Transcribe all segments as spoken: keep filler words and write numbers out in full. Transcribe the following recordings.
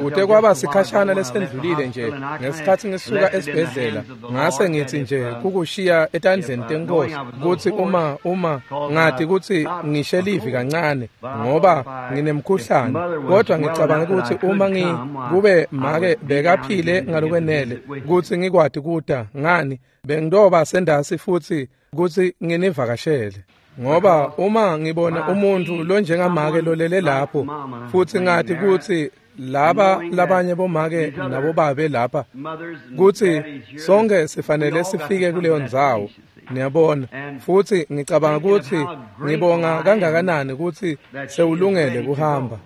Kute kwaba sikhashana lesendlulile nje ngesikhathi ngisuka esibhedlela ngase ngithi nje kukushiya etandleni tenkosi kutsi uma uma ngathi kutsi ngishe livi kancane ngoba nginemkhuhlane kodwa ngicabanga ukuthi uma ngi kube make bekaphile ngalokwenele kutsi ngikwati kuta ngani bengidoba sendasi futhi kutsi nginivakashele ngoba uma ngibona umuntu lonjengamake lolele lapho futhi ngathi kutsi laba labanye bomake nabobabe lapha kutsi sonke sifanele sifike kuleyo ndzawo niyabona futhi ngicabanga kutsi ngibonga kangakanani kutsi sewulungele kuhamba.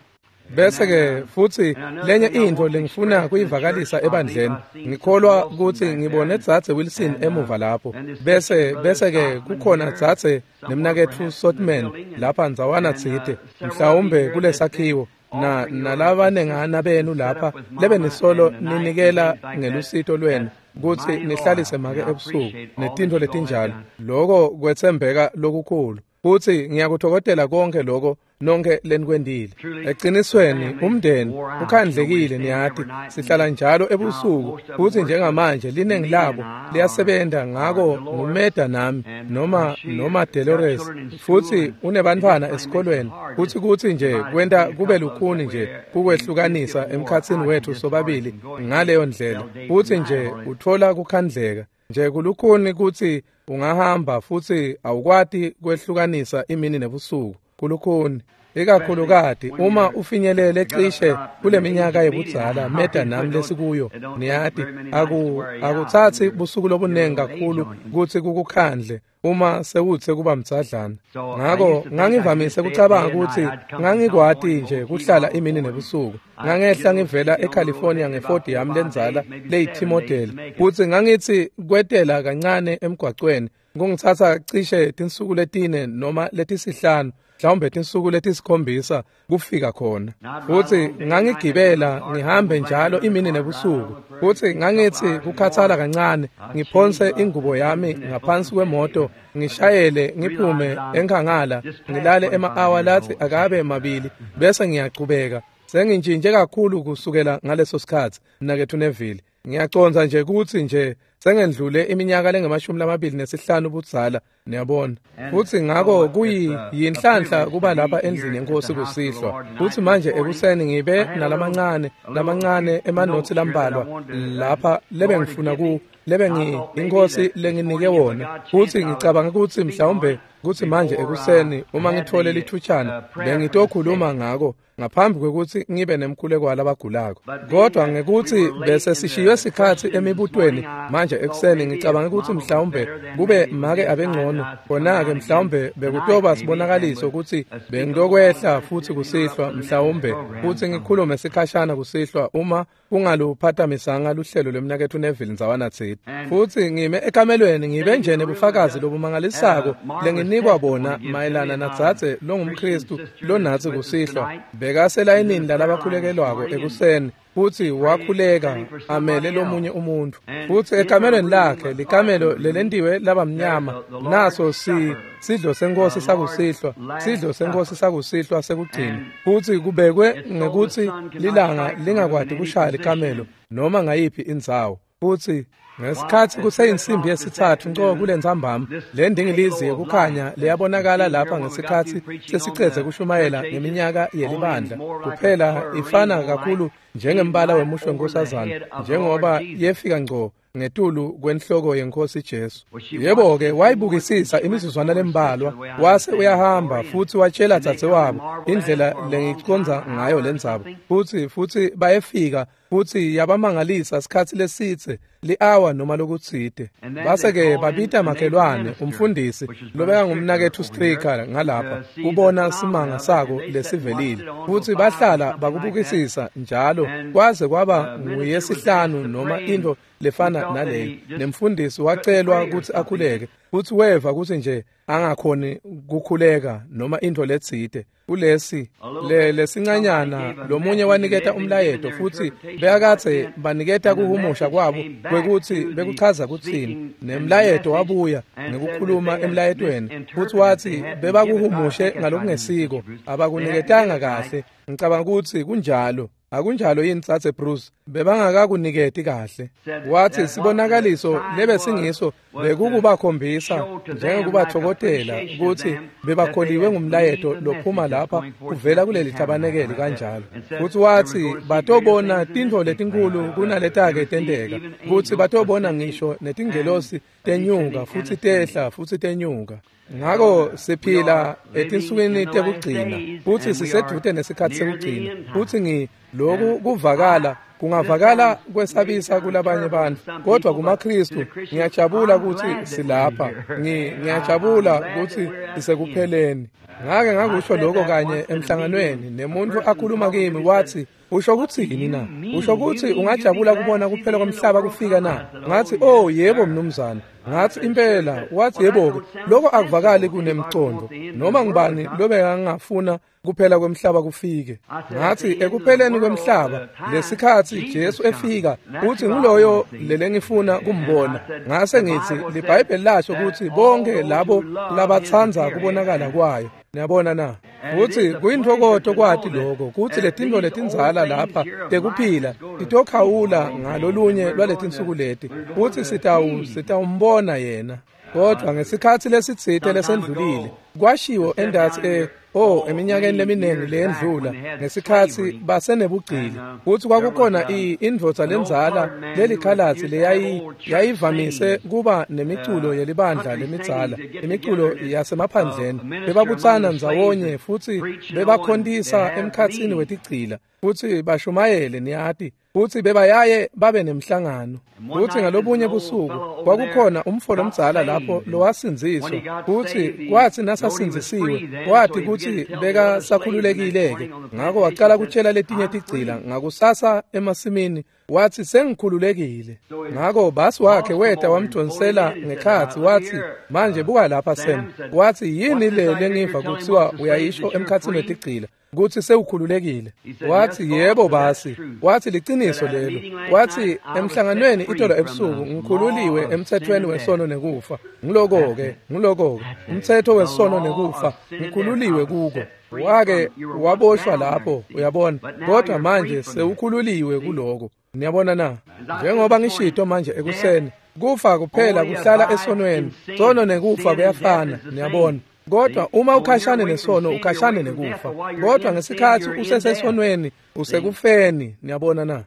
Bese ke futhi lenye intfo lengifuna kuyivakalisa ebandleni ngikholwa kutsi ngibone Dzadze Wilson emuva lapho bese bese ke kukhona Dzadze nemnaketfu Sotman lapha ndzawana tsite mhlawumbe kulesakhiwo na nalabanengana benu lapha lebe nisolo ninikela ngelusito lwenu kutsi nihlalise make ebusuku netintfo letinjalo loko kwetsembeka lokukhulu futhi ngiyakuthokozela konke lokho nonke lenikwendile. Eqinisweni umndeni ukhandlekile niyati sihlala njalo ebusuku futhi njengamanje liningi labo liyasebenta ngako ngumeda nami noma noma Dolores futhi unebantfwana esikolweni futhi kuthi nje kwenta kube lukhuni nje kukwehlukanisa emkhatsini wethu sobabili ngaleyo ndlela futhi nje uthola kukhandleka nje kulukhuni kutsi ungahamba futhi awukwati kwehlukanisa imini nebusuku kulukhuni ikakhulukati uma ufinyelele cishe kuleminyaka yebudzala meda nami lesikuyo niyati aku akuthatsi busuku lobunengi kakhulu kutsi kukukhandle uma sewutse kuba mdzadlana. Ngako ngangivamise kucabanga kutsi ngangikwati nje kuhlala imini nebusuku. Ngangehla ngivela eCalifornia ngeFord yami lendzala leyi-T-model kutsi ngangitsi kwetela kancane emgwacweni kungitsatsa cishe tinsuku letine noma letisihlanu mhlawumbe tinsuku letisikhombisa kufika khona futhi ngangigibela ngihambe njalo imini nebusuku futhi ngangithi kukhathala kancane ngiphonse ingubo yami ngaphansi kwemoto ngishayele ngiphume enkhangala ngilale ema-awa lathi akabe mabili bese ngiyaqhubeka. Sengintshintshe kakhulu kusukela ngaleso sikhathi mnaketfu Neville. Ngiyacondza nje kutsi nje sengendlule iminyaka lengemashumi lamabili nesihlanu budzala niyabona futhi ngako kuyi yinhlanhla kuba lapha endlini yenkosi kusihlwa futhi manje ekuseni ngibe nalamancane lamancane emanothi lambalwa lapha lebe ngifuna ku lebe ngi inkosi lenginike wona futhi ngicabanga ukuthi mhlawumbe kuthi manje ekuseni uma ngithole lithutshana bengitokhuluma ngako ngaphambi kwekuthi ngibe nemkhuleko walabagulako kodwa ngekuthi bese sishiywe sikhathi emibutweni manje ekuseni ngicabanga ukuthi mhlawumbe kube make abengcono khona-ke mhlawumbe bekutoba sibonakaliso ukuthi bengiyokwehla futhi kusihlwa mhlawumbe futhi ngikhulume sikhashana kusihlwa uma kungaluphathamisanga luhlelo lwemnaketfu Neville ndzawana tsite futhi ngime ekamelweni ngibe nje nebufakazi lobumangalisako lenginikwa bona mayelana nadzadze longumKhristu lonatsi kusihlwa bekaselayinini lalabakhulekelwako ekuseni futhi wakhuleka amele lomunye umuntu futhi ekamelweni lakhe likamelo lelentiwe labamnyama naso si sidlo senkosi sakusihlwa sidlo senkosi sakusihlwa sekugcina futhi kubekwe ngekuthi lilanga lingakwati kushaya likamelo noma ngayiphi indzawo futhi ngesikhathi kuseyinsimbi yesithathu nco kulentsambama le ndingilizi yekukhanya leyabonakala lapha ngesikhathi sesicedze kushumayela ngeminyaka yelibandla kuphela ifana kakhulu njengembala wemusho wenkosazana njengoba yefika ngco ngetulu kwenhloko yenkosi Jesu. Yebo-ke wayibukisisa imizuzwana lembalwa wase uyahamba futhi watshela dzadzewabo indlela lengiconza ngayo lendzaba futhi futhi bayefika futhi yabamangalisa sikhathi lesitse li-awa noma lokutsite base-ke babita makhelwane umfundisi lobeka ngumnaketfu Stricker ngalapha kubona simanga sako lesivelile futhi bahlala bakubukisisa njalo kwaze kwaba nguyesihlanu noma intfo lefana naleyo nemfundisi wacelwa kutsi akhuleke futhi weva kutsi nje angakhoni kukhuleka noma intfo letsite kulesi le lesincanyana lomunye waniketa umlayeto futhi bekakatse baniketa kuhumusha kwabo kwekuthi bekuchaza kutsini nemlayeto wabuya ngekukhuluma emlayetweni futhi wathi bebakuhumushe ngalokungesiko abakuniketanga kahle ngicabanga ukuthi kunjalo Akunjalo yini Tsatse Bruce? Bebangakakuniketi kahle. Wathi sibonakaliso lebe singiso bekukubakhombisa njengokubathokotela ukuthi bebakholiwe ngumlayeto lophuma lapha kuvela kuleli tabanekeli kanjalo. Futhi wathi batobona tintfo letinkulu kunaletake tenteka, kutsi batobona ngisho netingelosi tenyuka futsi tehla futsi tenyuka. Ngako siphila etinsukwini tekugcina futsi sisedvute nesikhatsi sekugcina, futsi ngi loku kuvakala kungavakala kwesabisa kulabanye bantfu, kodwa kumaKristu ngiyajabula kutsi silapha. Ngi ngiyajabula kutsi sisekupheleni. Ngake ngakusho lokho kanye emhlanganweni nemuntu akhuluma kimi wathi, usho kutsini na? Usho kutsi ungajabula kubona kuphela komhlaba kufika na? Ngathi, oh yebo mnumzane. Ngathi impela. Wathi yebo-ke, lokho akuvakali kunemcondo. Noma ngubani lobekangafuna kuphela kwemhlaba kufike. Ngathi ekupheleni kwemhlaba lesikhatsi Jesu efika, uthi nguloyo lelengifuna kumbona. Ngase ngithi liBhayibheli lasho ukuthi bonke labo labatsandza kubonakala kwayo. Niyabona na? Futhi kuyintokoto kwati lokho kutsi letintfo letindzala lapha tekuphila titokhawula ngalolunye lwaletinsuku leti, futsi sitawu sitawumbona yena. Kodwa ngesikhatsi lesitsite lesendlulile kwashiwo endatsi e oh eminyakeni leminingi leyendlula ngesikhatsi basenebugcili, kutsi kwakukhona indvodza lendzala lelikhalatsi leyayi yayivamise kuba nemiculo yelibandla lemidzala, imiculo yasemaphandleni. Bebabutsana ndzawonye futsi bebakhontisa emkhatsini wetigcila futsi bashumayele, niyati, futsi bebayaye babe nemhlangano. Futsi ngalobunye busuku kwakukhona umfo lomdzala lapho lowasindziswa, futsi kwatsi nasasindzisiwe wati kutsi bekasakhululekile-ke. Ngako wacala kutshela letinye tigcila ngakusasa emasimini, wathi sengikhululekile. Ngako basi wakhe weta wamdonsela ngekhatsi wathi, manje buka lapha Sam. Wathi yini le lengiva kutsiwa uyayisho emkhatsini wetigcila kutsi sewukhululekile? Wathi yebo basi. Wathi liciniso lelo. Wathi emhlanganweni itolo ebusuku ngikhululiwe emthethweni wesono nekufa. Ngiloko-ke, ngiloko-ke, umthetho wesono nekufa ngikhululiwe kuko. Wake waboshwa lapho, uyabona, kodwa manje sewukhululiwe kuloko. Niyabona na? Njengoba ngishito manje ekuseni, kufa kuphela kuhlala esonweni. Sono nekufa kuyafana, niyabona. Kodwa uma ukhashane nesono ukhashane nekufa. Kodwa ngesikhatsi usesesonweni usekufeni, niyabona na?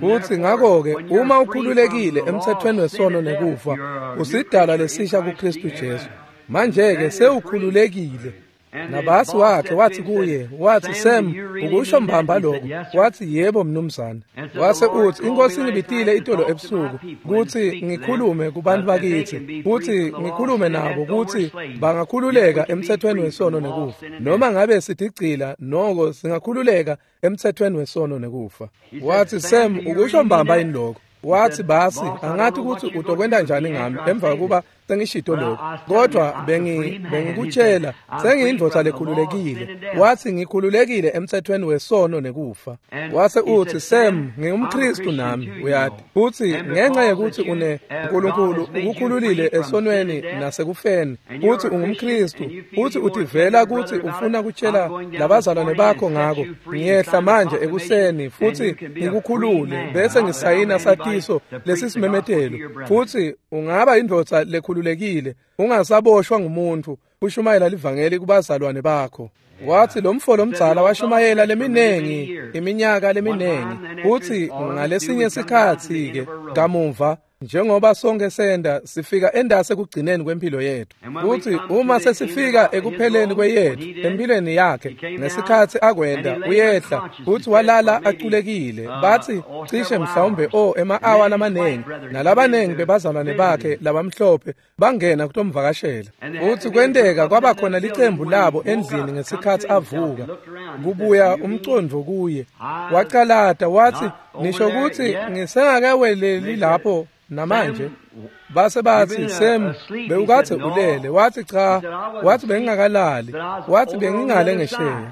Futhi ngakho-ke uma ukhululekile emthethweni wesono nekufa, usidalwa lesisha kuKristu Jesu. Manje-ke sewukhululekile. Nabasi wakhe wathi kuye, wathi Sam, ukusho mbamba lokho? Wathi yebo mnumzane. Wase uthi inkosi ingibitile itolo ebusuku kutsi ngikhulume kubantu bakithi, kutsi ngikhulume nabo kutsi bangakhululeka emthethweni wesono nekufa. Noma ngabe sitigcila noko singakhululeka emthethweni wesono nekufa. Wathi Sam, ukusho mbamba yini lokho? Wathi basi angathi ukuthi utokwenta njani ngami emva kokuba sengishito lokho, kodwa bengi bengikutshela sengiyindvodza lekhululekile. Wathi ngikhululekile emthethweni wesono nekufa. Wase uthi Sam, ngingumKristu nami, uyati, futhi ngenxa yokuthi une uNkulunkulu ukukhululile esonweni nasekufeni, futhi ungumKristu, futhi utivela kuthi ufuna kutshela labazalwane bakho ngako, ngiyehla manje ekuseni futhi ngikukhulule bese ngisayina satiso lesisimemetelo, futhi ungaba indvodza lekhululekile ungasaboshwa ngumuntu ushumayela livangeli kubazalwane bakho. Wathi lo mfo lomdzala washumayela leminengi iminyaka leminengi, futhi ngalesinye sikhatsi-ke kamuva njengoba sonke senda sifika endase ekugcineni kwempilo yethu, futhi uma sesifika ekupheleni kweyethu empilweni yakhe ngesikhatsi akwenda uyehla futhi walala aculekile, bathi cishe mhlawumbe o ema-awa lamanengi, nalabanengi bebazalwane bakhe labamhlophe bangena kutomvakashela. Futhi kwenteka kwaba khona licembu labo endlini ngesikhatsi avuka kubuya umcondvo kuye, wacalata wathi nisho kutsi ngisengakaweleli lapho namanje? Base bathi Sam, bewukatse ulele? Wathi cha. Wathi bengingakalali. Wathi bengingale ngesheya.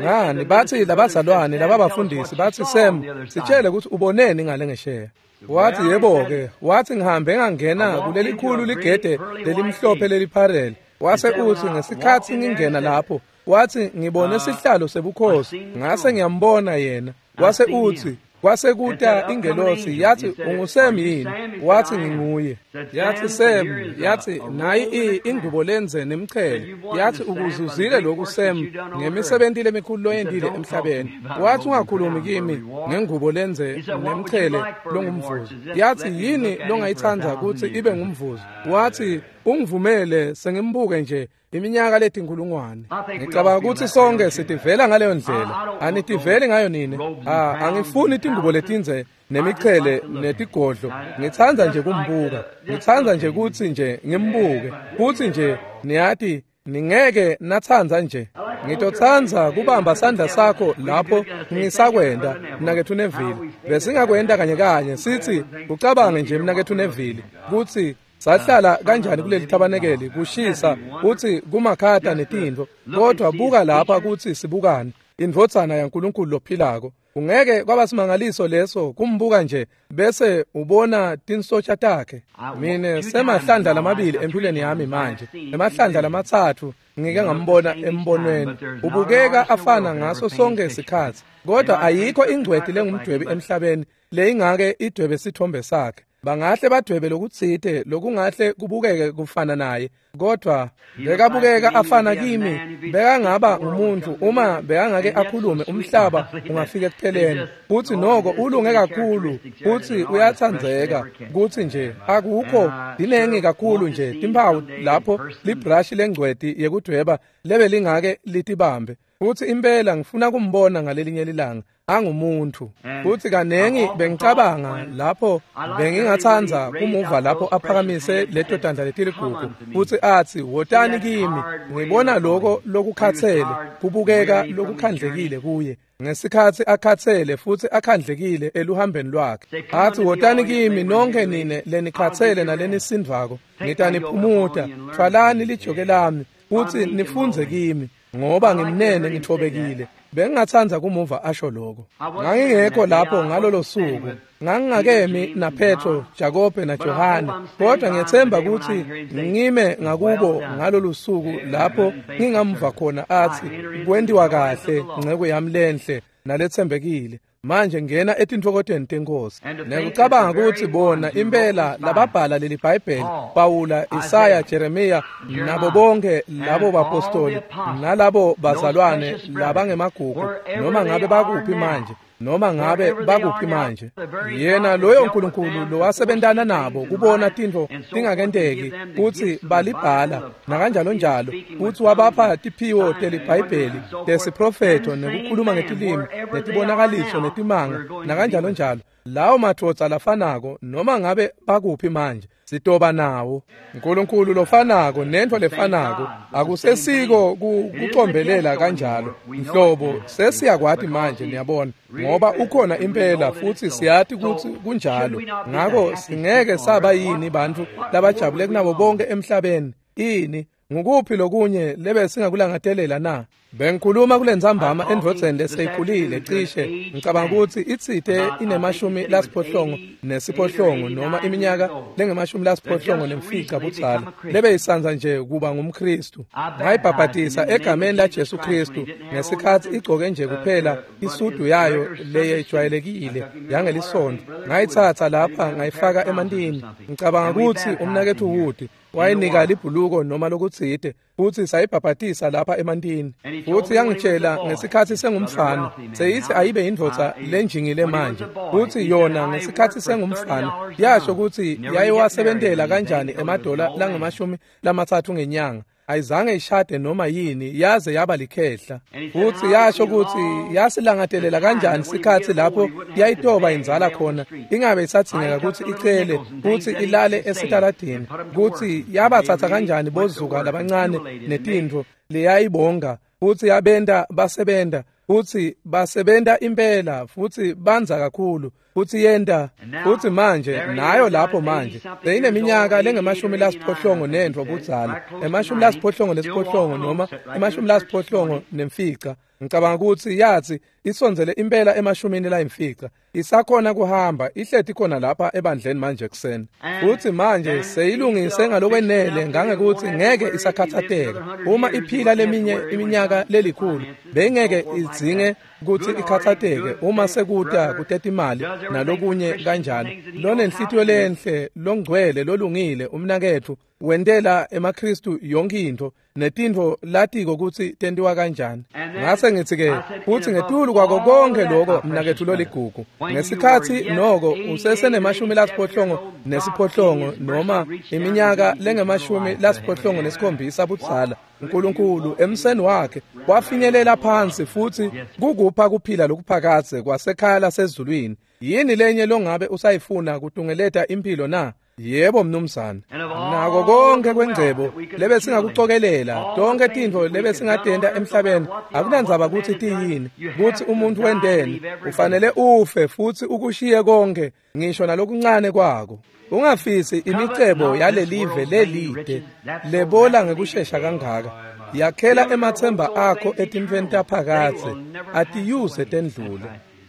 Ngani bathi labazalwane lababafundisi bathi Sam, sitshele ukuthi uboneni ngale ngesheya. Wathi yebo-ke. Wathi ngihambe ngangena kulelikhulu ligede lelimhlophe lelipharele. Wase uthi ngesikhatsi ngingena lapho, wathi ngibone sihlalo sebukhosi, ngase ngiyambona yena. Wase utsi kwase kuta ingelosi yathi unguSem yini? Wathi nginguye. Yathi Sem, yathi nayi ingubo lenze nemchele. Yathi ukuzuzile lokhu Sem ngemisebenzi lemikhulu loyentile emhlabeni. Wathi ungakhulumi kimi ngengubo lenze nemchele longumvuzo. Yathi yini longayithanda ukuthi ibe ngumvuzo? Wathi ungivumele sengimbuke nje iminyaka letinkulungwane. Ngicabanga ukuthi sonke sitivela ngaleyo ndlela. Anitiveli ngayo nini? Ah, angifuni tingubo letinze nemichele netigodlo. Ngithanda nje kumbuka. Ngithanda nje ukuthi nje ngimbuke. Futhi nje niyati ningeke nathanda nje. Ngitotsandza kubamba sandla sakho lapho ngisakwenda mnaketfu Neville. Besingakwenda kanye kanye sithi ucabange nje mnaketfu Neville kutsi sahlala kanjani kuleli thabanekeli kushisa uthi kumakhata netintfo, kodwa buka lapha kutsi sibukani indvodzana yaNkulunkulu lophilako. Ungeke kwaba simangaliso leso kumbuka nje bese ubona tinsotsha takhe. Mine semahlandla lamabili empilweni yami manje, emahlandla lamatsatfu ngike ngambona embonweni. Ubukeka afana ngaso sonke isikhatsi, kodwa ayikho ingcweti lengumdwebi emhlabeni leyingake idwebe sithombe sakhe. Bangahle badwebe lokutsite lokungahle kubukeke kufana naye, kodwa bekabukeka afana kimi. Bekangaba ngumuntu uma bekangake akhulume umhlaba ungafika ekupheleni. Futhi noko ulunge kakhulu futhi uyatsandzeka kutsi nje akukho dinengi kakhulu nje timphawu lapho librush lengcweti yekudweba lebe lingake litibambe. Futhi impela ngifuna kumbona ngalelinye lilanga angumuntu. Futhi kanengi bengicabanga lapho bengingatsandza kumuva lapho aphakamise leto tandla letiligugu futhi athi wotani kimi. Ngibona lokho lokukhathele kubukeka lokukhandlekile kuye ngesikhatsi akhathele futhi akhandlekile eluhambeni lwakhe. Athi wotani kimi nonke nine lenikhathele nalenisindvako, ngitaniphumuta. Thwalani lijoke lami futhi nifunze kimi, ngoba ngimnene ngithobekile. Bengingatsandza kumuva asho lokho. Ngangingekho lapho ngalolo suku. Ngangingakemi naPetro, Jakobe naJohane, kodwa ngiyethemba ukuthi ngime ngakubo ngalolu suku lapho ngingamva khona athi kwentiwa kahle nceku yami lenhle naletsembekile. Manje ngena etintfokotweni tenkosi. Nekucabanga ukuthi bona impela lababhala leli Bhayibheli, Pawula, Isaya, Jeremiya nabo bonke labo bapostoli nalabo bazalwane labangemagugu, noma ngabe bakuphi manje, noma ngabe bakuphi manje, yena loyo Nkulunkulu lowasebentana nabo kubona tintfo tingakenteki kutsi balibhala nakanjalo njalo, kutsi wabapha tiphiwo teliBhayibheli tesiprofetho nekukhuluma ngetilimi netibonakaliso netimanga nakanjalo njalo. Lawo madvodza lafanako noma ngabe bakuphi manje sitoba nawo. Nkulunkulu lofanako nentfo lefanako. Akusesiko kucombelela kanjalo nhlobo, sesiyakwati manje niyabona, ngoba ukhona impela futhi siyati kutsi kunjalo. Ngako singeke saba yini bantfu labajabule kunabo bonke emhlabeni? Ini ngukuphi lokunye lebe singakulangatelela na? Bengikhuluma kulentsambama endvodzeni leseyikhulile cishe ngicabanga ukuthi itsite inemashumi lasiphohlongo nesiphohlongo noma iminyaka lengemashumi lasiphohlongo nemfica budzala, lebe isandza nje kuba ngumKhristu. Ngayibhabhatisa egameni laJesu Khristu ngesikhatsi igcoke nje kuphela isudu yayo leyejwayelekile yangelisonto. Ngayitsatsa lapha ngayifaka emantini. Ngicabanga ukuthi umnaketfu Wood wayinika libhuluko noma lokutsite futhi sayibhabhatisa lapha emantini. Futhi yangitshela ngesikhatsi sengumfana, seyithi ayibe indvodza lenjingile manje. Futhi yona ngesikhatsi sengumfana yasho ukuthi yayiwasebentela kanjani emadola langamashumi lamatsatfu ngenyanga. Ayizange ishade noma yini yaze yaba likhehla. Futhi yasho ukuthi yasilangatelela kanjani sikhatsi lapho yayitoba inzala khona ingabe isatsingeka ukuthi icele futhi ilale esitaladini, ukuthi yabathatha kanjani bozuka labancane netintfo leyayibonga futhi yabenta basebenta futhi basebenta impela futhi banza kakhulu futhi yenta. Futhi manje nayo lapho manje seyineminyaka lengemashumi lasiphohlongo nentfo budzala, emashumi lasiphohlongo lesiphohlongo noma emashumi lasiphohlongo nemfica, Ngicabanga ukuthi yathi isondzele impela emashumini layimfica. Isakhona kuhamba ihleti khona lapha ebandleni manje kuseni. Futhi manje seyilungise ngalokwenele ngangekuthi ngeke isakhathateka. Uma iphila leminye iminyaka lelikhulu bengeke idzinge ukuthi ikhathateke uma sekuta kutetimali nalokunye kanjalo. Lonenhlitiyo lenhle longcwele lolungile umnaketfu wentela emaKristu yonke into netintfo latiko ukuthi tentiwa kanjani. Ngase ngithi ke futhi ngetulu kwako konke lokho mnaketfu loligugu ngesikhathi noko usesenemashumi lasiphohlongo nesiphohlongo noma iminyaka lengemashumi lasiphohlongo nesikhombisa budzala, uNkulunkulu emseni wakhe wafinyelela phansi futhi kukupha kuphila lokuphakadze kwasekhaya lasezulwini. Yini lenye longabe usayifuna kutungeleta impilo na? Yebo mnumzane. Nako konke kwengcebo lebe singakucokelela, tonke tintfo lebe singatenta emhlabeni, akunandzaba kutsi tiyini, kutsi umuntu wenteni, ufanele ufe futhi ukushiye konke ngisho nalokuncane kwako. Ungafisi imicebo yalelive lelide lebola ngekushesha kangaka. Yakhela emathemba akho etintfweni taphakadze, atiyuze tendlule.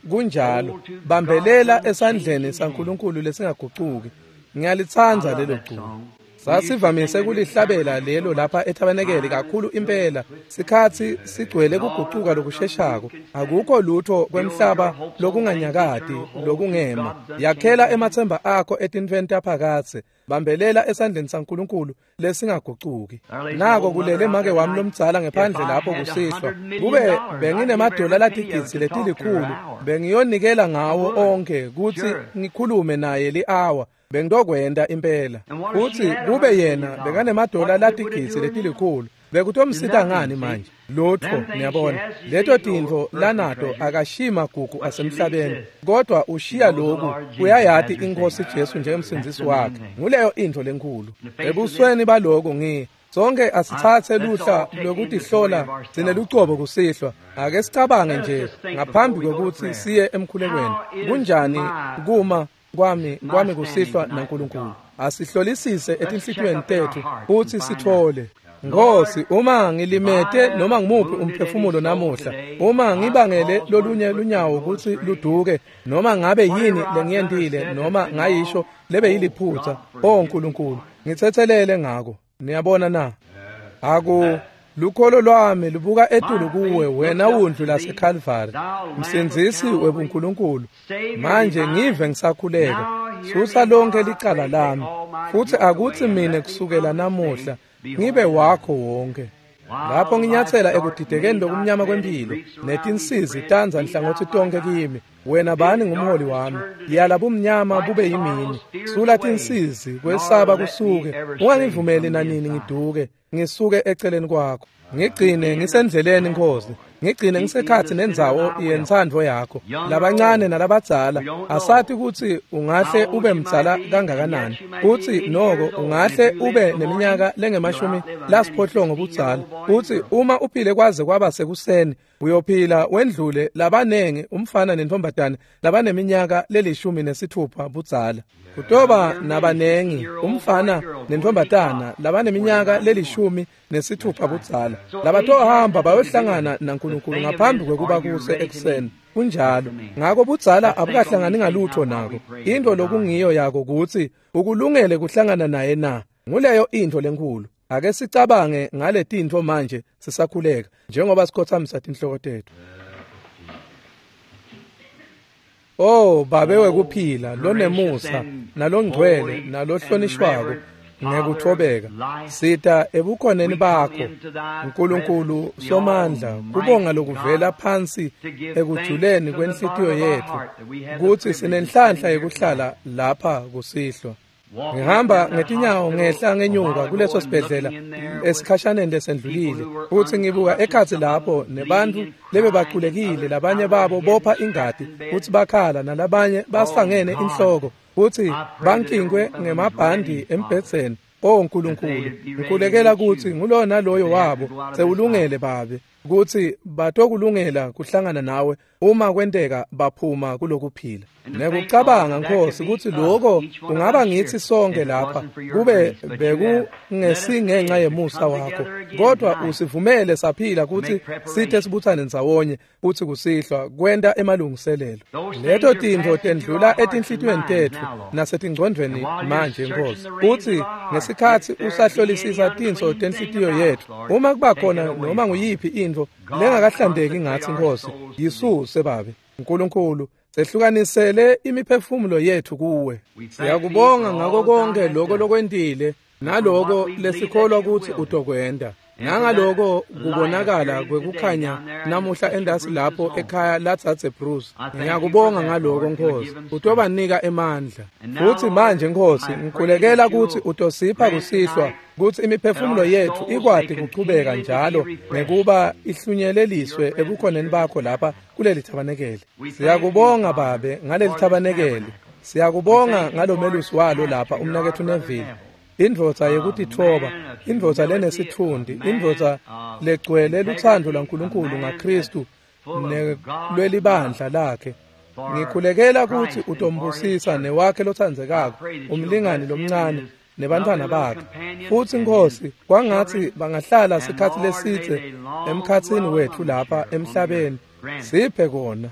Kunjalo, bambelela esandleni saNkulunkulu lesingagucuki. Ngiyalitsandza lelo culo. Sasivamise kulihlabela lelo lapha ethabanekele kakhulu impela. Sikhatsi sigcwele kugucuka lokusheshako. Akukho lutho kwemhlaba lokunganyakati lokungema. Yakhela emathemba akho etintfweni taphakadze. Bambelela esandleni saNkulunkulu lesingagucuki. Nako kulele make wami lomdzala ngephandle lapho kusihlwa. Kube benginemadola latigidzi letilikhulu, bengiyonikela ngawo onke kutsi ngikhulume naye li-awa. Bengiyokwenta impela. Futhi kube yena bekanemadola latigidzi letilikhulu, bekutomsita ngani manje? Lutho, niyabona. Leto tintfo lanato akashiyi magugu asemhlabeni, kodwa ushiya lokhu uyayati iNkosi Jesu njengemsindzisi wakhe. Nguleyo intfo lenkhulu. Ebusweni baloko ngi sonke asithathe luhla lokutihlola sinelucobo kusihlwa. Ake sicabange nje ngaphambi kwekutsi siye emkhulekweni. Kunjani kuma kwami kwami kusihlwa naNkulunkulu? Asihlolisise etinhlitiyweni tethu futhi sithole. Nkosi, uma ngilimete noma ngimuphi umphefumulo namuhla, uma ngibangele lolunye lunyawo kutsi luduke, noma ngabe yini lengiyentile noma ngayisho lebe yiliphutha, o Nkulunkulu, ngithethelele ngako. Niyabona na? Aku lukholo lwami lubuka etulu kuwe wena wundlu laseKalvari, msindzisi webuNkulunkulu. Manje ngive ngisakhuleka, susa lonke licala lami, futhi akutsi mine kusukela namuhla ngibe wakho wonke. Lapho nginyathela ekudidekeni lokumnyama kwempilo netinsizi tanza nhlangothi tonke kimi, wena bani ngumholi wami. Yala bumnyama bube yimini, sula tinsizi kwesaba kusuke, ungangivumeli nanini ngiduke ngisuke eceleni kwakho. Ngigcine ngisendleleni Nkosi, ngigcine ngisekhathi nendzawo yentsandvo yakho. Labancane nalabadzala asathi kutsi ungahle ube mdzala kangakanani, kutsi noko ungahle ube neminyaka lengemashumi lasiphohlongo budzala, kutsi uma uphile kwaze kwaba sekuseni uyophila wendlule labanengi umfana nentombatane labaneminyaka lelishumi nesithupha budzala. Kutoba nabanengi umfana nentombatana labaneminyaka lelishumi nesithupha budzala labatohamba bayohlangana naNkulunkulu ngaphambi kwekuba kuse ekuseni. Kunjalo. Ngako budzala abukahlangani ngalutho nako. Into lokungiyo yako kutsi ukulungele kuhlangana naye na. Nguleyo intfo lenkhulu. Ake sicabange ngale tintfo manje sisakhuleka njengoba sikhothamisa tinhloko tetfu. Oh Babe wekuphila lonemusa nalongcwele nalohlonishwako ngekuthobeka, sita ebukhoneni bakho Nkulunkulu Somandla, kubonga lokuvela phansi ekujuleni kwenhlitiyo yetfu kutsi sinenhlanhla yekuhlala lapha kusihlwa. Ngihamba ngetinyawo ngehla ngenyuka kuleso sibhedlela esikhashaneni lesendlulile, futhi ngibuka ekhatsi lapho nebantfu lebebaculekile, labanye babo bopha ingati futhi bakhala, nalabanye basangene inhloko futhi bankinkwe ngemabhandi embhedzeni. O Nkulunkulu, ngikhulekela kutsi ngulowo naloyo wabo sewulungele Babe, kutsi batokulungela kuhlangana nawe uma kwenteka baphuma kulokuphila. Nekucabanga Nkosi kutsi lokho kungaba ngithi sonke lapha kube bekungesingenxa yemusa wakho, kodwa usivumele saphila kutsi sithe sibuthane ndzawonye kutsi kusihlwa kwenta emalungiselelo. Leto tintfo tendlula etinhlitiyweni tetfu nasetingcondvweni manje Nkosi, kutsi ngesikhatsi usahlolisisa tinso tenhlitiyo yetfu, uma kuba khona noma nguyiphi intfo lengakahlandeki ngatsi Nkosi, yisuse Babe Nkulunkulu, sehlukanisele imiphefumulo yetfu kuwe. Siyakubonga ngako konke lokho lokwentile naloko lesikholwa kutsi utokwenta, nangaloko kubonakala kwekukhanya namuhla endasi lapho ekhaya latsatse Bruce. Ngiyakubonga ngaloko Nkosi, utobanika emandla. Futsi manje Nkosi, ngikhulekela kutsi utosipha kusihlwa kutsi imiphefumulo yetfu ikwati kuchubeka njalo ngekuba ihlunyeleliswe ebukhoneni bakho lapha kuleli thabanekeli. Siyakubonga Babe ngaleli thabanekeli. Siyakubonga ngalomelusi walo lapha umnaketfu Neville, indvodza yekutitfoba, indvodza lenesitfundi, indvodza legcwele lutsandvo lwaNkulunkulu ngaKristu nelwelibandla lakhe. Ngikhulekela kutsi utombusisa newakhe lotsandzekako, umlingani lomncane nebantfwana bakhe. Futsi Nkosi, kwangatsi bangahlala sikhatsi lesidze emkhatsini wetfu lapha emhlabeni. Siphe kona.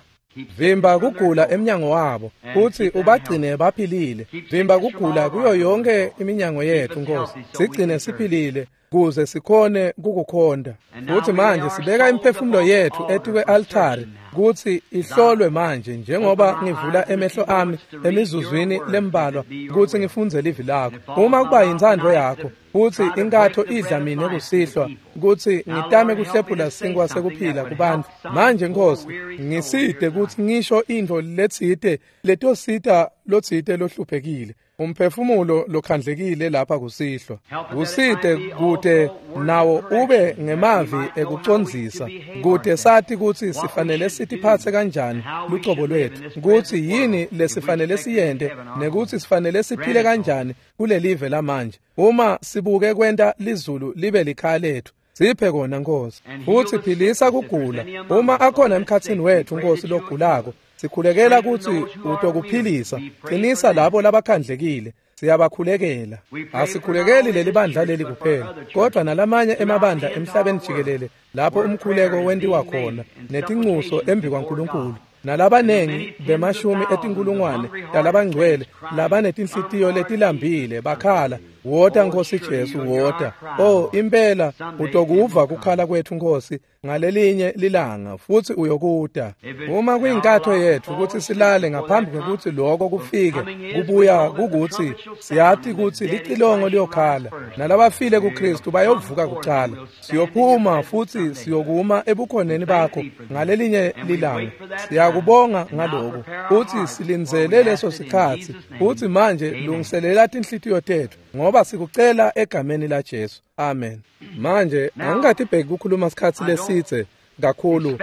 Vimba kugula emnyango wabo, kutsi ubagcine baphilile. Vimba kugula kuyo yonke iminyango yetfu Nkosi, sigcine siphilile kuze sikhone kukukhonda. Futsi manje sibeka imiphefumulo yetfu etikwe-altari kutsi ihlolwe manje, njengoba ngivula emehlo ami emizuzwini lembalwa kutsi ngifundze livi lakho. Uma kuba yintsandvo yakho kutsi inkatho idla mine kusihlwa, kutsi ngitame kuhlephula sinkwa sekuphila kubantfu. Manje Nkosi, ngisite kutsi ngisho intfo letsite letosita lotsite lohluphekile, umphefumulo lokhandlekile lapha kusihlwa. Kusite kute nawo ube ngemavi ekucondzisa, kute sati kutsi sifanele sitiphatse kanjani lucobo lwetfu, kutsi yini lesifanele siyente nekutsi sifanele siphile kanjani kulelive lamanje, uma sibuke kwenta lizulu libe likhaya letfu. Siphe kona Nkosi. Futsi philisa kugula. Uma akhona emkhatsini wetfu Nkosi logulako, sikhulekela kutsi utokuphilisa. Qinisa labo labakhandlekile, siyabakhulekela. Asikhulekeli leli bandla leli kuphela, kodwa nalamanye emabandla emhlabeni jikelele lapho umkhuleko wentiwa khona netincuso embi kwaNkulunkulu, nalabanengi bemashumi etinkulungwane talabangcwele labanetinhlitiyo letilambile bakhala, wota Nkosi Jesu, wota. Oh, impela utokuva kukhala kwetfu Nkosi ngalelinye lilanga, futsi uyokuta. Uma kuyinkatho yetfu kutsi silale ngaphambi kwekutsi lokho kufike, kubuya kukutsi siyati kutsi licilongo liyokhala, nalabafile kuKristu bayovuka kucala. Siyophuma futsi siyokuma ebukhoneni bakho ngalelinye lilanga. Siyakubonga ngaloko, futsi silindzele leso sikhatsi. Futsi manje lungiselela tinhlitiyo tetfu, ngoba sikucela egameni la Jesu. Amen. Manje angikatibheki kukhuluma sikhatsi lesidze kakhulu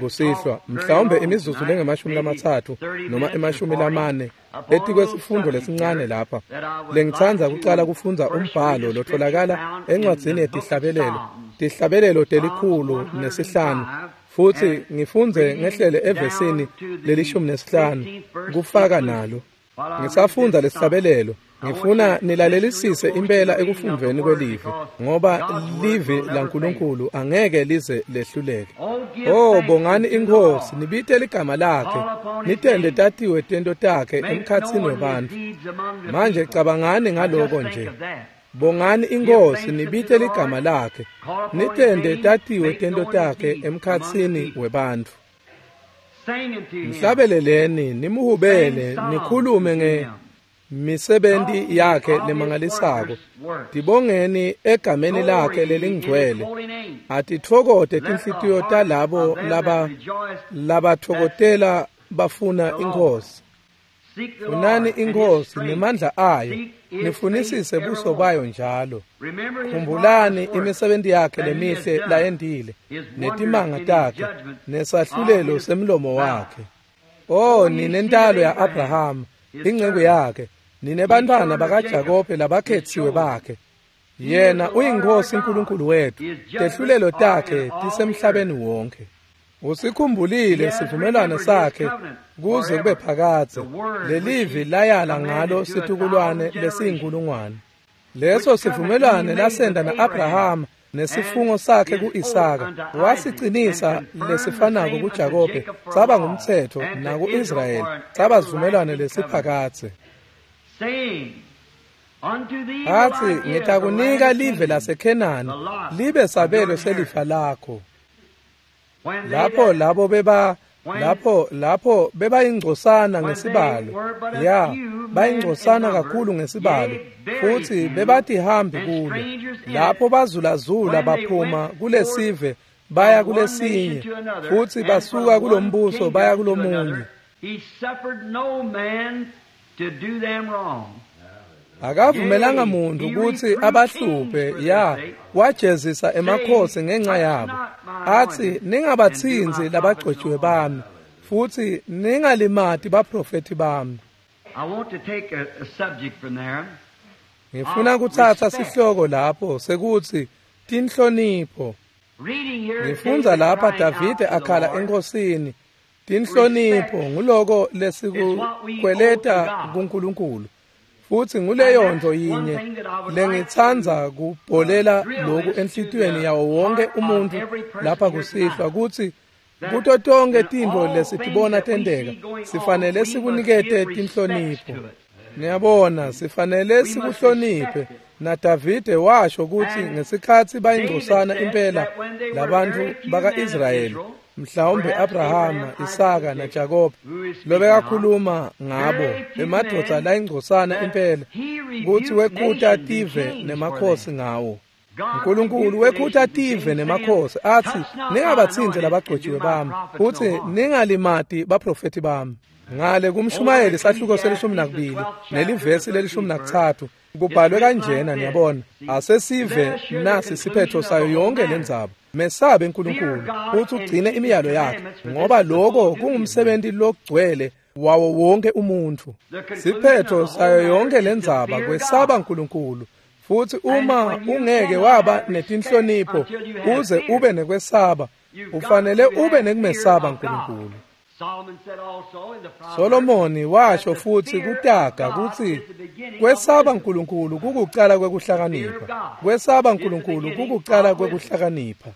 kusihlwa, mhlawumbe imizuzu lengemashumi lamatsatfu noma emashumi lamane etikwesifundo lesincane lapha lengitsandza kucala kufundza umbhalo lotholakala encwadzini yetihlabelelo, tihlabelelo telikhulu nesihlanu, futsi ngifundze ngehlele evesini lelishumi nesihlanu kufaka nalo. Ngisafundza lesihlabelelo, ngifuna nilalelisise impela ekufundvweni kwelivi, ngoba livi laNkulunkulu angeke lize lehluleke. Oh, bongani iNkhosi, nibite ligama lakhe, nitende tatiwe tento takhe emkhatsini webantfu. Manje cabangani ngaloko nje. Bongani iNkhosi, nibite ligama lakhe, nitende tatiwe tento takhe emkhatsini webantfu. Mhlabeleleni, nimuhubele, nikhulume nge misebenti yakhe lemangalisako. Tibongeni egameni lakhe lelingcwele. Atitfokote tinhlitiyo talabo laba labatfokotela bafuna iNkhosi. Funani iNkhosi nemandla ayo, nifunisise buso bayo njalo. Khumbulani imisebenti yakhe lemihle layentile, netimanga takhe, nesahlulelo semlomo wakhe. Oh, ninentalo ya-Abrahama, inceku yakhe, ninebantfwana bakaJakobe labakhetsiwe bakhe. Yena uyiNkhosi uNkulunkulu wetfu, tehlulelo takhe tisemhlabeni wonke. Usikhumbulile sivumelwano sakhe kuze kube phakadze, lelivi layala ngalo situkulwane lesiyinkulungwane. Leso sivumelwano lasenda na-Abrahama nesifungo sakhe ku-Isaka, wasicinisa lesifanako kuJakobe, saba ngumtsetfo, naku-Israyeli saba sivumelwano lesiphakadze. Atsi, ngitakunika live laseKhenani libe sabelo selifa lakho. Lapho labo beba lapho lapho bebayingcosana ngesibalo, ya bayingcosana kakhulu ngesibalo, futhi bebatihambi kulo. Lapho bazulazula baphuma kulesive baya kulesinye, futhi basuka kulombuso baya kulomunye. Akavumelanga muntu kutsi abahluphe, ya wajezisa emakhosi ngenxa yabo. Atsi, ningabatsinzi labagcotjiwe bami, futhi ningalimati baprofeti bami. Ngifuna kutsatsa sihloko lapho sekutsi tinhlonipho. Ngifundza lapha Davide akhala enkosini. Tinhlonipho nguloko lesikukweleta kuNkulunkulu. Futhi nguleyo nto yinye lengitsandza kubholela loku enhlitiyweni yawo wonke umuntu lapha kusihlwa, kutsi kuto tonke tintfo lesitibona tenteka sifanele sikunikete tinhlonipho. Niyabona, sifanele sikuhloniphe. NaDavide washo kutsi ngesikhatsi bayingcosana impela labantfu baka-Israyeli, mhlawumbe Abrahama, Isaka naJakobe lobekakhuluma ngabo, emadvodza layingcosana impela, kutsi wekhuta tive nemakhosi ngawo. Nkulunkulu wekhuta tive nemakhosi atsi, ningabatsinzi labagcotjiwe bami, futsi ningalimati baprofeti bami. Ngale kumshumayeli sahluko selishumi nakubili nelivesi lelishumi nakutsatfu kubhalwe kanjena, niyabona, asesive nasi siphetho sayo yonke lendzaba. Mesabe uNkulunkulu futhi ugcine imiyalo yakhe, ngoba lokho kungumsebenzi logcwele wawo wonke umuntu. Siphetho sayo yonke lendzaba kwesaba uNkulunkulu. Futhi uma ungeke waba netinhlonipho uze ube nekwesaba, ufanele ube nekumesaba uNkulunkulu. Solomoni washo futhi kutaga kutsi kwesaba uNkulunkulu kukucala kwekuhlakanipha. Kwesaba uNkulunkulu kukucala kwekuhlakanipha.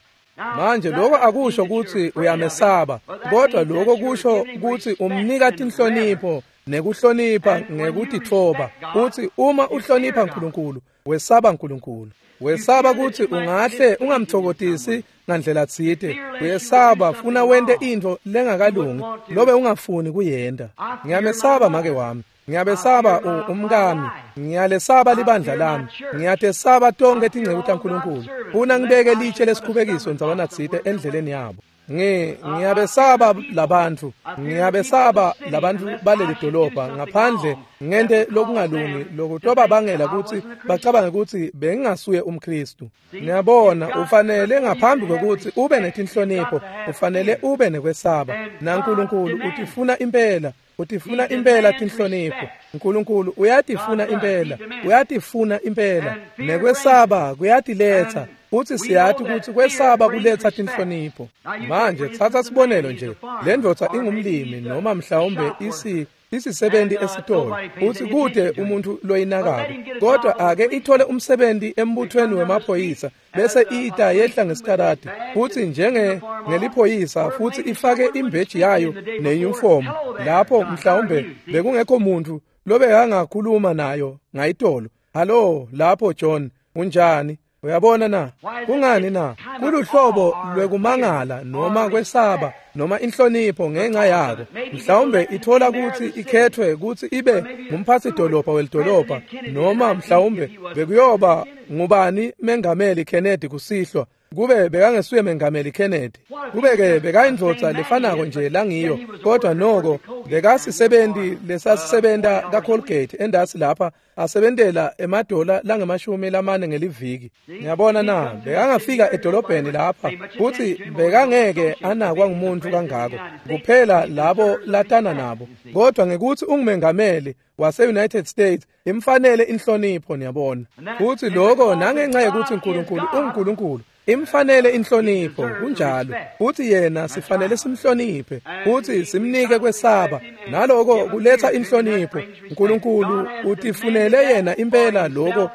Manje lokho akusho kutsi uyamesaba, kodwa lokho kusho kutsi umnika tinhlonipho nekuhlonipha ngekutitfoba. Uthi uma uhlonipha uNkulunkulu, wesaba uNkulunkulu. Wesaba kutsi ungahle ungamthokotisi ngandlela tsite. Uyesaba funa wente intfo lengakalungi lobe ungafuni kuyenta. Ngiyamesaba make wami, ngiyabesaba umkami, ngiyalesaba libandla lami, ngiyatesaba tonke tinceku taNkulunkulu. Funa ngibeke litshe lesikhubekiso ndzawana tsite endleleni yabo. Ngi ngiyabesaba labantfu, ngiyabesaba labantfu baleli dolobha ngaphandle ngente lokungalungi lokutobabangela kutsi bacabange kutsi bengingasuye umKristu. Niyabona, ufanele ngaphambi kwekutsi ube netinhlonipho, ufanele ube nekwesaba. NaNkulunkulu utifuna impela, utifuna impela tinhlonipho. uNkulunkulu uyatifuna impela, uyatifuna impela. Nekwesaba kuyatiletsa. Futhi siyati kutsi kwesaba kuletsa tinhlonipho. Manje tsatsa sibonelo nje, le ndvodza ingumlimi noma mhlawumbe isi isisebenzi esitolo, futhi kude umuntu loyinakako, kodwa ake ithole umsebenzi embuthweni wemaphoyisa, bese ita yehla ngesitaradi, futhi njenge ngeliphoyisa, futhi ifake imbeji yayo neuniform. Lapho mhlawumbe bekungekho muntu lobekangakhuluma nayo ngayitolo. Hallo lapho John, unjani? Uyabona na? Kungani na? Kuluhlobo lwekumangala noma kwesaba noma inhlonipho ngenxa yako. Mhlawumbe ithola kutsi ikhethwe kutsi ibe ngumphatsi dolobha welidolobha, noma mhlawumbe bekuyoba ngubani Mengameli Kennedy kusihlwa, kube bekangesuye Mengameli Kennedy, kube-ke bekayindvodza lefanako nje langiyo, kodwa noko bekasisebenzi lesasisebenta kaColgate endasi lapha asebentela emadola langemashumi lamane ngeliviki. Ngiyabona na, bekangafika edolobheni lapha futhi bekangeke anakwa ngumuntu kangako, kuphela labo latana nabo, kodwa ngekuthi ungumengameli wase-United States imfanele inhlonipho, niyabona. Futhi lokho nangenxa yokuthi uNkulunkulu unguNkulunkulu, Imfanele inhlonipho, kunjalo. Futhi yena sifanele simhloniphe, futhi simnike kwesaba. Naloko kuletha inhlonipho. Nkulunkulu utifunele yena impela lokho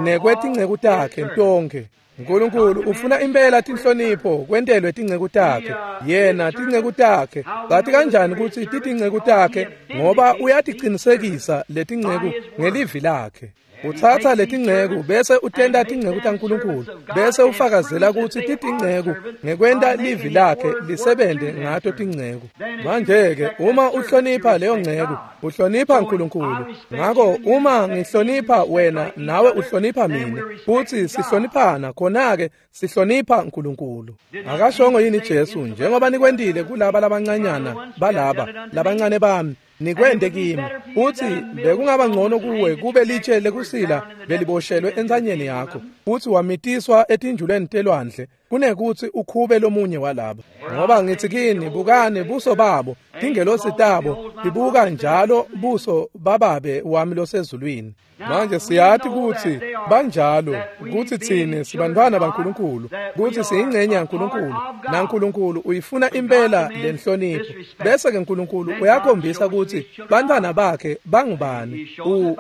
nekwetinceku takhe tonkhe. Nkulunkulu ufuna impela tinhlonipho kwentelwe tinceku takhe. Yena tinceku takhe. Bathi kanjani kutsi titinceku takhe? Ngoba uyaticinisekisa letinceku ngelivi lakhe. Utsatsa letinceku bese utenta tinceku taNkulunkulu, bese ufakazela kutsi titinceku ngekwenta livi lakhe lisebente ngato tinceku. Manje-ke uma uhlonipha leyo nceku, uhlonipha Nkulunkulu. Ngako uma ngihlonipha wena nawe uhlonipha mina, futsi sihloniphana, khona-ke sihlonipha Nkulunkulu. Akashongo yini Jesu, njengoba nikwentile kulaba labancanyana balaba labancane bami, nikwente kimi? Uthi bekungaba ngcono kuwe kube litshe lekusila beliboshelwe entsanyeni yakho, futhi wamitiswa etinjulweni telwandle, kunekuthi ukhube lomunye walaba. Ngoba ngithi kini, bukani buso babo, tingelosi tabo tibuka njalo buso bababe wami losezulwini. Manje siyati kutsi banjalo, kutsi tsine sibantfwana baNkulunkulu, kutsi siyingcenye yaNkulunkulu, naNkulunkulu uyifuna impela lenhlonipho. Bese ke Nkulunkulu uyakhombisa kutsi bantfwana bakhe bangubani.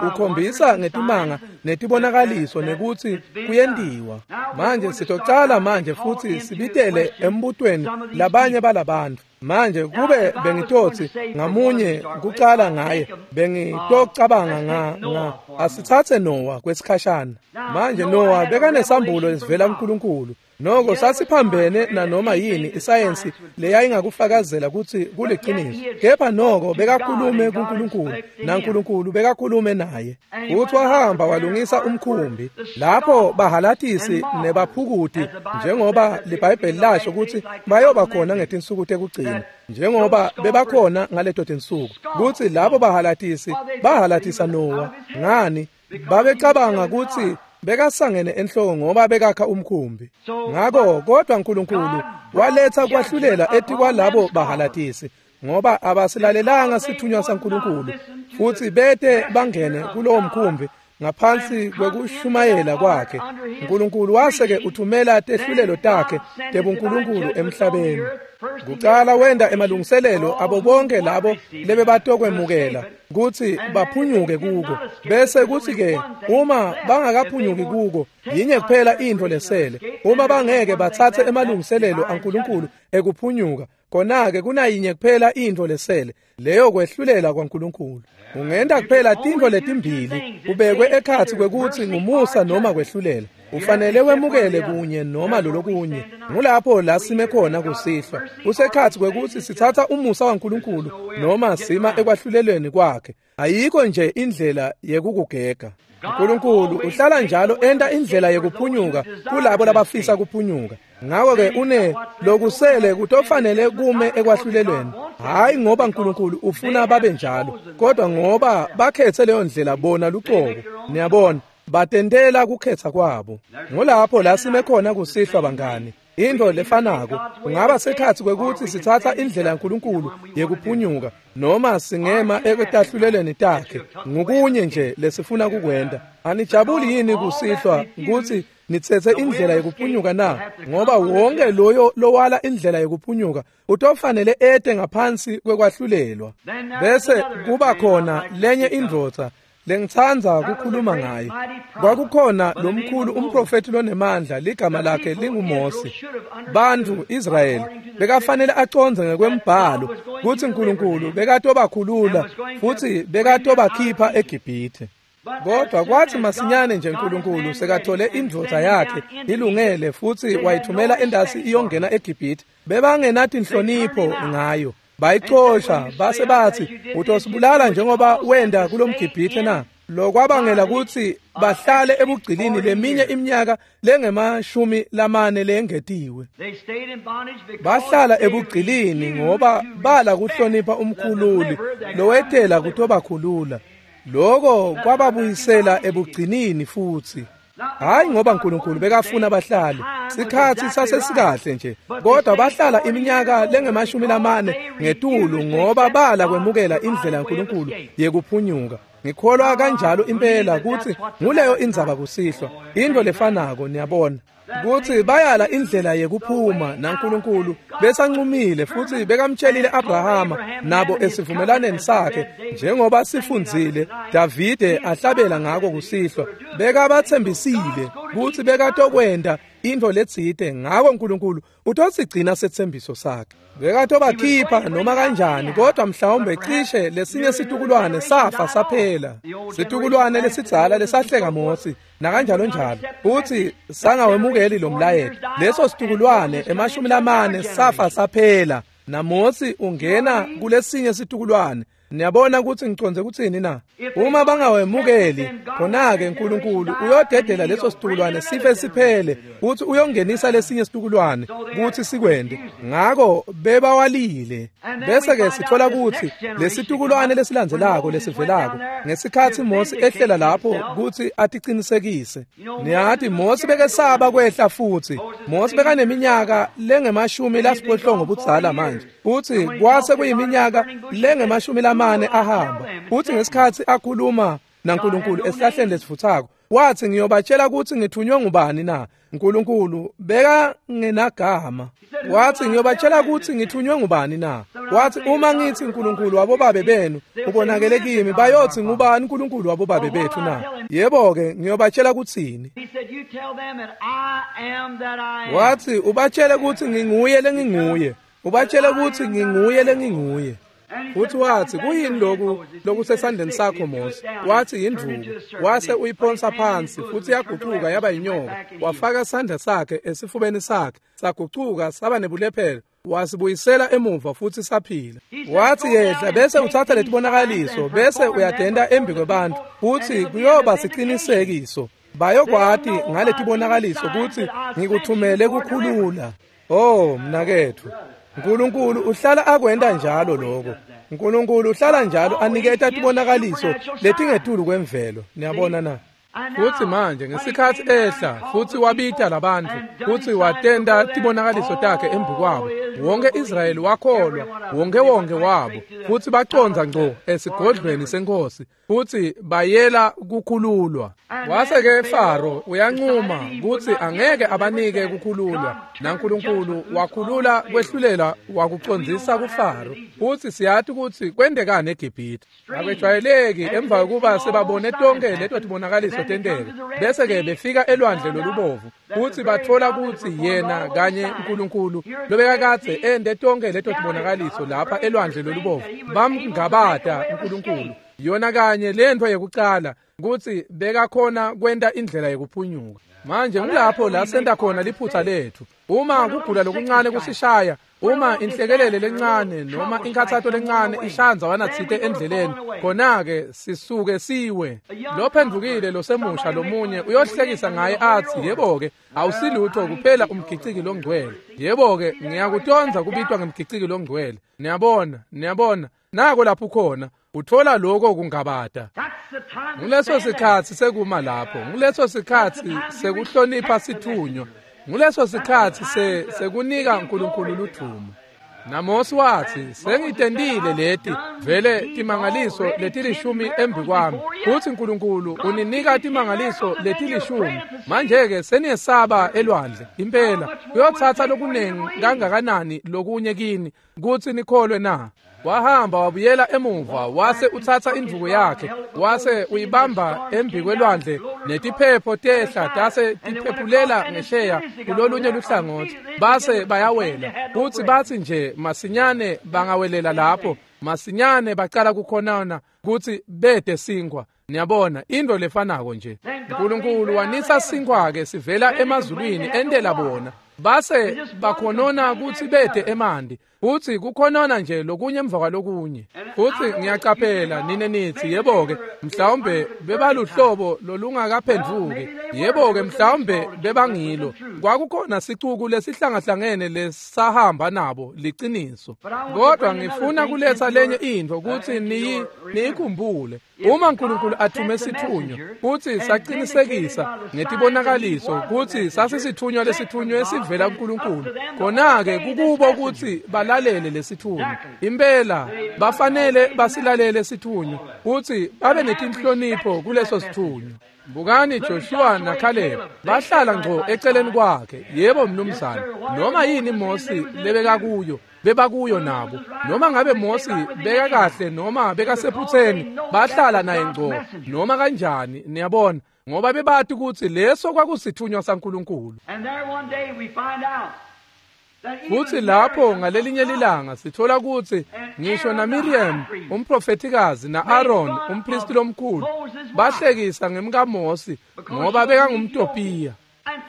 Ukhombisa ngetimanga netibonakaliso nekutsi kuyentiwa. Manje sitocala manje futhi sibitele embutweni labanye balabantu. Manje kube bengitotsi ngamunye kucala ngaye, bengitocabanga nga nga asitsatse Noah kwesikhashana. Manje Noah bekanesambulo lesivela kuNkulunkulu. Noko sasiphambene nanoma yini isayensi leyayingakufakazela kutsi kuliciniso. Kepha noko bekakhulume kuNkulunkulu, naNkulunkulu bekakhulume naye. Uthi wahamba walungisa umkhumbi lapho bahalatisi nebaphukuti, njengoba liBhayibheli lasho kutsi bayoba khona ngetinsuku tekugcina, njengoba bebakhona ngaleto tinsuku, kutsi labo bahalatisi bahalatisa Noah. Ngani? Babecabanga kutsi bekasangene enhloko ngoba bekakha umkhumbi. Ngako kodwa Nkulunkulu waletha kwahlulela etikwalabo bahalatisi, ngoba abasilalelanga sithunywa saNkulunkulu, futhi bete bangene kulowo mkhumbi ngaphansi kwekushumayela kwakhe. Nkulunkulu waseke uthumela tehlulelo takhe tebuNkulunkulu emhlabeni. Kucala wenda emalungiselelo abo bonke labo lebebatokwemukela kutsi baphunyuke kuko, bese kutsi ke uma bangakaphunyuki kuko, yinye kuphela intfo lesele. Uma bangeke batsatse emalungiselelo aNkulunkulu ekuphunyuka, khona-ke kunayinye kuphela intfo lesele, leyo kwehlulela kwaNkulunkulu. Ungenta kuphela tintfo letimbili, ubekwe ekhatsi kwekutsi ngumusa noma kwehlulela. Ufanele wemukele kunye noma lolokunye. Ngulapho la sime khona kusihlwa. Kusekhatsi kwekutsi sitsatsa umusa waNkulunkulu noma sima ekwahlulelweni kwakhe. Ayikho nje indlela yekukugega. Nkulunkulu uhlala njalo enta indlela yekuphunyuka kulabo labafisa kuphunyuka. Ngako-ke une lokusele kutofanele kume ekwahlulelweni. Hayi ngoba Nkulunkulu ufuna babe njalo, kodwa ngoba bakhethe leyo ndlela bona lucobo. Niyabona, batentela kukhetha kwabo. Ngulapho la sime khona kusihlwa bangani. Into lefanako kungaba sekhatsi kwekutsi sitsatsa indlela yaNkulunkulu yekuphunyuka noma singema ekutahlulelweni takhe. Ngukunye nje lesifuna kukwenta. Anijabuli yini kusihlwa kutsi nitsetse indlela yekuphunyuka na? Ngoba wonke loyo lowala indlela yekuphunyuka utofanele ete ngaphansi kwekwahlulelwa. Bese kuba khona lenye indvodza lengitsandza kukhuluma ngaye. Kwakukhona lomkhulu umprofeti lonemandla, ligama lakhe linguMose. Bantfu Israyeli bekafanele acondze ngekwembhalo kutsi Nkulunkulu bekatobakhulula futsi bekatobakhipha eGibhithe. Kodwa kwathi masinyane nje Nkulunkulu sekathole indvodza yakhe ilungele futsi wayithumela endasi iyongena eGibhithe, bebangenatinhlonipho ngayo. Bayixosha base bathi, utosibulala njengoba wenda kulomGibhithe na? Lokwabangela kutsi bahlale ebugcilini leminye iminyaka lengemashumi lamane lengetiwe. Bahlala ebugcilini ngoba bala kuhlonipha umkhululi lowetela kutobakhulula. Loko kwababuyisela ebugcinini futsi. Hayi ngoba Nkulunkulu bekafuna bahlale, sikhatsi sasesikahle nje, kodwa bahlala iminyaka lengemashumi lamane ngetulu ngoba bala kwemukela indlela yaNkulunkulu yekuphunyuka. Ngikholwa kanjalo impela kutsi nguleyo indzaba kusihlwa, intfo lefanako, niyabona, kutsi bayala indlela yekuphuma naNkulunkulu besancumile futsi bekamtshelile Abrahama nabo esivumelaneni sakhe, njengoba sifundzile Davide ahlabela ngako kusihlwa, bekabatsembisile kutsi bekatokwenta intfo letsite, ngako uNkulunkulu utosigcina setsembiso sakhe. Bekatobakhipha noma kanjani, kodwa mhlawumbe cishe lesinye situkulwane safa saphela, situkulwane lesidzala lesahleka Mosi nakanjalo njalo, futsi sangawemukeli lo mlayeto. Leso situkulwane emashumi lamane safa saphela, naMosi ungena kulesinye situkulwane. Niyabona kutsi ngicondze kutsini na? Uma bangawemukeli, khona-ke uNkulunkulu uyodedela leso situkulwane sife siphele, futsi uyongenisa lesinye situkulwane kutsi sikwente. Ngako bebawalile. Bese-ke sitfola kutsi lesitukulwane lesilandzelako lesivelako, ngesikhatsi Mosi ehlela lapho kutsi aticinisekise. Niyati Mosi bekesaba kwehla futsi. Mosi bekaneminyaka lengemashumi lasiphohlongo budzala manje, futsi kwase kuyiminyaka lengemashumi lamane ahamba. Futsi ngesikhatsi akhuluma naNkulunkulu esihlahleni lesivutsako, wathi, ngiyobatshela kutsi ngithunywe ngubani na? uNkulunkulu bekangenagama. Wathi, ngiyobatshela kutsi ngithunywe ngubani na? Wathi, uma ngithi uNkulunkulu wabobabe benu ubonakele kimi, bayothi ngubani uNkulunkulu wabobabe bethu na? Yebo-ke, ngiyobatshela kutsini? Wathi, ubatshele kutsi nginguye lenginguye. Ubatshele kutsi nginguye lenginguye. Futhi wathi, kuyini loku lokusesandleni sakho Mosi? Wathi, yindvuku. Wase uyiphonsa phansi futsi yagucuka yaba yinyoka. Wafaka sandla sakhe esifubeni sakhe, sagucuka saba nebulephelo. Wasibuyisela emuva futsi saphila. Wathi, yehla bese utsatsa letibonakaliso bese uyatenta embi kwebantfu, futsi kuyoba sicinisekiso. Bayokwati ngaletibonakaliso kutsi ngikuthumele kukhulula. Oh, mnaketfu, uNkulunkulu uhlala akwenta njalo lokho. uNkulunkulu uhlala njalo aniketa tibonakaliso letingetulu kwemvelo. Niyabona na? Futsi manje ngesikhatsi ehla futsi wabita labantfu futsi watenta tibonakaliso takhe embikwabo, wonke Israyeli wakholwa, wonke wonke wabo, futsi bacondza ngco esigodlweni senkosi futsi bayela kukhululwa. Wase-ke Faro uyancuma kutsi angeke abanike kukhululwa, naNkulunkulu wakhulula kwehlulela wakucondzisa kuFaro. Futsi siyati kutsi kwentekani eGibhithe. Akwejwayeleki emva kokuba sebabone tonke leto tibonakaliso tenteka, bese-ke befika elwandle lolubovu futsi batfola kutsi yena kanye uNkulunkulu lobekakadze ente tonke leto tibonakaliso lapha elwandle lolubovu, bamngabata uNkulunkulu. Yona kanye lentfo yekucala kutsi bekakhona kwenta indlela yekuphunyuka. Manje ngulapho la senta khona liphutsa letfu. Uma kugula lokuncane kusishaya, uma inhlekelele lencane noma inkhatsato lencane ishaya ndzawana tsite endleleni, khona-ke sisuke siwe. Lophendvukile losemusha lomunye uyohlekisa ngaye atsi, yebo-ke, awusilutho kuphela umgiciki longcwele. Yebo-ke, ngiyakutondza kubitwa ngemgiciki longcwele. Niyabona, niyabona, nako lapho ukhona. Utfola lokho kungabata. Nguleso sikhatsi sekuma lapho, nguleso sikhatsi sekuhlonipha sithunywa, nguleso sikhatsi se sekunika uNkulunkulu ludvumo. NaMosi watsi, sengitentile leti vele timangaliso letilishumi embikwami, futsi uNkulunkulu uninika timangaliso letilishumi. Manje-ke seniyesaba elwandle impela, kuyotsatsa lokunengi kangakanani lokunye kini kutsi nikholwe na? Wahamba wabuyela emuva, wase utsatsa indvuku yakhe, wase uyibamba embikwelwandle, netiphepho tehla tase tiphephulela ngesheya kulolunye luhlangotsi, base bayawela. Futsi batsi nje masinyane bangawelela lapho, masinyane bacala kukhonana kutsi bede sinkhwa. Niyabona, intfo lefanako nje. uNkulunkulu wanisa sinkhwa-ke sivela emazulwini entela bona. Base bakhonona kutsi bede emanti, futsi kukhonona nje lokunye emva kwalokunye. Futsi ngiyacaphela nine nitsi, yebo-ke, mhlawumbe bebaluhlobo lolungakaphendvuki. Yebo-ke, mhlawumbe bebangilo. Kwakukhona sicuku lesihlangahlangene lesahamba nabo liciniso. Kodwa ngifuna kuletsa lenye intfo kutsi niyi niyikhumbule. Uma uNkulunkulu athume sithunywa futsi sacinisekisa ngetibonakaliso kutsi sasisithunywa lesithunywe sivela kuNkulunkulu, khona-ke kukubo kutsi balalele lesithunywa. Impela bafanele basilalele sithunywa kutsi babe netinhlonipho kuleso sithunywa. Bukani Joshua naKhaleb bahlala ngco eceleni kwakhe. Yebo mnumzane, noma yini Mosi lebeka kuyo bebakuyo nabo. Noma ngabe Mosi beka kahle noma bekasephutseni, bahlala naye ngco noma kanjani, niyabona, ngoba bebati kutsi leso kwakusithunywa saNkulunkulu. Futsi lapho ngalelinye lilanga sithola kutsi ngisho naMiriam umprofethikazi na-Aaron umpristi lomkhulu bahlekisa ngemkaMosi ngoba bekangumTopiya.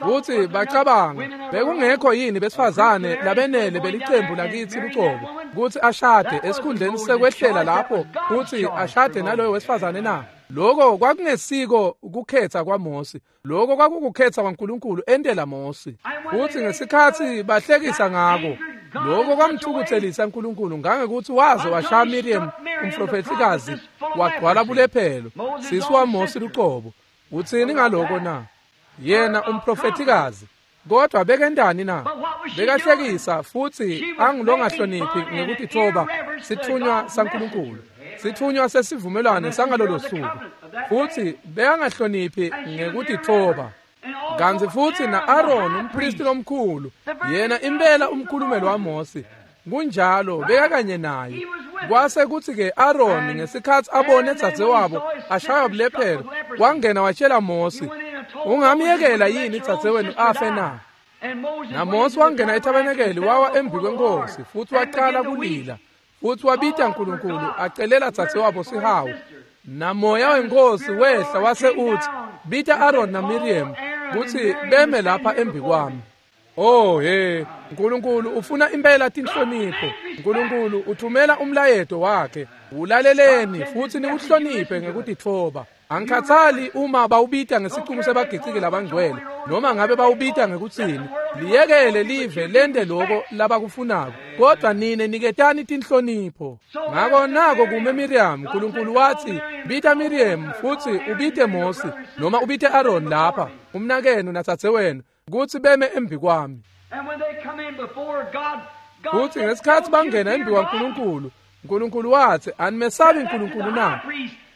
Kutsi bacabanga bekungekho yini besifazane labenele belicembu lakitsi lucobo kutsi ashade esikhundleni sekwehlela lapho kutsi ashade naloyo wesifazane na? Lokho kwakungesiko ukukhetha kwaMosi, lokho kwakukukhetha kwaNkulunkulu entela Mosi. Futhi ngesikhathi bahlekisa ngako, lokho kwamthukuthelisa uNkulunkulu ngangekuthi waze washaya Miriam umprofethikazi wagcwala bulephelo, sisi waMosi lucobo. Utsini ngaloko na? Yena umprofethikazi, kodwa bekendani na? Bekahlekisa futhi angilongahloniphi ngekutithoba sithunywa saNkulunkulu, sithunywa sesivumelwano sangalolo suku, futhi bekangahloniphi ngekutithoba. Kantsi futhi na-Aaron umpristi lomkhulu, yena impela umkhulumeli waMosi, kunjalo bekakanye naye. Kwase kuthi-ke Aaron ngesikhathi abone dzadzewabo ashaywa bulephelo, wangena watshela Mosi, ungamyekela yini dzadzewenu afe na? NaMosi wangena ethabenekeli wawa embi kwenkosi futhi waqala kulila, futhi wabita uNkulunkulu acelela dzadzewabo sihawu. Namoya wenkosi wehla wase uthi, bita Aaron naMiriam kutsi beme lapha embi kwami. Oh he, uNkulunkulu ufuna impela tinhlonipho. uNkulunkulu uthumela umlayeto wakhe, ulaleleni futhi niwuhloniphe ngekutitfoba. Angikhathali uma bawubita ngesicuku sebagiciki labangcwele noma ngabe bawubita ngekutsini, liyekele live lente loko labakufunako, kodwa nine niketani tinhlonipho. Ngako nako kume Miriam, uNkulunkulu wathi, bita Miriam futhi ubite Mosi noma ubite Aaron lapha, umnakenu natsadzewenu, kutsi beme embi kwami. Futhi ngesikhathi bangena embi kwaNkulunkulu, uNkulunkulu wathi, animesabi uNkulunkulu na?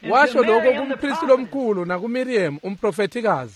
Washo lokho kumpristi lomkhulu nakuMiriam umprofethikazi.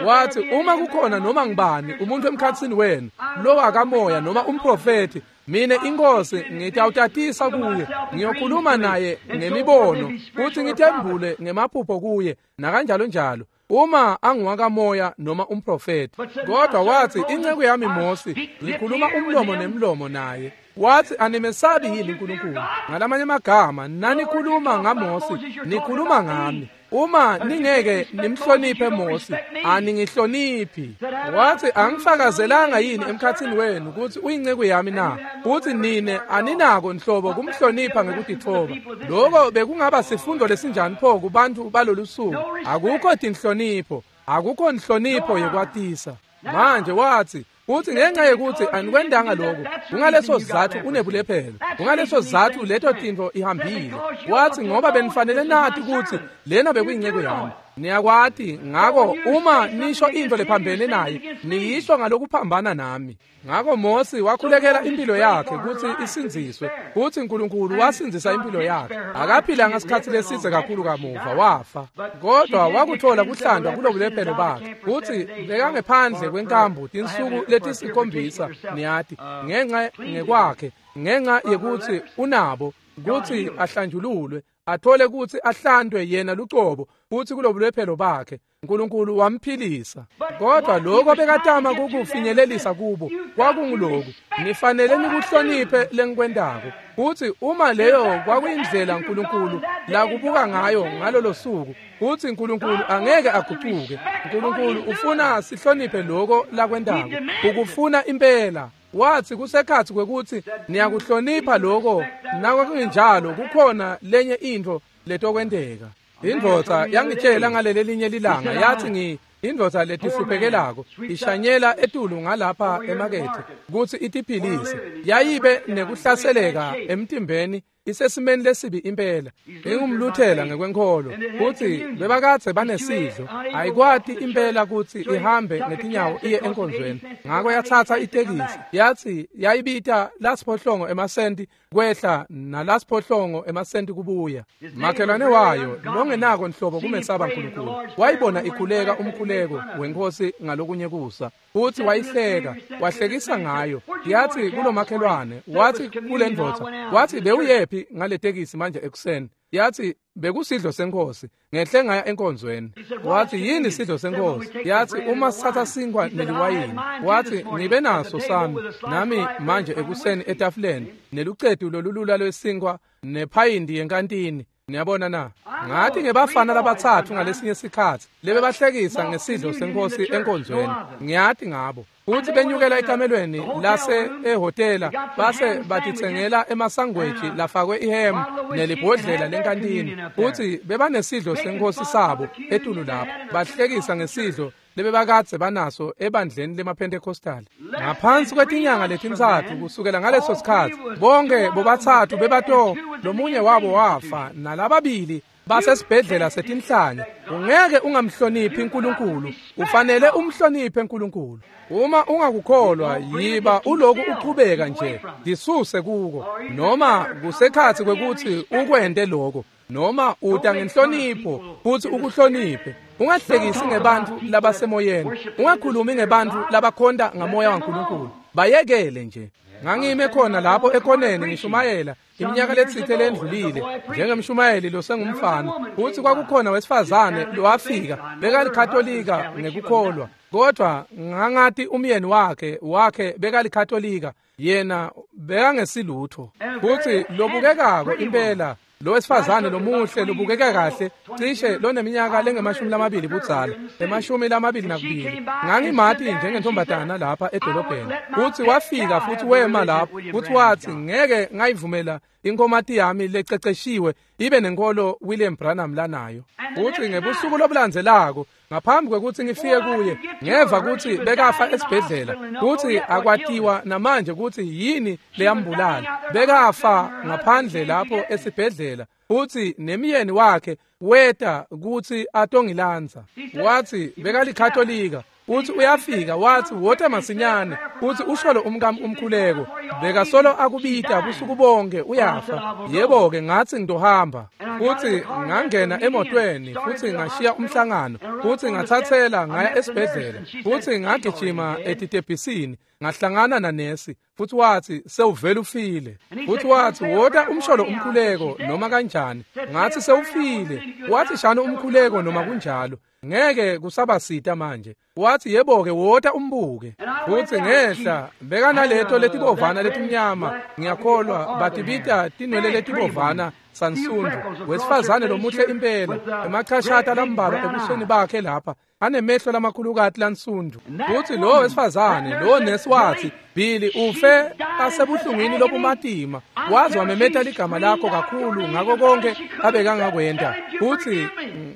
Wathi, uma kukhona noma ngibani umuntu emkhatsini wenu lowakamoya noma umprofethi, mine inkosi ngitawutatisa kuye, ngiyokhuluma naye ngemibono futhi ngithembule ngemaphupho kuye nakanjalo njalo, uma anguwakamoya noma umprofethi. Kodwa wathi, inceku yami Mosi ngikhuluma umlomo nemlomo naye. Wathi, animesabi yini uNkulunkulu? Ngalamanye amagama, nanikhuluma ngaMosi nikhuluma ngami. Uma ningeke nimhloniphe Mosi, aningihloniphi. Wathi, angifakazelanga yini emkhatsini wenu kutsi uyinceku yami na? Futhi nine aninako nhlobo kumhlonipha ngekutitfoba. Lokho bekungaba sifundo lesinjani pho kubantu balolu suku? Akukho tinhlonipho, akukho nhlonipho yekwatisa. Manje wathi, uthi ngenxa yekuthi anikwendanga lokho, kungaleso sizathu unebulephelo, kungaleso sizathu leto tintfo ihambile. Wathi, ngoba benifanele nati kutsi lena bekuyinceko yami, niyakwati. Ngako uma nisho into lephambene naye, niyisho ngalokuphambana nami. Ngako Mosi wakhulekela impilo yakhe kutsi isindziswe, kutsi uNkulunkulu wasindzisa impilo yakhe. Akaphilanga sikhatsi lesitse kakhulu kamuva wafa, kodwa wakuthola kuhlandwa kulobulephelo bakhe. Kutsi bekangephandle kwenkambu tinsuku letisikhombisa, niyati, ngenxa ngekwakhe, ngenxa yekutsi unabo kutsi ahlanjululwe, athole kutsi ahlandwe yena lucobo kutsi kulobulephelo bakhe uNkulunkulu wamphilisa. Kodwa lokho bekatama kukufinyelelisa kubo kwakunguloku, nifanele nikuhloniphe lengikwentako. Kutsi uma leyo kwakuyindlela uNkulunkulu lakubuka ngayo ngalolo suku, kutsi uNkulunkulu angeke agucuke. uNkulunkulu ufuna sihloniphe lokho lakwentako, ukufuna impela. Wathi kusekhatsi kwekutsi niyakuhlonipha lokho, nakunjalo kukhona lenye intfo letokwenteka. Indvodza yangitshela ngaleli linye lilanga, yathi ngi indvodza letihluphekelako ishanyela etulu ngalapha emakethe kutsi itiphilise. Yayibe nekuhlaseleka emtimbeni Isesimeni lesibi impela. Ingumluthela ngekwenkholo. Futsi bebakadze banesidlo. Ayikwati impela kutsi ihambe ngetinyawo iye enkonzweni. Ngako yatsatsa itekisi. Yatsi yayibita lasiphohlongo emasenti kwehla nalasiphohlongo emasenti kubuya. Makhelwane wayo longenako nhlobo kumesaba uNkulunkulu. Wayibona ikhuleka umkhuleko wenkosi ngalokunye kusa. Futsi wayihleka, wahlekisa ngayo. Yatsi kulomakhelwane, watsi kulendvodza, watsi bewuyephi ngaletekisi manje ekuseni? Yatsi bekusidlo senkosi, ngehle ngaya enkonzweni. Watsi yini sidlo senkosi? Yatsi uma sithatha sinkwa neliwayini. Watsi ngibe naso sami nami manje ekuseni etafuleni nelucetu lolulula lwesinkwa nephayindi yenkantini. Niyabona na? Ngathi ngebafana labatsatfu ngalesinye sikhatsi lebebahlekisa ngesidlo senkosi enkonzweni. Ngiyati ngabo. Futsi benyukela ekamelweni lase ehhotela base batitsengela emasangweji lafakwe ihemu nelibhodlela lenkantini. Futsi bebanesidlo senkosi sabo etulu lapho. Bahlekisa ngesidlo lebebakadze banaso ebandleni lemaPentecostal. Ngaphansi kwetinyanga letintsatfu kusukela ngaleso sikhatsi bonke bobatsatfu bebato lomunye wabo wafa nalababili basesibhedlela setinhlanya. Ungeke ungamhloniphi uNkulunkulu, ufanele umhloniphe uNkulunkulu. Uma ungakukholwa yiba uloku uqhubeka nje disuse kuko, noma kusekhatsi kwekuthi ukwente lokho, noma uta ngenhlonipho futhi ukuhloniphe. Ungahlekisi ngebantfu labasemoyeni, ungakhulumi ngebantfu labakhonta ngamoya waNkulunkulu. Bayekele nje. Ngangime khona lapho ekhoneni ngishumayela iminyaka letsite lendlulile njengemshumayeli losengumfana. Futsi kwakukhona wesifazane lowafika bekalikatolika ngekukholwa, kodwa ngangati umyeni wakhe wakhe bekalikatolika, yena bekangesilutho. Futsi lobukekako impela lo wesifazane lomuhle lobukeka kahle cishe loneminyaka lengemashumi lamabili budzala, emashumi lamabili nakubili. Ngangimati njengentombatana lapha edolobheni. Futsi wafika futhi wema lapho futhi wathi ngeke ngayivumela inkomati yami lececeshiwe ibe nenkolo William Branham lanayo. Futsi ngebusuku lobulandzelako ngaphambi kwekuthi ngifike kuye ngeva kutsi bekafa esibhedlela, kutsi akwatiwa namanje kutsi yini leyambulala. Bekafa ngaphandle lapho esibhedlela, futsi nemyeni wakhe weta kutsi atongilandza. Watsi bekalikatolika. Uthi uyafika wathi wota masinyane, uthi usholo umkami umkhuleko, bekasolo akubita busuku bonke uyafa. Yebo ke ngathi ngizohamba. Uthi ngangena emotweni futhi ngashiya umhlangano, futhi ngathathela ngaya esibhedlela, futhi ngagijima etitebhisini ngahlangana nanesi, futhi wathi sewuvela ufile. Futhi wathi wota umsholo umkhuleko noma kanjani. Ngathi sewufile. Wathi shano umkhuleko noma kunjalo, ngeke kusabasita manje. Wathi yebo ke wota umbuke. Futhi ngehla bekanaleto letibovana letimnyama, ngiyakholwa batibita tinwele letibovana sansundu. Wesifazane lomuhle impela, emachashata lambalwa ebusweni bakhe lapha, anemehlo lamakhulukati lansundu. Futhi lo wesifazane lo nesi wathi Billy ufe asebuhlungwini lobumatima, waze wamemeta ligama lakho kakhulu ngako konke abekangakwenta. Futhi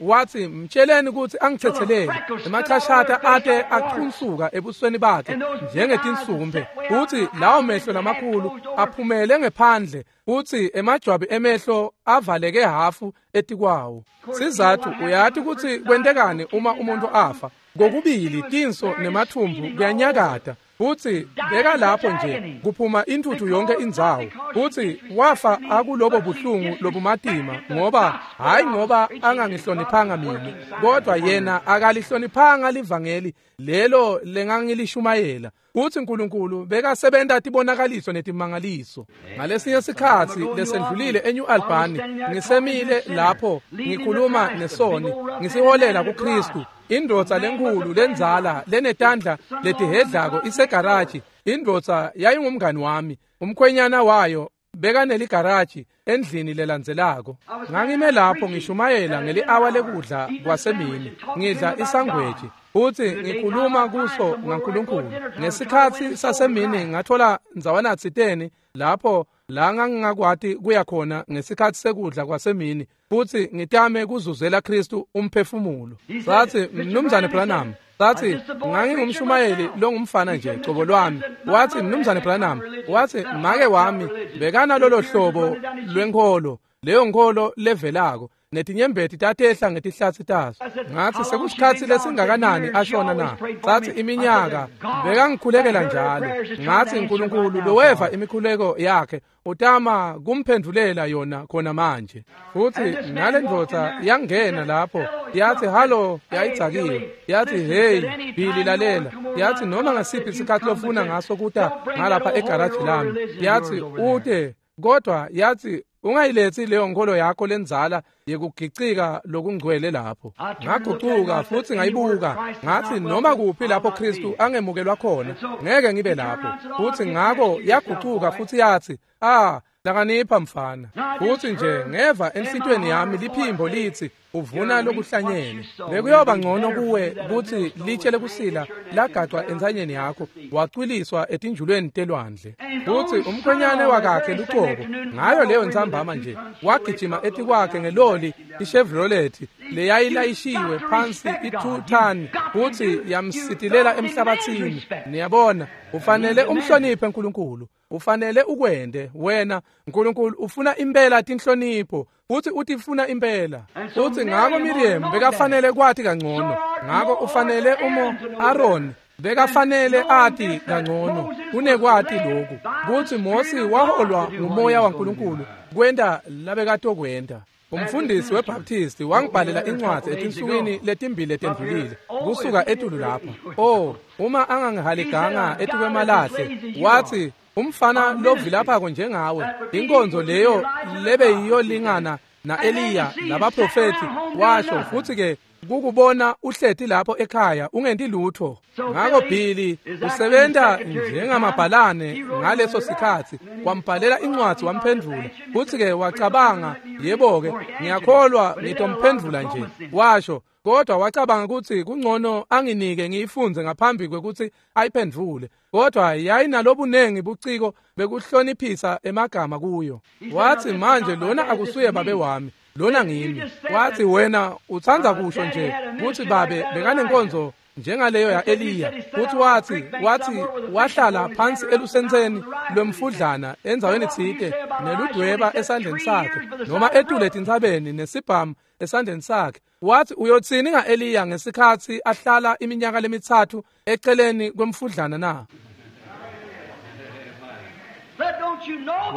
wathi mtsheleni ukuthi angithethelele. Emachashata ate achunsuka ebusweni bakhe njengetinsumbe. Futhi lawo mehlo lamakhulu aphumele ngephandle, futhi emajwabi emehlo avaleke hafu etikwawo. Sizathu uyati ukuthi kwentekani uma umuntu afa. Kokubili tinso nemathumbu kuyanyakata. Futhi beka lapho nje kuphuma intuthu yonke indzawo. Futhi wafa akulobo buhlungu lobumatima, ngoba hayi ngoba angangihloniphanga mina, kodwa yena akalihloniphanga livangeli lelo lengangilishumayela. Uthi uNkulunkulu bekasebenta tibonakaliso netimangaliso. Ngalesinye sikhatsi lesendlulile eNew Albany, ngisemile lapho ngikhuluma nesoni, ngisiholela kuKristu. Indvodza lenkulu lendzala lenetandla letihedlako isegaraji. Indvodza yayingumngani wami, umkhwenyana wayo bekaneligaraji endlini lelandzelako. Ngangime lapho ngishumayela ngeli-awa lekudla kwasemini, ngidla isangweji futhi ngikhuluma kuso ngaNkulunkulu. Ngesikhatsi sasemini ngathola ndzawana tsiteni lapho la ngangingakwati kuya khona ngesikhatsi sekudla kwasemini, futhi ngitame kuzuzela Kristu umphefumulo. Sathi mnumzane Branham, Sathi ngangingumshumayeli longumfana nje cobo lwami. Wathi Mnumzane Branham, wathi make wami bekana lolo hlobo lwenkholo, leyo nkholo levelako netinyembeti tatehla ngetihlatsi taso. Ngathi sekusikhatsi lesingakanani ashona na? Sathi iminyaka bekangikhulekela njalo. Ngathi uNkulunkulu loweva imikhuleko yakhe utama kumphendulela yona khona manje. Futhi ngale ndvodza yangena lapho yathi halo, yayidzakiwe. Yathi hey Billy, lalela. Yathi noma ngasiphi isikhathi lofuna ngaso kuta ngalapha egaraji lami, yathi ute, kodwa yathi ungayilethi leyo nkholo yakho lenzala yekugicika lokungcwele lapho. Ngagucuka futhi ngayibuka, ngathi noma kuphi lapho Kristu angemukelwa khona ngeke ngibe lapho. Futhi ngako yagucuka futhi yathi ah, lakanipha mfana. Futhi nje ngeva enhlitweni yami liphimbo lithi uvuna lokuhlanyele. Bekuyoba ngcono kuwe kuthi litshe lekusila lagacwa entsanyeni yakho wacwiliswa etinjulweni telwandle. Futhi umkhwenyane wakakhe lucobo ngayo leyo ntsambama nje wagijima etikwakhe ngeloli iChevrolet leyayilayishiwe phansi i-two ton futhi yamsitilela emhlabathini. Niyabona, ufanele umhloniphe uNkulunkulu, ufanele ukwende wena. uNkulunkulu ufuna impela tinhlonipho futhi utifuna impela. Futhi ngako Miriam bekafanele kwati kangcono, ngako ufanele umo Aaron bekafanele ati kangcono kunekwati lokhu kutsi Mose waholwa ngumoya waNkulunkulu kwenta labekatokwenta. Umfundisi weBaptist wangibhalela incwadi etinsukwini letimbili letendlulile kusuka etulu lapha. Oh, uma angangihaliganga etukwemalahle, wathi umfana lovilaphako njengawe, inkonzo leyo lebe yiyolingana na-Eliya labaprofethi, washo. Futhi ke kukubona uhleti lapho ekhaya ungenti lutho. Ngako Billy usebenta njengamabhalane ngaleso sikhatsi, wambhalela incwadi wamphendvula. Futhi ke wacabanga, yebo ke ngiyakholwa ngitomphendvula nje, washo. Kodwa wacabanga ukuthi kungcono anginike ngiyifundze ngaphambi kwekuthi ayiphendvule. Kodwa yayinalobunengi buciko bekuhloniphisa emagama kuyo. Wathi manje lona akusuye babe wami, lona ngimi. Wathi wena utsandza kusho nje kutsi babe bekanenkonzo njengaleyo ya-Eliya. Futhi wathi wathi wahlala phansi elusentseni lwemfudlana endzaweni tsite neludweba esandleni sakhe, noma etule etintsabeni nesibhamu esandleni sakhe. Wathi uyotsini nga-Eliya ngesikhatsi ahlala iminyaka lemitsatfu eceleni kwemfudlana na?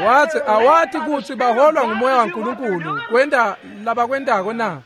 Wathi awati kutsi baholwa ngumoya waNkulunkulu kwenta labakwentako na?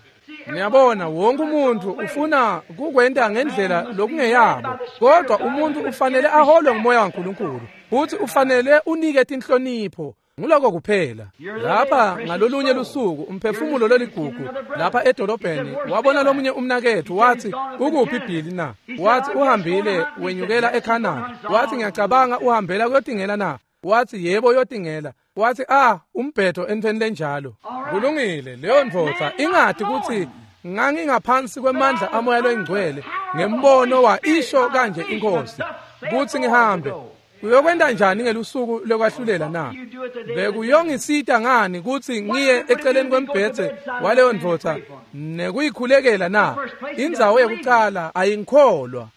Niyabona, wonke umuntu ufuna kukwenta ngendlela lokungeyabo, kodwa umuntu ufanele aholwe ngumoya waNkulunkulu futhi ufanele unike tinhlonipho. Nguloko kuphela. Lapha ngalolunye lusuku umphefumulo loligugu lapha edolobheni wabona lomunye umnakethu, wathi ukuphi Billy na? Wathi uhambile wenyukela eCanada. Wathi ngiyacabanga uhambela kuyotingela na? Wathi yebo uyotingela. Wathi ah, umbhedo entweni lenjalo. Kulungile, leyo ndvodza ingati kutsi ngangingaphansi kwemandla amoya loyingcwele ngembono wa isho kanje inkosi kutsi ngihambe. Uyokwenta njani ngelusuku lokwahlulela na? Bekuyongisita ngani kutsi ngiye eceleni kwembhedze waleyo ndvodza nekuyikhulekela na? Indzawo yekucala ayingikholwa.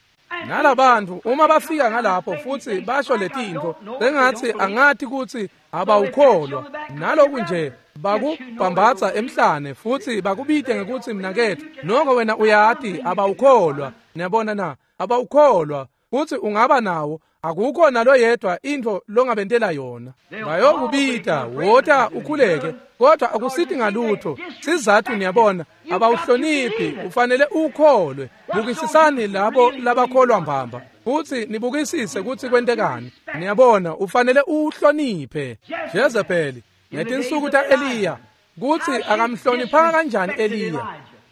Nalabantu uma bafika ngalapho futhi basho letintfo sengathi angati kutsi abawukholwa, naloku nje bakubhambatsa emhlane futhi bakubite ngekutsi mnaketfu, noko wena uyati abawukholwa. Niyabona na? Abawukholwa. Futhi ungaba nawo, akukho naloyedwa intfo longabentela yona. Bayokubita wota ukhuleke, kodwa akusithi ngalutho. Sizathu niyabona abawuhloniphi, ufanele ukholwe. Bukisisani labo labakholwa mbamba futhi nibukisise kutsi kwentekani. Niyabona, ufanele uhloniphe. Jezebeli ngetinsuku ta-Eliya, kutsi akamhloniphanga kanjani Eliya,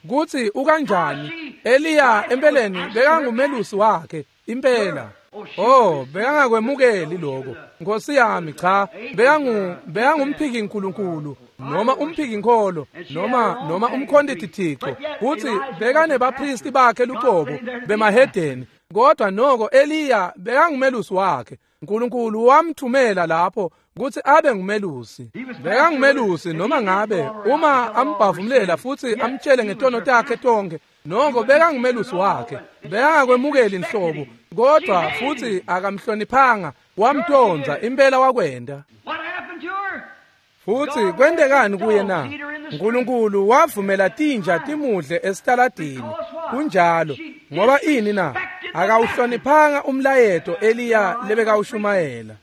kutsi ukanjani Eliya empeleni bekangumelusi wakhe impela. Oh, bekangakwemukeli lokho. Nkosi yami, cha, bekangu bekangumphiki nkulunkulu noma umphiki nkholo noma noma umkhonti tithixo. Kutsi bekanebaphristi bakhe lucobo bemahedeni, Kodwa noko Eliya bekangumelusi wakhe. Nkulunkulu wamthumela lapho kutsi abe ngumelusi. Bekangumelusi noma ngabe uma ambhavumlela futsi amtshele ngetono takhe tonke, noko bekangumelusi wakhe. Bekangakwemukeli inhlobo, kodwa futsi akamhloniphanga, wamtondza impela wakwenda. Futsi kwentekani kuye na? Nkulunkulu wavumela tinja timudle esitaladini. Kunjalo, ngoba ini na? Akawuhloniphanga umlayeto Eliya lebekawushumayela.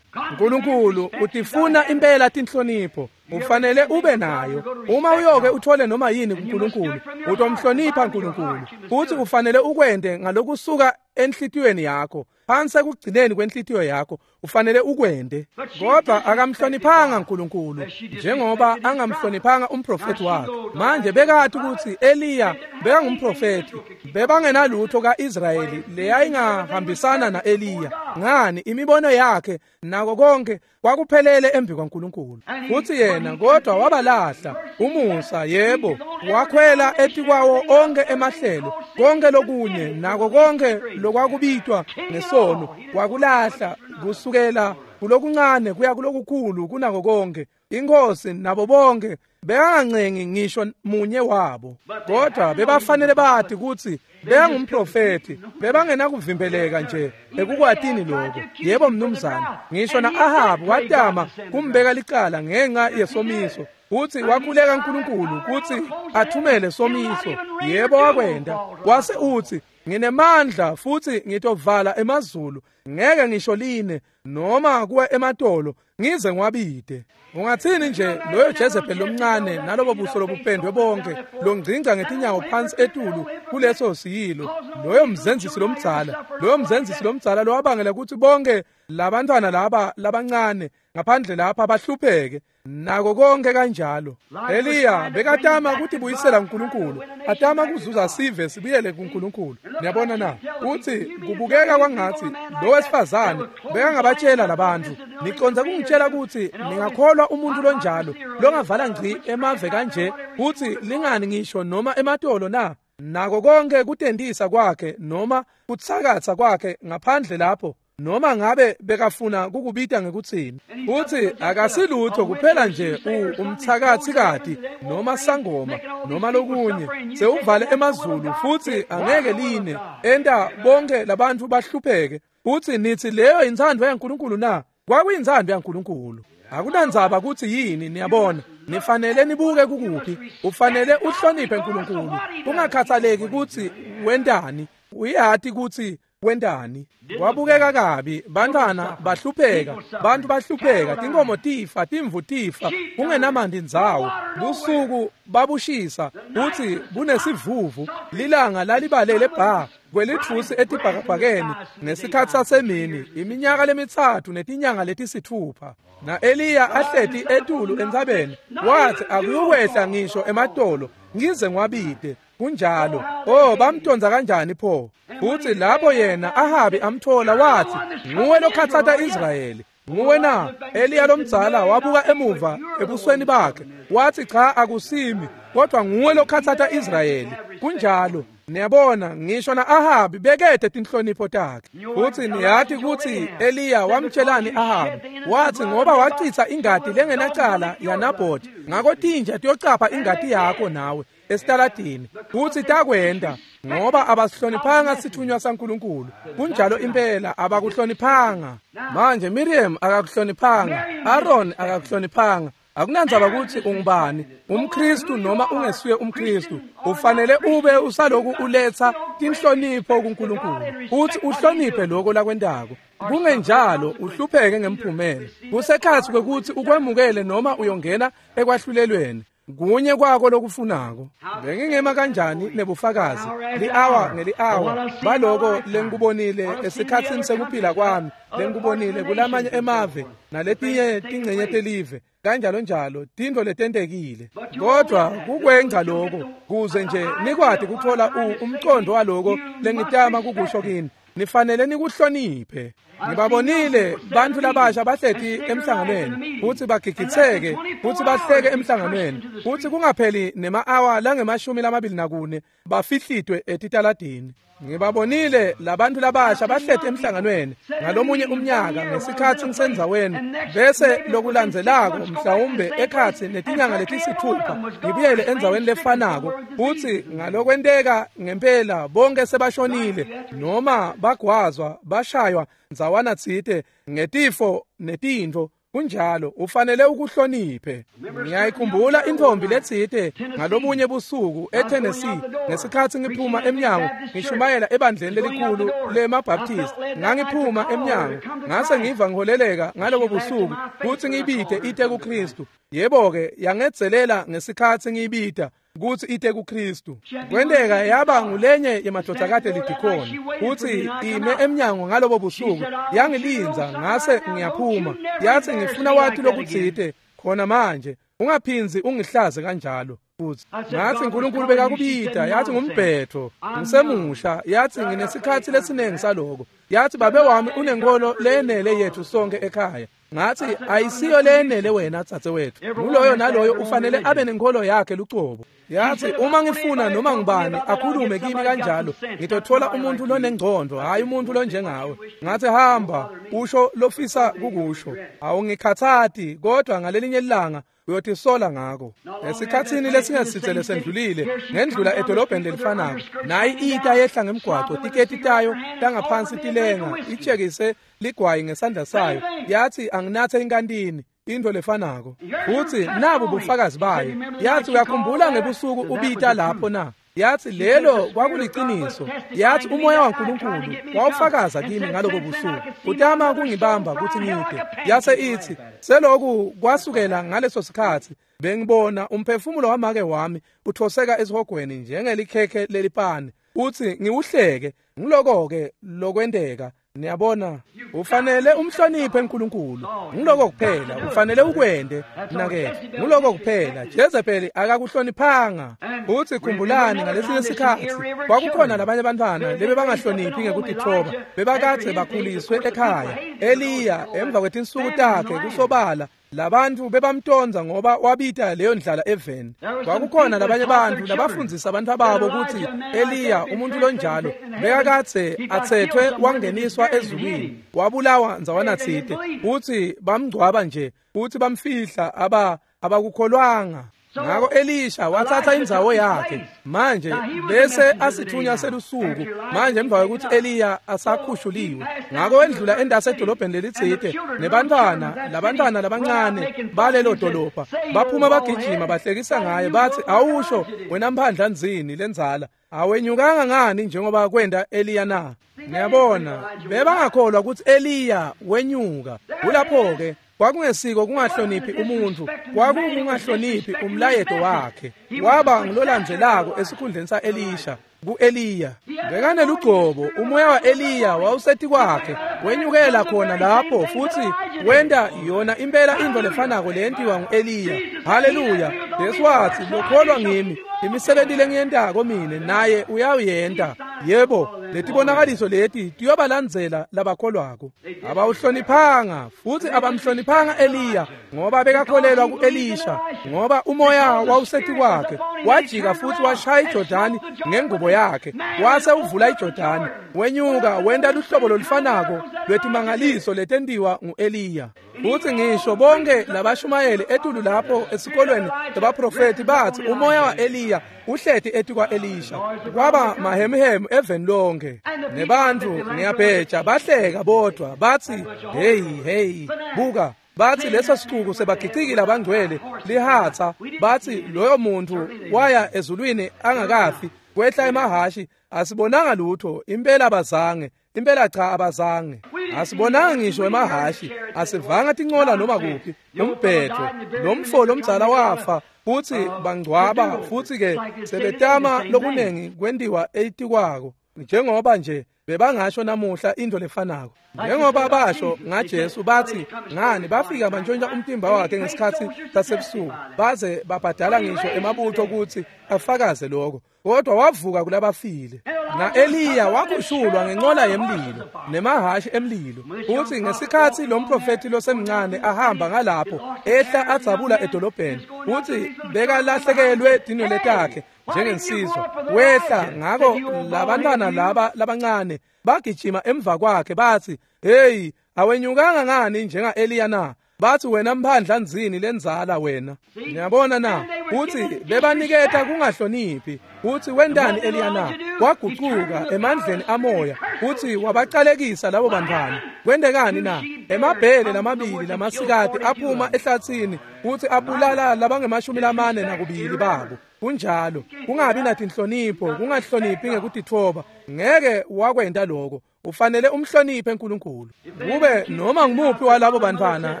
Nkulunkulu utifuna impela tinhlonipho, ufanele ube nayo. Uma uyoke uthole noma yini kuNkulunkulu, utomhlonipha uNkulunkulu. Futhi ufanele ukwente ngalokusuka enhlitiyweni yakho, phansi ekugcineni kwenhlitiyo yakho, ufanele ukwente. Kodwa akamhloniphanga uNkulunkulu njengoba angamhloniphanga umprofeti wakhe. Manje bekati ukuthi Eliya bekangumprofeti, bebangenalutho kaIsrayeli leyayingahambisana naEliya. Ngani imibono yakhe nako konke kwakuphelele embi kwaNkulunkulu. Futhi yena kodwa wabalahla umusa, yebo, wakhwela etikwawo onke emahlelo, konke lokunye nako konke lokwakubitwa ngesono wakulahla, kusukela kulokuncane kuya kulokukhulu kunako konke. Inkosi nabo bonke bekangancengi ngisho munye wabo, kodwa bebafanele bathi kutsi bekangumprofeti, bebangenakuvimbeleka nje ekukwatini lokho. Yebo mnumzane, ngisho na-Ahabu watama kumbeka licala ngenxa yesomiso, kutsi wakhuleka uNkulunkulu kutsi athumele somiso. Yebo wakwenda, wase utsi nginemandla futhi ngitovala emazulu, ngeke ngisho line noma kuwe ematolo ngize ngiwabide. Ungathini nje loyo Jezebel lomncane nalobo buso lobupendwe bonke longcingca ngetinyawo phansi etulu kuleso siyilo, loyo mzenzisi lomdzala, loyo mzenzisi lomdzala lowabangela ukuthi bonke labantwana laba labancane ngaphandle lapha bahlupheke nako konke kanjalo. Eliya bekatama kutibuyisela kuNkulunkulu, atama kuzuza sive sibuyele kuNkulunkulu. Niyabona na? Uthi kubukeka kwangathi lo wesifazane bekangabatshela labantu, niconza kungitshela ukuthi ningakholwa umuntu lonjalo longavala ngci emave kanje kuthi lingani ngisho noma ematolo na? Nako konke kutendisa kwakhe noma kutsakatsa kwakhe ngaphandle lapho, noma ngabe bekafuna kukubita ngekutsini. Uthi akasilutho kuphela nje umthakathikati noma sangoma noma lokunye, sewuvale emazulu futhi angeke line, enta bonke labantu bahlupheke. Uthi nithi leyo intsandvo yaNkulunkulu na? Kwakuyintsandvo yaNkulunkulu. Akunandzaba ukuthi yini, niyabona, nifanele nibuke kukuphi. Ufanele uhloniphe uNkulunkulu, kungakhathaleki ukuthi wentani, uyati ukuthi wentani. Kwabukeka kabi, bantwana bahlupheka, bantu bahlupheka, tinkomo tifa, timvu tifa, kungenamandi ndzawo. Busuku babushisa, uthi bunesivuvu, lilanga lalibalele bha kwelitfusi etibhakabhakeni ngesikhatsi sasemini, iminyaka lemitsatfu netinyanga letisitfupha. Na Eliya ahleti etulu entsabeni, wathi akuyukwehla ngisho ematolo ngize ngiwabide. Kunjalo. Oh, bamtonza kanjani pho? Futhi lapho yena Ahabi amthola wathi, nguwe lokhatsata Israyeli, nguwe na? Eliya lomdzala wabuka emuva ebusweni bakhe, wathi cha akusimi, kodwa nguwe lokhatsata Israyeli. Kunjalo. Niyabona, ngisho na-Ahabi bekede tinhlonipho takhe. Futhi niyathi kutsi Eliya wamtshelani Ahabi? Wathi ngoba wacitsa ingati lengenacala yaNabhothi, ngako tinja tiyocapha ingati yakho nawe esitaladini. Futhi takwenda ngoba abasihloniphanga sithunywa saNkulunkulu. Kunjalo impela, abakuhloniphanga. Manje Miriam akakuhloniphanga, Aaron akakuhloniphanga. Akunandzaba ukuthi ungubani, umKristu noma ungesuye umKristu, ufanele ube usaloku uletha tinhlonipho kuNkulunkulu, uthi uhloniphe lokho lakwentako. Kungenjalo uhlupheke ngemphumela. Kusekhathi kwekuthi ukwemukele noma uyongena ekwahlulelweni. Kunye kwako lokufunako. Bengingema kanjani nebufakazi li-hour ngeli-hour baloko lengikubonile esikhatsini sekuphila kwami, lengikubonile kulamanye emave naletinye tingcenye telive kanjalo njalo, tintfo letentekile. Kodwa kukwengca lokho kuze nje nikwati kutfola umcondo waloko lengitama kukusho kini. Nifanele nikuhloniphe. Ngibabonile bantfu labasha bahleti emhlanganweni futsi bagigitseke futsi bahleke emhlanganweni futsi kungapheli nema-awa langemashumi lamabili nakune bafihlitwe etitaladini. Ngibabonile labantfu labasha bahleti emhlanganweni ngalomunye umnyaka ngesikhatsi ngisendzaweni, bese lokulandzelako mhlawumbe ekhatsi netinyanga letisithupha ngibuyele endzaweni lefanako futsi ngalokwenteka ngempela bonke sebashonile noma bagwazwa bashaywa ndzawana tsite ngetifo netintfo. Kunjalo, ufanele ukuhloniphe. Ngiyayikhumbula intfombi letsite ngalobunye busuku eTennessee ngesikhatsi ngiphuma emnyango ngishumayela ebandleni lelikhulu lemaBaptist. Ngangiphuma emnyango ngase ngiva ngiholeleka ngalobo busuku kutsi ngibite ite kuKristu. Yebo-ke, yangedzelela ngesikhatsi ngiyibita kutsi ite kuKristu. Kwenteka yaba ngulenye yemadvodzakati lidikhoni kutsi ime emnyango ngalobo busuku yangilindza ngase ngiyaphuma. Yathi ngifuna wati lokutsite khona manje, ungaphindzi ungihlaze kanjalo. Futsi ngathi uNkulunkulu bekakubita. Yathi ngumbhetho, ngisemusha. Yathi nginesikhatsi lesinengi saloko. Yathi babe wami unenkholo leyenele yethu sonke ekhaya. Ngathi ayisiyo leyenele wena dzadzewethu, nguloyo naloyo ufanele abe nenkholo yakhe lucobo. Yathi uma ngifuna noma ngubani akhulume kimi kanjalo ngitothola umuntu lonengcondo, hhayi umuntu lonjengawe. Ngathi hamba usho lofisa kukusho, awungikhathati, kodwa ngalelinye ilanga uyotisola ngako. Esikhatsini lesingesitse lesendlulile ngendlula edolobheni lelifanako, nayi ita yehla ngemgwaco, tiketi tayo tangaphansi tilenga, itshekise ligwayi ngesandla sayo. Yathi anginathe inkantini, into lefanako. Futsi nabu bufakazi bayo. Yathi uyakhumbula ngebusuku ubita lapho na? Yathi lelo kwakuliciniso. Yathi umoya waNkulunkulu wawufakaza kimi ngalobo busuku, utama kungibamba kutsi ngide. Yase ithi seloku kwasukela ngaleso sikhatsi bengibona umphefumulo wamake wami uthoseka esihogweni njengelikhekhe lelipani, uthi ngiwuhleke. Ngiloko-ke lokwenteka. Niyabona, ufanele umhloniphe uNkulunkulu. Ngiloko kuphela ufanele ukwente mnaketfu, ngiloko kuphela. Jezebeli akakuhloniphanga. Uthi khumbulani ngalesinye sikhatsi kwakukhona labanye abantwana lebebangahloniphi ngekutitfoba, bebakadze bakhuliswe ekhaya. Eliya emva kwetinsuku takhe kusobala labantu bebamtonza ngoba wabita leyo ndlala eveni. Kwakukhona labanye abantu labafundzisa abantu ababo kutsi Eliya umuntu lonjalo bekakadze atsethwe wangeniswa ezulwini, wabulawa ndzawana tsite, kutsi bamngcwaba nje kutsi bamfihla, aba abakukholwanga. Ngako Elisha wathatha indzawo yakhe. Manje bese asithunywa selusuku manje emva kwekuthi Eliya asakhushuliwe. Ngako wendlula endase edolobheni lelitsite nebantwana labantwana labancane balelo dolobha baphuma bagijima bahlekisa ngaye, bathi awusho wena mphandla nzini lendzala, awenyukanga ngani njengoba kwenda Eliya na? Niyabona, bebangakholwa ukuthi Eliya wenyuka. Kulapho-ke kwakungesiko kungahloniphi umuntu, kwakungahloniphi umlayeto wakhe. Waba ngulolandzelako esikhundleni sa-Elisha ku-Eliya. Bekanelugcobo, umoya wa-Eliya wawusetikwakhe, wenyukela khona lapho futsi wenta yona impela intfo lefanako leyentiwa ngu-Eliya. Haleluya! Jesu watsi lokholwa ngimi, imisebenti lengiyentako mine naye uyawuyenta. Yebo, letibonakaliso leti tiyobalandzela labakholwako. Abawuhloniphanga futsi abamhloniphanga Eliya ngoba bekakholelwa ku-Elisha, ngoba umoya wawusetikwakhe. Wajika futsi washaya iJordani ngengubo yakhe, wase uvula iJordani, wenyuka wenta luhlobo lolufanako lwetimangaliso letentiwa ngu-Eliya. Futsi ngisho bonke labashumayeli etulu lapho esikolweni labaprofethi bathi umoya wa-Eliya uhleti etikwa-Elisha. Kwaba mahemuhemu eveni lonke, nebantfu ngiyabheja bahleka bodvwa bathi hey hey, buka. Bathi leso sicuku sebagicikile abangcwele lihatsa. Bathi loyo muntu waya ezulwini angakafi, kwehla emahashi, asibonanga lutho. Impela abazange, impela cha abazange. Asibonanga ngisho emahashi, asivanga tincola noma kuphi. Umbhetho lomfo lomdzala wafa futsi bangcwaba, futsi ke sebetama lokunengi kwentiwa etikwako njengoba nje bebangasho namuhla into lefanako. Njengoba basho ngaJesu bathi ngani bafika bantshontsha umtimba wakhe ngesikhatsi sasebusuku, baze babhadala ngisho emabutho kutsi afakaze lokho, kodwa wavuka kulabafile. Na-Eliya wakhushulwa ngenqola yemlilo nemahhashi emlilo. Uthi ngesikhatsi lo mprofethi losemncane ahamba ngalapho ehla adzabula edolobheni, uthi bekalahlekelwe tinwele takhe njengensizwa. Wehla ngako labantwana laba labancane bagijima emva kwakhe bathi, "Hey, awenyukanga ngani njenga-Eliya na?" Bathi, "Wena mphandla nzini lenzala wena." Niyabona na? Uthi bebaniketa kungahloniphi. Uthi wendani Eliya na? Wagucuka emandleni amoya. Uthi wabacalekisa labo bantwana. Kwendekani na? Emabhele lamabili lamasikati aphuma ehlathini uthi abulala labangemashumi lamane nakubili babo. Kunjalo, kungabi natinhlonipho, kungahloniphi ngekutitfoba. Ngeke wakwenta lokho. Ufanele umhloniphe uNkulunkulu. Kube noma ngumuphi walabo bantwana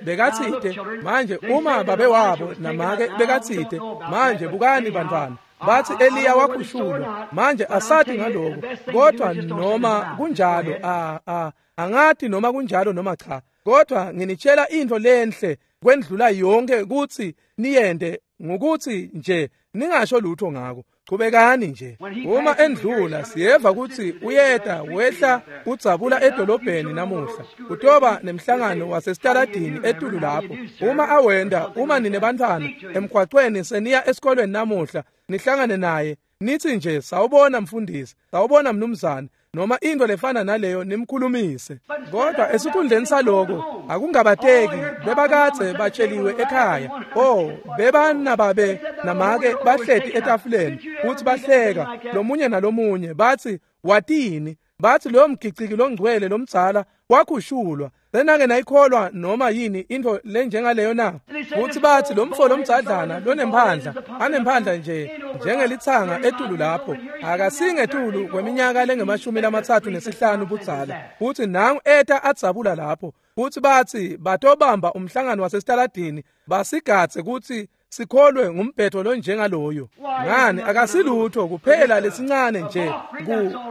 bekatsite manje, uma babe wabo namake bekatsite manje, bukani bantwana, bathi Eliya wakhushulwa manje, asati ngaloko, kodwa noma kunjalo a a angati noma kunjalo noma cha, kodwa nginitshela into lenhle kwendlula yonke ukuthi niyende ngokuthi nje ningasho lutho ngako. Chubekani nje. Uma endlula siyeva ukuthi uyeta wehla udzabula edolobheni namuhla. Utoba nemhlangano wasesitaladini etulu lapho. Uma awenda, uma ninebantwana emgwaqweni seniya esikolweni namuhla, nihlangane naye, nithi nje sawubona mfundisi, sawubona mnumzane, noma into lefana naleyo, nimkhulumise. Kodwa esikhundleni saloko akungabateki, bebakadze batsheliwe ekhaya. Oh, bebanababe namake bahleti etafuleni futhi bahleka lomunye nalomunye, bathi watini, bathi lo mgiciki longcwele lomdzala wakhushulwa. Senake nayikholwa noma yini into lenjengaleyo na? Futhi bathi lo mfo lomdzadlana lonemphandla, anemphandla nje njengelithanga etulu lapho, akasingetulu kweminyaka lengemashumi lamatsatfu nesihlanu budzala, futhi nangu eta adzabula lapho. Futhi bathi batobamba umhlangano wasesitaladini basigadze kutsi sikholwe ngumbhetho lonjengaloyo. Ngani, akasilutho kuphela lesincane nje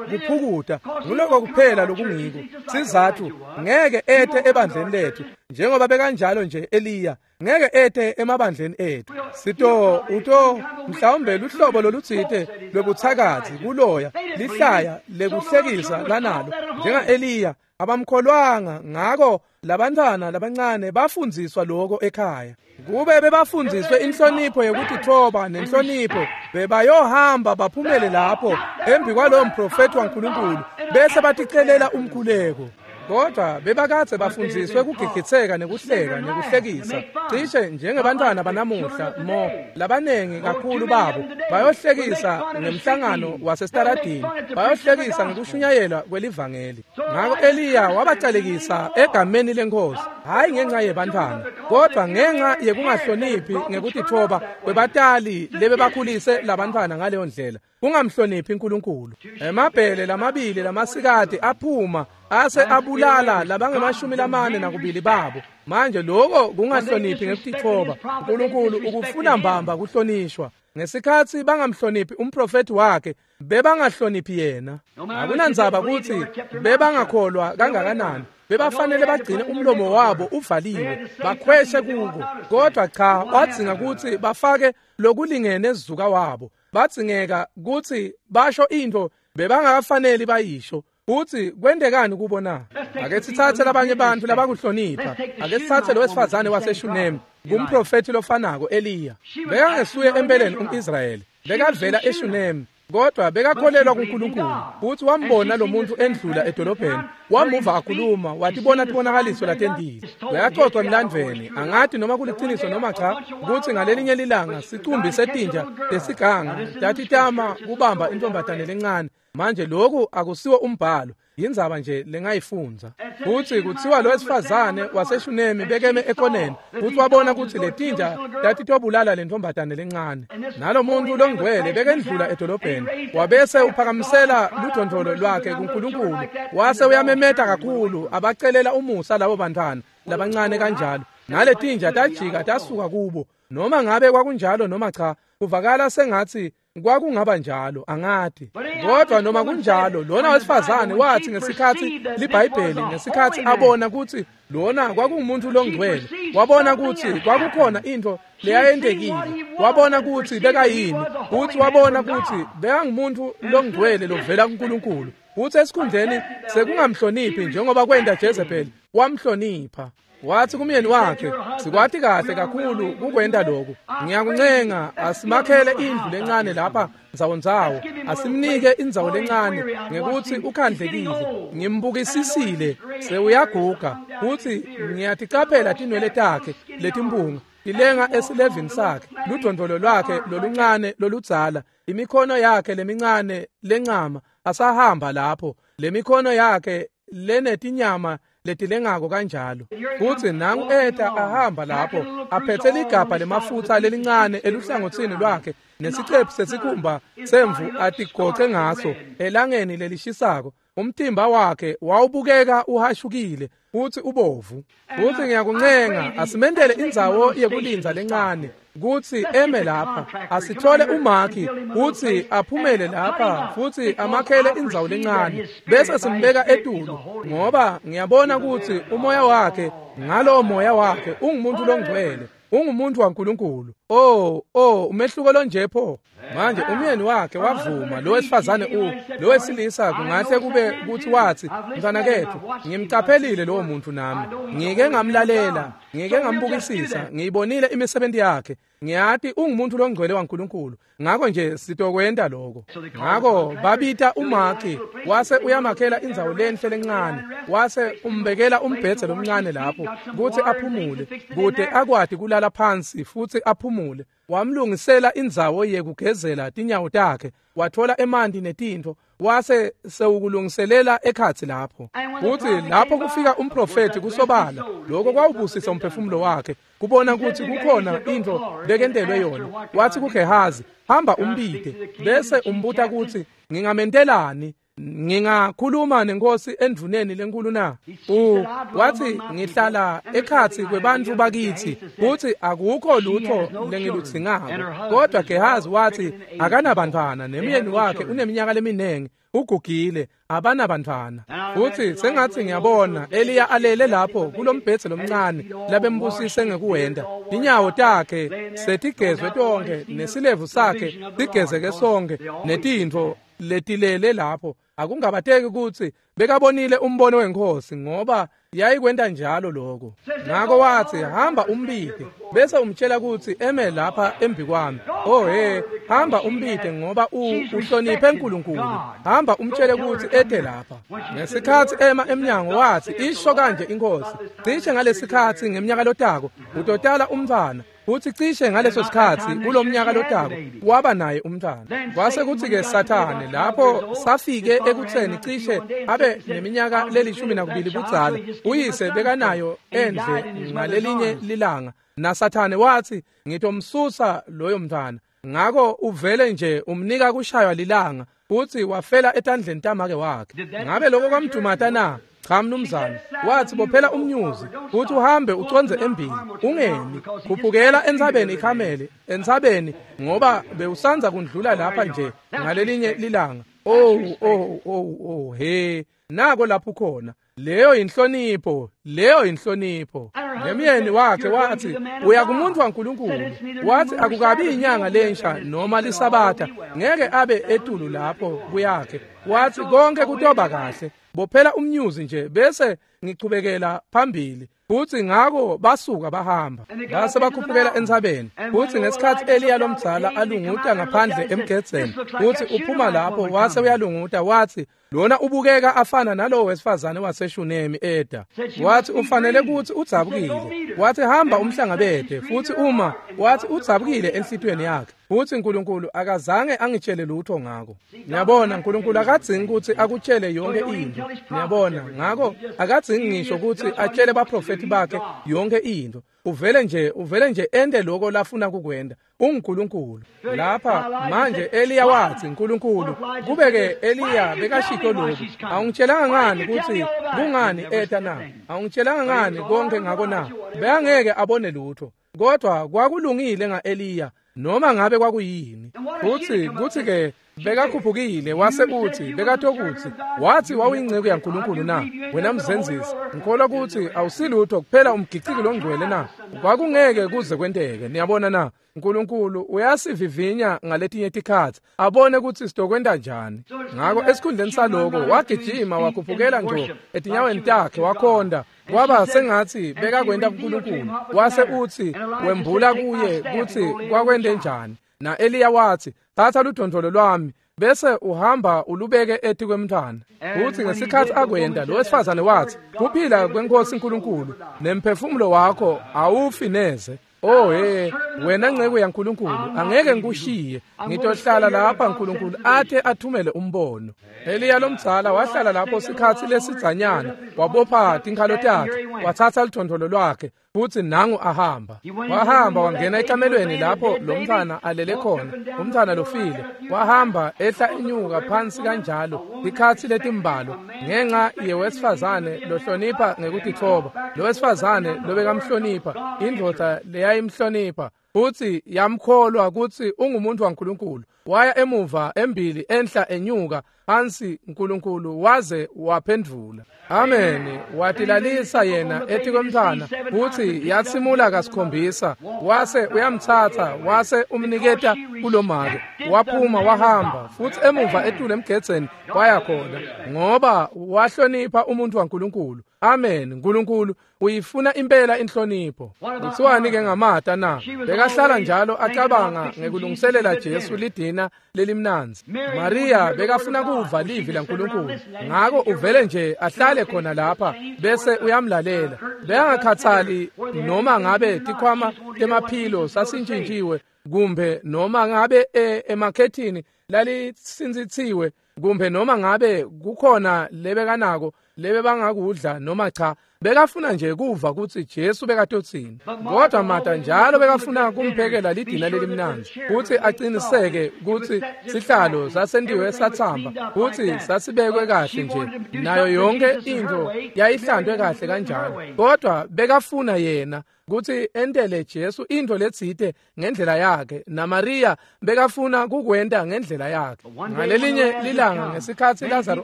kuphukuta, nguloko kuphela lokungiko. Sizathu ngeke ete ebandleni lethu njengoba bekanjalo nje Eliya, ngeke ete emabandleni ethu. Sito uto mhlawumbe luhlobo lolutsite lwebuthakathi kuloya lihlaya lekuhlekisa lanalo njenga Eliya. Abamkholwanga, ngako labantwana labancane bafundziswa lokho ekhaya. Kube bebafundziswe inhlonipho yekutitfoba nenhlonipho, bebayohamba baphumele lapho embi kwalowo mprofethi waNkulunkulu bese baticelela umkhuleko. Kodwa bebakadze bafundziswe kugigitseka nekuhleka nekuhlekisa, cishe njengebantwana banamuhla. Mo labanengi kakhulu babo bayohlekisa ngemhlangano wasesitaladini, bayohlekisa ngekushunyayelwa kwelivangeli. Ngako Eliya wabacalekisa egameni leNkhosi, hhayi ngenxa yebantwana, kodwa ngenxa yekungahloniphi ngekutitfoba kwebatali lebebakhulise labantwana ngaleyo ndlela, kungamhloniphi uNkulunkulu. Emabhele lamabili lamasikati aphuma ase abulala labangemashumi lamane nakubili babo. Manje lokho kungahloniphi ngekutitfoba. uNkulunkulu ukufuna mbamba kuhlonishwa. Ngesikhatsi bangamhloniphi umprofethi wakhe, bebangahloniphi yena. Akunandzaba kutsi bebangakholwa kangakanani, bebafanele bagcine umlomo wabo uvaliwe, bakhweshe kuko. Kodwa cha, wadzinga kutsi bafake lokulingene zuka wabo. Badzingeka kutsi basho into bebangakafaneli bayisho. Uthi kwendekani kubo na? Ake sithathe labanye bantu labakuhlonipha. Ake sithathe lo wesifazane waseShunemi, kumprofethi lofanako Eliya. Bekangesuye empeleni umIsrayeli, bekavela eShunemi, kodwa bekakholelwa kuNkulunkulu. Uthi wambona lo muntu endlula edolobheni, wamuva akhuluma, watibona tibonakaliso latendile. Uyacocwa emlandvweni, angati noma kuliciniso noma cha, kutsi ngalelinye lilanga sicumbi setinja lesiganga tatitama kubamba intombazane lencane. Manje lokhu akusiwo umbhalo, yindzaba nje lengayifundza. Kutsi kutsiwa lo wesifazane waseShunemi bekeme ekoneni, futhi wabona kutsi letinja tatitobulala lentombazane lencane. Nalo muntu longcwele bekendlula edolobheni, wabese uphakamisela ludondolo lwakhe kuNkulunkulu, wase uyamemeta kakhulu abacelela umusa labo bantwana labancane kanjalo. Naletinja tajika tasuka kubo. Noma ngabe kwakunjalo noma cha, kuvakala sengatsi Kwakungaba njalo, angati. Kodwa noma kunjalo, lona wesifazane wathi ngesikhathi liBhayibheli, ngesikhathi abona ukuthi lona kwakungumuntu longcwele, wabona ukuthi kwakukhona into leyayentekile, wabona ukuthi bekayini, futhi wabona ukuthi bekangumuntu longcwele lovela kuNkulunkulu. Futhi esikhundleni sekungamhloniphi njengoba kwenta Jezebel, wamhlonipha. Wathi kumyeni wakhe, sikwati kahle kakhulu kukwenta lokhu. Ngiyakuncenga asimakhele indlu lencane lapha ndzawondzawo, asimnike indzawo lencane ngekuthi ukhandlekile. Ngimbukisisile sewuyaguga, futhi ngiyaticaphela tinwele takhe letimpunga tilenga esilevini sakhe, ludvondvolo lwakhe loluncane loludzala, imikhono yakhe lemincane lencama asahamba lapho, lemikhono yakhe lenetinyama letilengako kanjalo. Futhi nangu eta ahamba lapho aphethe ligabha lemafutha lelincane eluhlangothini lwakhe nesicephu sesikhumba semvu atigoce ngaso elangeni lelishisako. Umtimba wakhe wawubukeka uhashukile futhi ubovu. Futhi ngiyakuncenga asimendele indzawo yekulinza lencane kutsi eme lapha, asithole umakhi kutsi aphumele lapha futhi amakhele indzawo lencane, bese simbeka etulu, ngoba ngiyabona kutsi umoya wakhe, ngalowo moya wakhe ungumuntu longcwele, ungumuntu waNkulunkulu. Oh, oh, umehluko lonje pho. Manje umyeni wakhe wavuma, lo wesifazane u lo wesilisa kungahle kube kuthi wathi, mntwana kethu, ngimcaphelile lowo muntu nami, ngike ngamlalela, ngike ngambukisisa, ngiyibonile imisebenzi yakhe, ngiyati ungumuntu longcwele waNkulunkulu, ngakho nje sitokwenta lokho. Ngakho babita umakhi, wase uyamakhela indzawo lenhle lencane, wase umbekela umbhedze lomncane lapho kuthi aphumule, kude akwati kulala phansi futhi aphumule. Wamlungisela indzawo yekugezela tinyawo takhe, wathola emanti netintfo, wase sewukulungiselela ekhatsi lapho. Futhi lapho kufika umprofethi kusobala, lokho kwawubusisa umphefumulo wakhe kubona ukuthi kukhona into bekentelwe yona. Wathi kuGehazi, hamba umbide bese umbuta ukuthi ngingamentelani, ngingakhuluma nenkosi endvuneni lenkulu na? U wathi ngihlala ekhatsi kwebantu bakithi futhi akukho lutho lengiludzingako. Kodwa Gehazi wathi akanabantwana, nemyeni wakhe uneminyaka leminingi, ugugile, abanabantwana. Futhi sengathi ngiyabona Eliya alele lapho kulombhedze lomncane labembusise ngekuwenda, tinyawo takhe setigezwe tonke nesilevu sakhe sigezeke sonke netintfo letilele lapho. Akungabateki ukuthi bekabonile umbono wenkosi, ngoba yayikwenta njalo lokho. Ngakho wathi hamba umbide bese umtshela ukuthi eme lapha embi kwami. Oh he, hamba umbide ngoba uhloniphe uNkulunkulu. Hamba umtshele ukuthi ete lapha. Ngesikhathi ema emnyango wathi isho kanje inkosi, cishe ngalesikhathi ngeminyaka lotako utotala umntwana. Futhi cishe ngaleso sikhathi kulomnyaka lotako waba naye umntwana. Kwase kuthi ke Sathane lapho safike ekutheni cishe abe neminyaka lelishumi nakubili budzala, uyise bekanayo endle ngalelinye lilanga, naSathane wathi ngitomsusa loyo mntwana. Ngakho uvele nje umnika kushaywa lilanga, futhi wafela etandleni tamake wakhe. Ngabe lokho kwamdumata na? Cha mnumzane. Wathi bophela umnyuzi futhi uhambe uconze embili, ungemi, khuphukela entsabeni iKhamele, entsabeni, ngoba bewusanza kundlula lapha nje ngalelinye lilanga. Oh oh oh oh he, nako lapho khona. Leyo inhlonipho, leyo inhlonipho. Nemyeni wakhe wathi uya kumuntu waNkulunkulu. Wathi akukabi inyanga lensha noma lisabatha, ngeke abe etulu lapho kuyakhe. Wathi konke kutoba kahle, bophela umnyuzi nje bese ngichubekela phambili. Futhi ngakho basuka bahamba, base bakhuphukela entsabeni. Futhi ngesikhathi Eliya lomdzala alunguta ngaphandle emgedzeni, futhi uphuma lapho wase uyalunguta, wathi lona ubukeka afana nalowo wesifazane waseShunemi eda. Wathi ufanele ukuthi udzabukile. Wathi hamba umhlangabede. Futhi uma wathi udzabukile enhlitiyweni yakhe, futhi uNkulunkulu akazange angitshele lutho ngako. Ngiyabona uNkulunkulu akadzingi ukuthi akutshele yonke into. Ngiyabona ngako akadzingi ngisho ukuthi atshele baprofeti bakhe yonke into. Uvele nje uvele nje ende lokho lafuna kukwenda. UnguNkulunkulu. Lapha manje Eliya wathi uNkulunkulu kubeke Eliya bekashito lokhu, awungitshelanga ngani ukuthi kungani eta na? Awungitshelanga ngani konke ngako na? Bekangeke abone lutho. Kodwa kwakulungile ngaEliya noma ngabe kwakuyini. Futsi kutsi-ke bekakhuphukile wase uthi bekatokutsi wathi wawuyinceku yaNkulunkulu na wena mzenzisi, ngikholwa kutsi awusilutho kuphela umgiciki longcwele na. Kwakungeke kuze kwenteke. Niyabona na, Nkulunkulu uyasivivinya ngaletinye tikhatsi abone kutsi sitokwenta njani. Ngako esikhundleni saloko wagijima wakhuphukela ngco etinyaweni takhe wakhonda, kwaba sengatsi bekakwenta kuNkulunkulu. Wase utsi wembula kuye kutsi kwakwente njani. Na Eliya wathi, thatha ludondolo lwami bese uhamba ulubeke etikwemntfwana. Futsi ngesikhatsi akwenta, lo wesifazane wathi, kuphila kweNkosi Nkulunkulu nemphefumulo wakho awufi neze. Oh he, wena nceku yaNkulunkulu, angeke ngikushiye, ngitohlala lapha Nkulunkulu athe athumele umbono. Eliya lomdzala wahlala lapho sikhatsi lesidzanyana, wabopha tinkhalo takhe, watsatsa ludondolo lwakhe, futsi nangu ahamba. Wahamba wangena ekamelweni lapho lo mntfwana alele khona, umntfwana lofile. Wahamba ehla enyuka phansi kanjalo tikhatsi letimbalwa ngenxa yewesifazane lohlonipha ngekutitfoba, lo wesifazane lobekamhlonipha, indvodza leyayimhlonipha, futsi yamkholwa kutsi ungumuntu waNkulunkulu. Waya emuva embili enhla enyuka phansi, Nkulunkulu waze waphendvula. Amen. Watilalisa yena etikwemntfwana, futsi yatsimula kasikhombisa, wase uyamtsatsa wase umniketa kulomake. Waphuma wahamba futsi emuva etulu emgedzeni waya khona, ngoba wahlonipha umuntu waNkulunkulu. Amen. Nkulunkulu uyifuna impela inhlonipho. Kuthiwani-ke ngaMata na? Bekahlala njalo acabanga ngekulungiselela Jesu lidina lelimnandzi. Maria bekafuna kuva livi laNkulunkulu, ngako uvele nje ahlale khona lapha bese uyamlalela. Bekangakhathali noma ngabe tikhwama temaphilo sasintshintjiwe, kumbe noma ngabe emakhethini lalitsintsitsiwe, kumbe noma ngabe kukhona lebekanako lebe bangakudla noma cha. Bekafuna nje kuva kutsi Jesu bekatotsini. Kodwa Martha njalo bekafuna kumphekela lidina lelimnandzi, kutsi aqiniseke kutsi sihlalo sasentiwe satsamba, kutsi sasibekwe kahle nje, nayo yonke intfo yayihlantwe kahle kanjalo. Kodwa bekafuna yena kutsi entele Jesu intfo letsite ngendlela yakhe, naMaria bekafuna kukwenta ngendlela yakhe. Ngalelinye lilanga ngesikhatsi Lazaro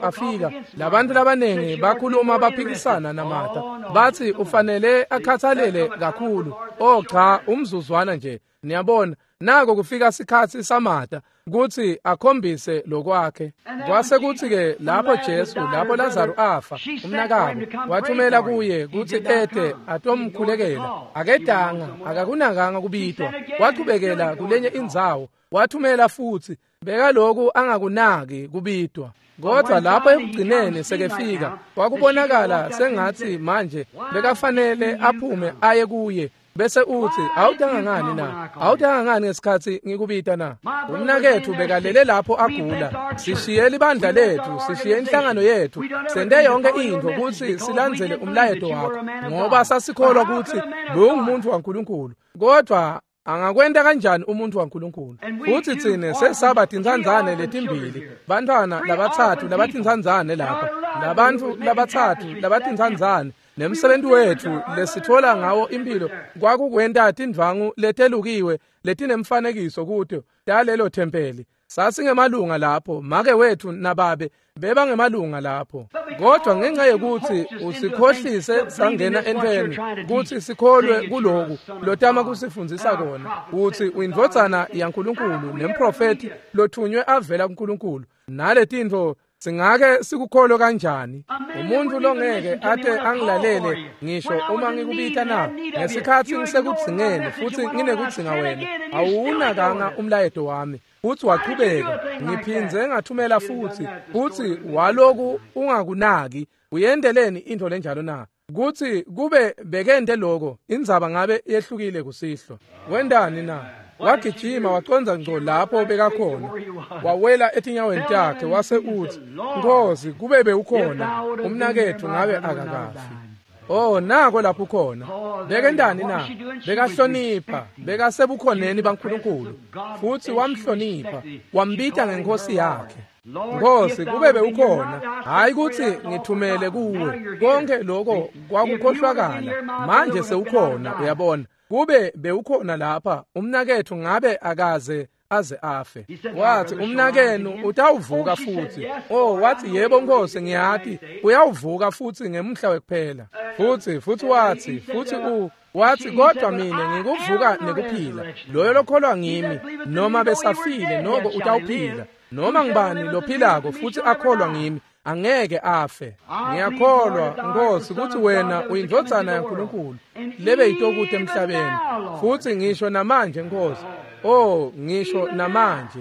afika, labantu labanengi bakhuluma baphikisana naMartha, bathi ufanele akhathalele kakhulu. Oh cha, umzuzwana nje. Niyabona, nako kufika sikhatsi saMartha kutsi akhombise lokwakhe. Kwase kutsi-ke lapho Jesu, lapho Lazaro afa, umnakabo wathumela kuye kutsi ete atomkhulekela. Akedanga, akakunakanga kubitwa. Wachubekela kulenye indzawo, wathumela futsi, bekaloku angakunaki kubitwa. Kodwa lapho ekugcineni sekefika, kwakubonakala sengatsi manje bekafanele aphume aye kuye, bese uthi, awutanga ngani na? Awutanga ngani ngesikhatsi ngikubita na? Umnaketfu bekalele lapho agula. Sishiye libandla letfu, sishiye inhlangano yetfu, sente yonke intfo kutsi silandzele umlayeto wakho, ngoba sasikholwa kutsi bewungumuntu waNkulunkulu. Kodwa angakwenta kanjani umuntu waNkulunkulu? Futsi tsine sesaba tintsandzane letimbili, bantfwana labatsatfu labatintsandzane lapha, labantfu labatsatfu labatintsandzane, nemsebenti wetfu lesitfola ngawo impilo kwakukwenta tindvwangu letelukiwe letinemfanekiso kuto talelo thempeli. Sasingemalunga lapho, make wetfu nababe bebangemalunga lapho. Kodwa ngenxa yekutsi usikhohlise sangena entweni kutsi sikholwe kuloku lotama kusifundzisa kona, utsi uyindvodzana yaNkulunkulu nemprofethi lothunywe avela kuNkulunkulu, naletintfo singake sikukholwe kanjani? Umuntu longeke ate angilalele ngisho uma ngikubita na, ngesikhatsi ngisekudzingeni futsi nginekudzinga wena, awunakanga umlayeto wami. Futsi wachubeka, ngiphindze ngathumela futsi, futsi waloku ungakunaki. Uyendeleni intfo lenjalo na? Kutsi kube bekente loko, indzaba ngabe yehlukile kusihlwa. Wendani na? Wagijima wacondza ngco lapho bekakhona, wawela etinyaweni takhe, wase utsi, Nkosi, kube bewukhona, umnaketfu ngabe akakafi. Oh, nako lapho ukhona. Bekendani na? Bekahlonipha, bekasebukhoneni baNkulunkulu, futsi wamhlonipha, wambita ngenkosi yakhe. Nkosi, kube bewukhona, hayi kutsi ngithumele kuwe, konke lokho kwakukhohlwakala, manje sewukhona, uyabona. Kube bewukhona lapha umnaketfu ngabe akaze aze afe. Wathi umnakenu utawuvuka futhi. Oh, wathi yebo Nkosi, ngiyati uyawuvuka futhi ngemhla wekuphela. Futhi futhi wathi futhi u wathi kodwa mina ngikuvuka nekuphila, loyo lokholwa ngimi noma besafile noko utawuphila, noma ngibani lophilako futhi akholwa ngimi angeke afe. Ngiyakholwa Nkosi ukuthi wena uyindvodzana yaNkulunkulu lebe yitokude emhlabeni, futhi ngisho namanje Nkosi, oh ngisho namanje.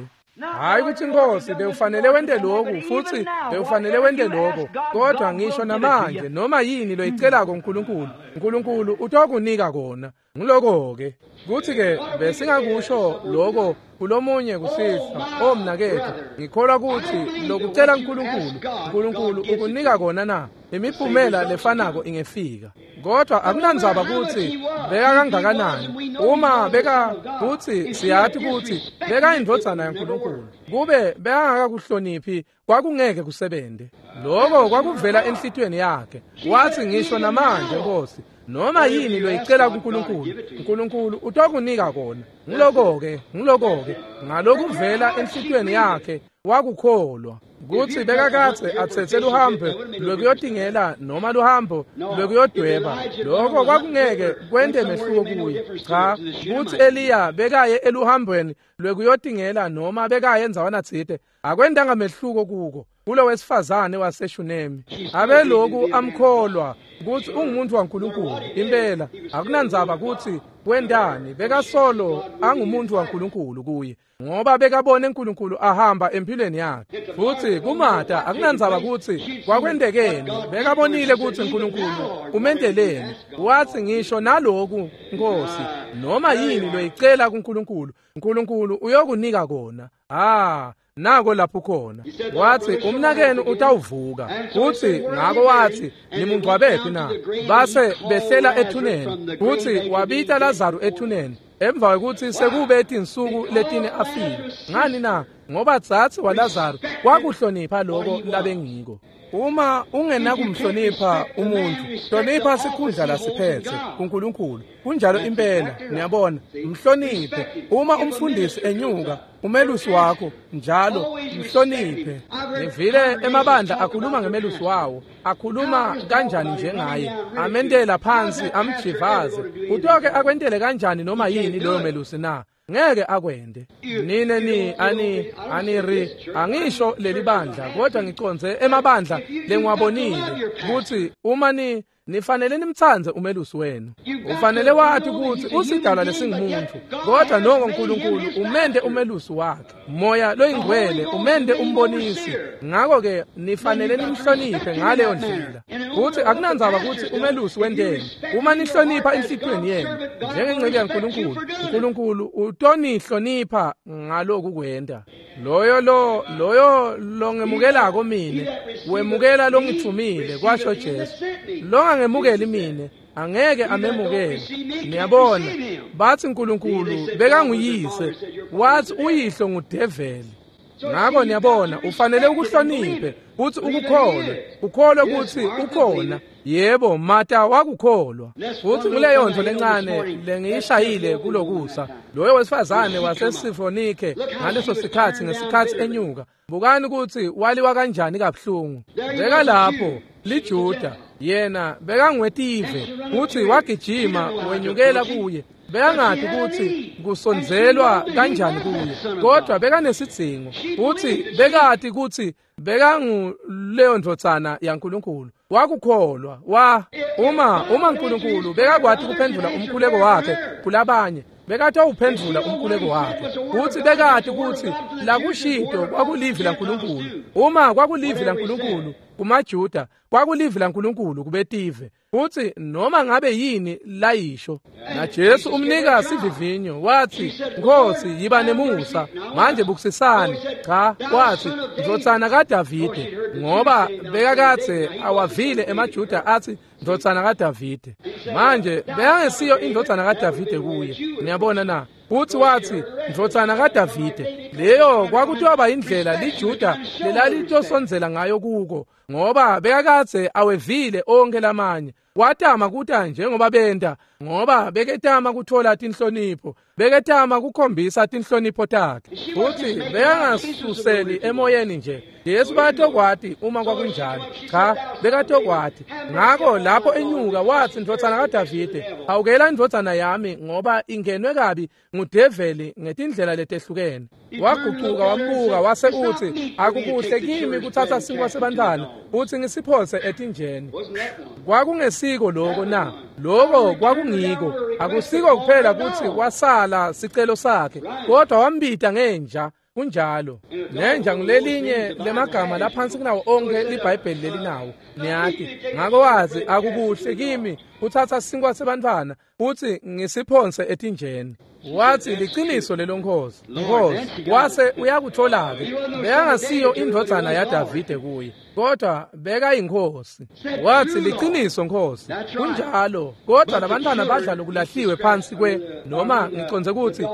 Hayi ukuthi Nkosi bewufanele wente lokhu futhi bewufanele wente lokho, kodwa ngisho namanje noma yini loyicelako uNkulunkulu, uNkulunkulu utokunika kona. Ngiloko-ke kuthi-ke besingakusho lokho kulomunye kusihlwa. O mnaketfu, ngikholwa ukuthi lokucela uNkulunkulu, uNkulunkulu ukunika kona na imiphumela lefanako ingefika. Kodwa akunandzaba ukuthi beka kangakanani, uma beka kuthi siyathi ukuthi beka indvodzana yaNkulunkulu, kube bekangakakuhloniphi kwakungeke kusebente. Lokho kwakuvela enhlitiyweni yakhe. Wathi ngisho namanje Nkosi, noma yini loyicela kuNkulunkulu, uNkulunkulu utokunika kona. Ngiloko-ke, ngiloko-ke ngalokuvela enhlitiyweni yakhe wakukholwa kutsi bekakadze atsetse luhambo lwekuyotingela noma luhambo lwekuyodweba, lokho kwakungeke kwente mehluko kuye. Cha, kutsi Eliya bekaye eluhambweni lwekuyotingela noma bekaye endzawana tsite, akwentanga mehluko kuko. Kulo wesifazane waseShunemi abeloku amkholwa kutsi ungumuntu waNkulunkulu impela, akunandzaba kutsi wendani, bekasolo angumuntu waNkulunkulu kuye, ngoba bekabone uNkulunkulu ahamba empilweni yakhe. Futhi kuMata akunandzaba kutsi kwakwentekeni, bekabonile kutsi uNkulunkulu umenteleni. Wathi ngisho naloku Nkosi, noma yini loyicela kuNkulunkulu, uNkulunkulu uyokunika kona. Ah, nako lapho khona. Wathi umnakenu utawuvuka. Futhi ngako wathi nimungcwabephi na? Base behlela ethuneni. Futhi wabita Lazaru ethuneni emva kwekutsi sekube tinsuku letine afile. Ngani na? Ngoba dzadze waLazaru kwakuhlonipha loko labengiko. Uma ungenakumhlonipha umuntu, hlonipha sikhundla lasiphetse kuNkulunkulu. Kunjalo impela, niyabona, mhloniphe. Uma umfundisi enyuka, umelusi wakho njalo mhloniphe. Ngivile emabandla akhuluma ngemelusi wawo, akhuluma kanjani njengaye, amendela phansi amjivaze. Utoke akwentele kanjani noma yini loyo melusi na? Ngeke akwende. Nine ni ani aniri angisho leli bandla, kodwa ngiconze emabandla lengiwabonile kutsi uma ni nifanele nimtsandze umelusi wenu. Ufanele wathi kutsi usidalwa lesingumuntu, kodwa noko uNkulunkulu umende umelusi wakhe, Moya loyingcwele umende umbonisi. Ngako-ke nifanele nimhloniphe ngaleyo ndlela. Futhi akunandzaba kutsi umelusi wenteni, uma nihlonipha enhlitiyweni yenu njengenceku yaNkulunkulu, uNkulunkulu utonihlonipha ngaloku kwenta. Loyo lo loyo longemukelako mine wemukela longithumile, kwasho Jesu. Longangemukeli mine angeke amemukele. Niyabona, bathi uNkulunkulu bekanguyise, wathi uyihlo ngudeveli. Ngako niyabona, ufanele ukuhloniphe futhi ukukholwe, ukholwe kutsi ukhona. Yebo, Mata wakukholwa. Futhi nguleyo nto lencane lengiyishayile kulokusa. Loyo wesifazane waseSifonike ngaleso sikhatsi, ngesikhatsi enyuka, bukani kutsi waliwa kanjani kabuhlungu. Beka lapho liJuda, yena bekangwetive, futhi wagijima wenyukela kuye. Bekangati kutsi kusondzelwa kanjani kuye, kodwa bekanesidzingo, futhi bekati kutsi bekanguleyo ndvodzana yaNkulunkulu. Wakukholwa. Wa uma uma uNkulunkulu bekakwati kuphendvula umkhuleko wakhe kulabanye, bekatawuphendvula umkhuleko wakhe. Kutsi bekati kutsi lakushito kwakulivi laNkulunkulu. Uma kwakulivi laNkulunkulu kumaJuda, kwakulivi laNkulunkulu kubetive. Futhi noma ngabe yini layisho. Na Jesu umnika sivivinyo, wathi Nkosi yiba nemusa, manje bukusisani. Cha, wathi ndvodzana kaDavide, ngoba bekakadze awavile emaJuda athi ndvodzana kaDavide. Manje bekangesiyo indvodzana kaDavide kuye, niyabona na? Futhi wathi ndvodzana kaDavide, Leyo kwakuthiwa indlela liJuda lelalitosondzela ngayo kuko, ngoba bekakadze awevile onke lamanye. Watama kuta njengoba benta, ngoba beketama kuthola tinhlonipho, beketama kukhombisa tinhlonipho takhe. Futhi bekangasuseli emoyeni nje. Jesu bekatokwati uma kwakunjalo. Cha, bekatokwati. Ngako lapho enyuka wathi, ndvodzana kaDavide, awukela indvodzana yami ngoba ingenwe kabi ngudeveli ngetindlela letehlukene. Wagucuka wambuka wase uthi, akukuhle kimi kuthatha sinkwa sebantwana uthi ngisiphose etinjeni. Kwakungesiko lokho na? Lokho kwakungiko. Akusiko kuphela ukuthi wasala sicelo sakhe, kodwa wambita ngenja. Kunjalo. Nenja ngulelinye lemagama laphansi kunawo onke liBhayibheli lelinawo. Niyati. Ngako wazi akukuhle kimi kuthatha sinkwa sebantwana uthi ngisiphonse etinjeni. Wathi liqiniso lelo Nkosi. Nkosi wase uyakuthola ke. Bekangasiyo indvodzana yaDavide kuye, kodwa bekayinkosi. Wathi liqiniso Nkosi. Kunjalo. Kodwa labantwana badla lokulahliwe phansi kwe, noma ngiconze ukuthi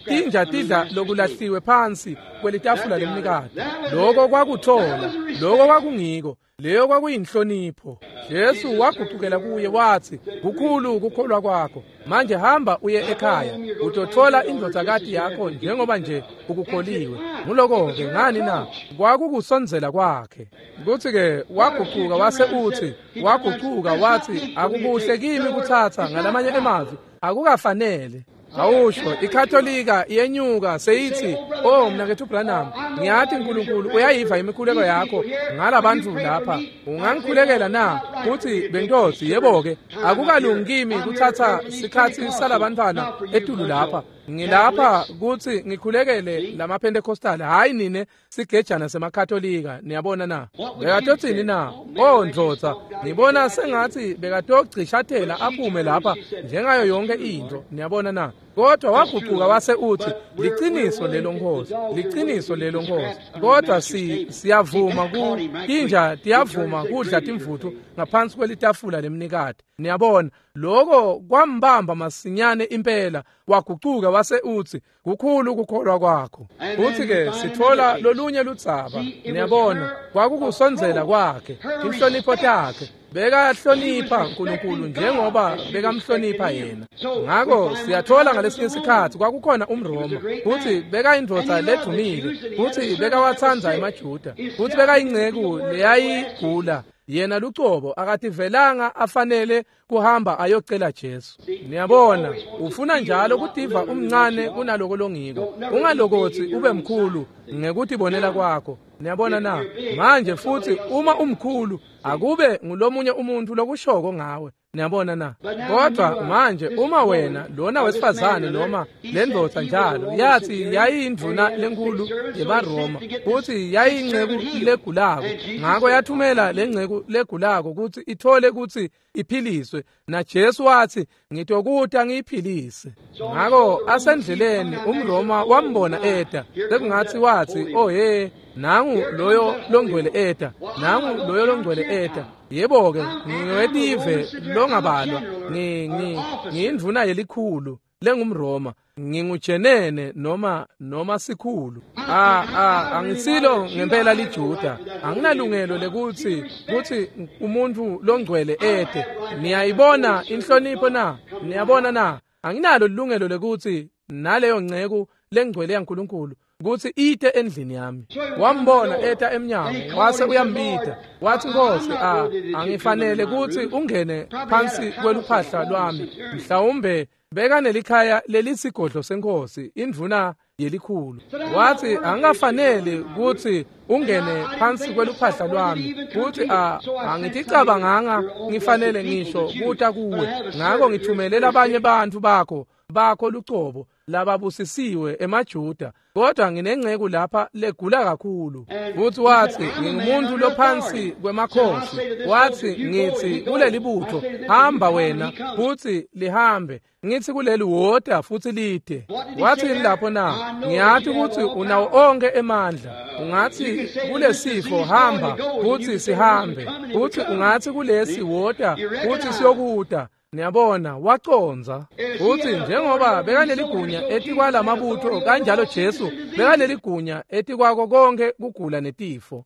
tinja tidla lokulahliwe phansi kwelitafula lemnikati. Lokho kwakuthola, lokho kwakungiko. Leyo kwakuyinhlonipho. Jesu waguqukela kuye wathi, kukhulu ukukholwa kwakho. Manje hamba uye ekhaya, utothola indvodzakati yakho njengoba nje ukukholiwe. Nguloko ke ngani na? Kwakukusondzela kwakhe. Kuthi ke waguquka wase uthi, waguquka wathi akukuhle kimi kuthatha ngalamanye emavi, akukafanele. Awusho iKatolika iyenyuka seyithi, oh mnakethu Branham, ngiyathi uNkulunkulu uyayiva imikhuleko yakho ngalabantu lapha, ungangikhulekela na? Uthi bentosi, yebo ke, akukalungi kimi kuthatha sikhathi salabantwana etulu lapha. Ngilapha kuthi ngikhulekele lamaPentecostal, hayi nine sigejana semaKatolika. Niyabona na? Bekatothini na? Oh ndvodza, ngibona sengathi bekatogcishathela aphume lapha njengayo yonke into. Niyabona na? Kodwa waguquka wase uthi, liqiniso lelo Nkosi, liqiniso lelo Nkosi. Kodwa si siyavuma ku tinja tiyavuma kudla timvuthu ngaphansi kwelitafula lemnikati. Niyabona, lokho kwambamba masinyane impela. Wagucuka wase uthi, kukhulu ukukholwa kwakho. Uthi ke sithola lolunye ludzaba. Niyabona, kwakukusondzela kwakhe, inhlonipho takhe. Bekahlonipha uNkulunkulu njengoba bekamhlonipha yena. Ngako siyathola ngalesinye isikhathi kwakukhona umRoma, futhi bekayindvodza ledumile, futhi bekawatsandza emaJuda, futhi bekayinceku leyayigula. Yena lucobo akativelanga afanele kuhamba ayocela Jesu. Niyabona, ufuna njalo kutiva umncane kunaloko longiko. Ungalokothi ube mkhulu ngekutibonela kwakho. Niyabona na? Manje futhi uma umkhulu akube ngulomunye umuntu lokushoko ngawe. Niyabona na? Kodwa manje uma wena lona wesifazane noma lendvodza njalo yathi yayindvuna lenkulu yebaRoma, futhi yayinceku legulako, ngako yathumela lenceku legulako ukuthi ithole ukuthi iphiliswe, na Jesu wathi ngitokuta ngiyiphilise. Ngako asendleleni umRoma wambona eda, sekungathi wathi, oh hey, nangu loyo longcwele eda, nangu loyo longcwele eda. Yebo ke, ngingetive longabalwa, ngi ngi ngiyindvuna yelikhulu lengumRoma, ngingujenene noma noma sikhulu. Ah ah angisilo ngempela liJuda, anginalungelo lekuthi kuthi umuntu longcwele ede. Niyayibona inhlonipho na? Niyabona na? Anginalo ilungelo lekuthi naleyo nceku lengcwele yaNkulunkulu kuthi ite endlini yami. Wambona eta emnyango wase uyambita, wathi Nkosi, ah angifanele kuthi ungene phansi kweluphahla lwami. Mhlawumbe bekanelikhaya lelisigodlo senkosi, indvuna yelikhulu. Wathi angafanele kuthi ungene phansi kweluphahla lwami, kuthi a angiticabanganga ngifanele ngisho kuta kuwe, ngako ngithumele labanye bantu bakho bakho lucobo lababusisiwe emaJuda, kodwa nginenceku lapha legula kakhulu. Futhi wathi ngingumuntu lophansi kwemakhosi. Wathi ngithi kuleli butho, hamba wena, futhi lihambe. Ngithi kuleli wota, futhi lide. Wathi lapho na, ngiyathi ukuthi unawo onke emandla. Ungathi kulesifo hamba, futhi sihambe. Futhi ungathi kulesi wota, futhi siyokuta. Niyabona wacondza futsi njengoba bekaneligunya etikwalamabutho kanjalo Jesu bekaneligunya etikwako konke kugula netifo.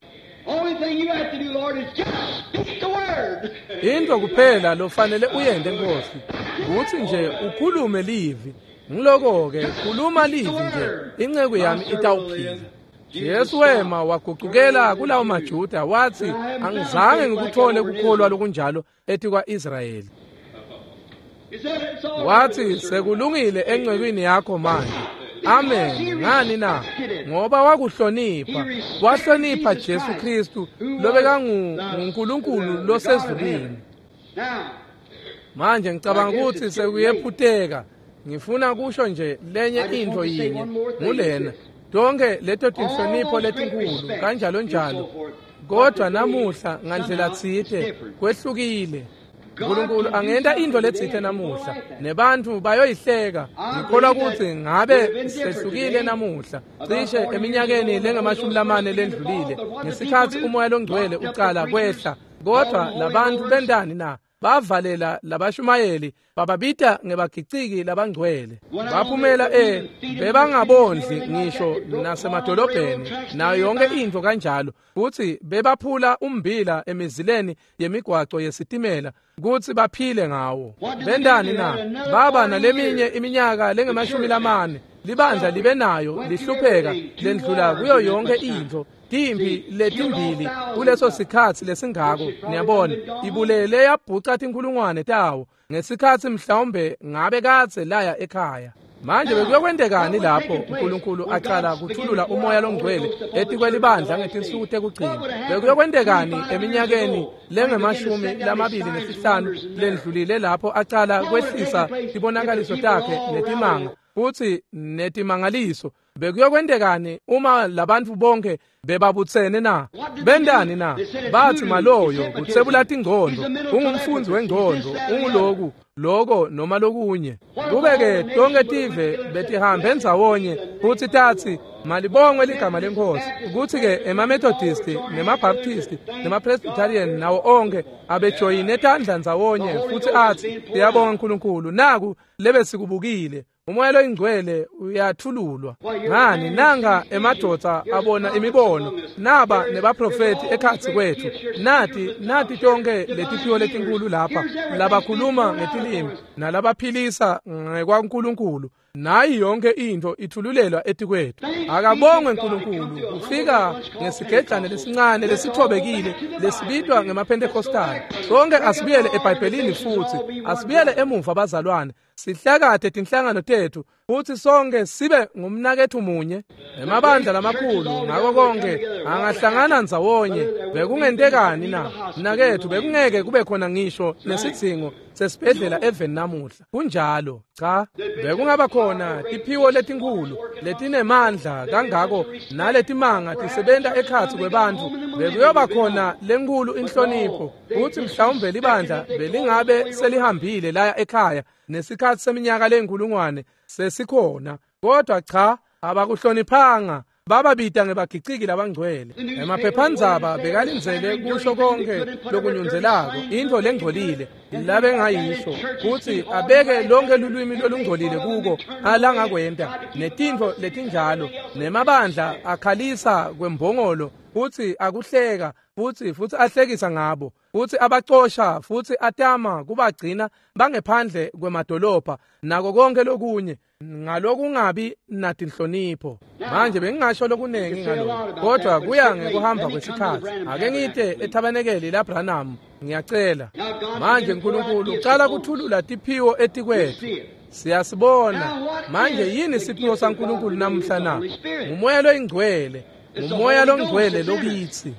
Into kuphela lofanele uyente Nkosi kutsi nje ukhulume livi. Ngiloko-ke khuluma livi nje inceku yami itawuphila. Jesu wema wagucukela kulawo maJuda wathi angizange ngikuthole kukholwa lokunjalo etikwa-Israyeli. Wathi sekulungile encekwini yakho manje. Amen. Ngani na? Ngoba wakuhlonipha, wahlonipha Jesu Kristu lobekanguNkulunkulu losezulwini. Manje ngicabanga ukuthi sekuyephuteka. Ngifuna kusho nje lenye into yinye ngulena. Tonke leto tinhlonipho letinkulu kanjalo njalo. Kodwa namuhla ngandlela tsite kwehlukile. uNkulunkulu angenta into letsite namuhla nebantu bayoyihleka. Ngikholwa ukuthi ngabe sehlukile namuhla cishe eminyakeni lengamashumi lamane lendlulile ngesikhathi umoya longcwele uqala kwehla. Kodwa labantu bendani na? Bavalela labashumayeli bababita ngebagiciki labangcwele. Baphumela e bebangabondli ngisho nasemadolobheni nayo yonke into kanjalo, futhi bebaphula umbila emizileni yemigwaco yesitimela kutsi baphile ngawo. Bendani na? Baba naleminye iminyaka lengemashumi lamane libandla libe nayo lihlupheka lendlula kuyo yonke into. Timpi letimbili kuleso sikhatsi lesingako, niyabona, ibulele yabhuca tinkhulungwane tawo ngesikhatsi mhlawumbe ngabe kadze laya ekhaya. Manje bekuyokwentekani lapho uNkulunkulu aqala kuthulula umoya longcwele etikwelibandla ngetinsuku tekugcina? Bekuyokwentekani eminyakeni lengemashumi lamabili nesihlanu lendlulile lapho aqala kwehlisa tibonakaliso takhe netimanga futsi netimangaliso? Bekuyokwentekani uma labantu bonke bebabutsene na? Bendani na? Bathi maloyo kutsebula tingcondo, ungumfundzi wengcondo, unguloku loko noma lokunye. Kube-ke tonke tive betihambe ndzawonye futsi tatsi malibongwe ligama leNkhosi, kutsi-ke emaMethodisti nemaBaptisti nemaPresbyterian nawo onke abejoyine tandla ndzawonye futsi atsi siyabonga uNkulunkulu, naku lebesikubukile. Umoya loyingcwele uyathululwa. Ngani nanga emadvodza abona imibono, naba nebaprofeti ekhatsi kwethu, nati nati tonke letiphiwo letinkulu lapha labakhuluma ngetilimi nalabaphilisa ngekwaNkulunkulu, nayi yonke into ithululelwa etikwethu. Akabongwe uNkulunkulu. Ufika ngesigejane lesincane lesithobekile lesibitwa ngemaPentecostal. Sonke asibuyele eBhayibhelini futhi asibuyele emuva bazalwane, sihlakade tinhlangano tethu futhi sonke sibe ngumnakethu munye. Emabandla lamakhulu ngako konke angahlangana ndzawonye. Bekungentekani na mnakethu? Bekungeke kube khona ngisho nesidzingo sesibhedlela eveni namuhla. Kunjalo cha, bekungaba khona tiphiwo letinkhulu letinemandla kangako naletimanga tisebenta ekhatsi kwebantfu. Bekuyoba khona lenkulu inhlonipho futhi mhlawumbe libandla belingabe selihambile laya ekhaya nesikhatsi seminyaka lenkulungwane sesikhona. Kodwa cha, abakuhloniphanga, bababita ngebagiciki labangcwele. Emaphephandzaba bekalindzele kusho konke lokunyundzelako, into lengcolile labengayisho, kutsi abeke lonke lulwimi lolungcolile kuko alangakwenta, netintfo letinjalo, nemabandla akhalisa kwembongolo futsi akuhleka futsi futsi ahlekisa ngabo futsi abacosha futsi atama kubagcina bangephandle kwemadolobha nako konke lokunye ngalokungabi natinhlonipho. Manje bengingasho lokunengi ngalokho, kodwa kuya ngekuhamba kwesikhatsi. Ake ngite ethabanekeli laBranham, ngiyacela. Manje uNkulunkulu ucala kuthulula tiphiwo etikwethu, siyasibona. Manje yini siphiwo saNkulunkulu namuhla na? Ngumoya loyingcwele, ngumoya longcwele lokitsi.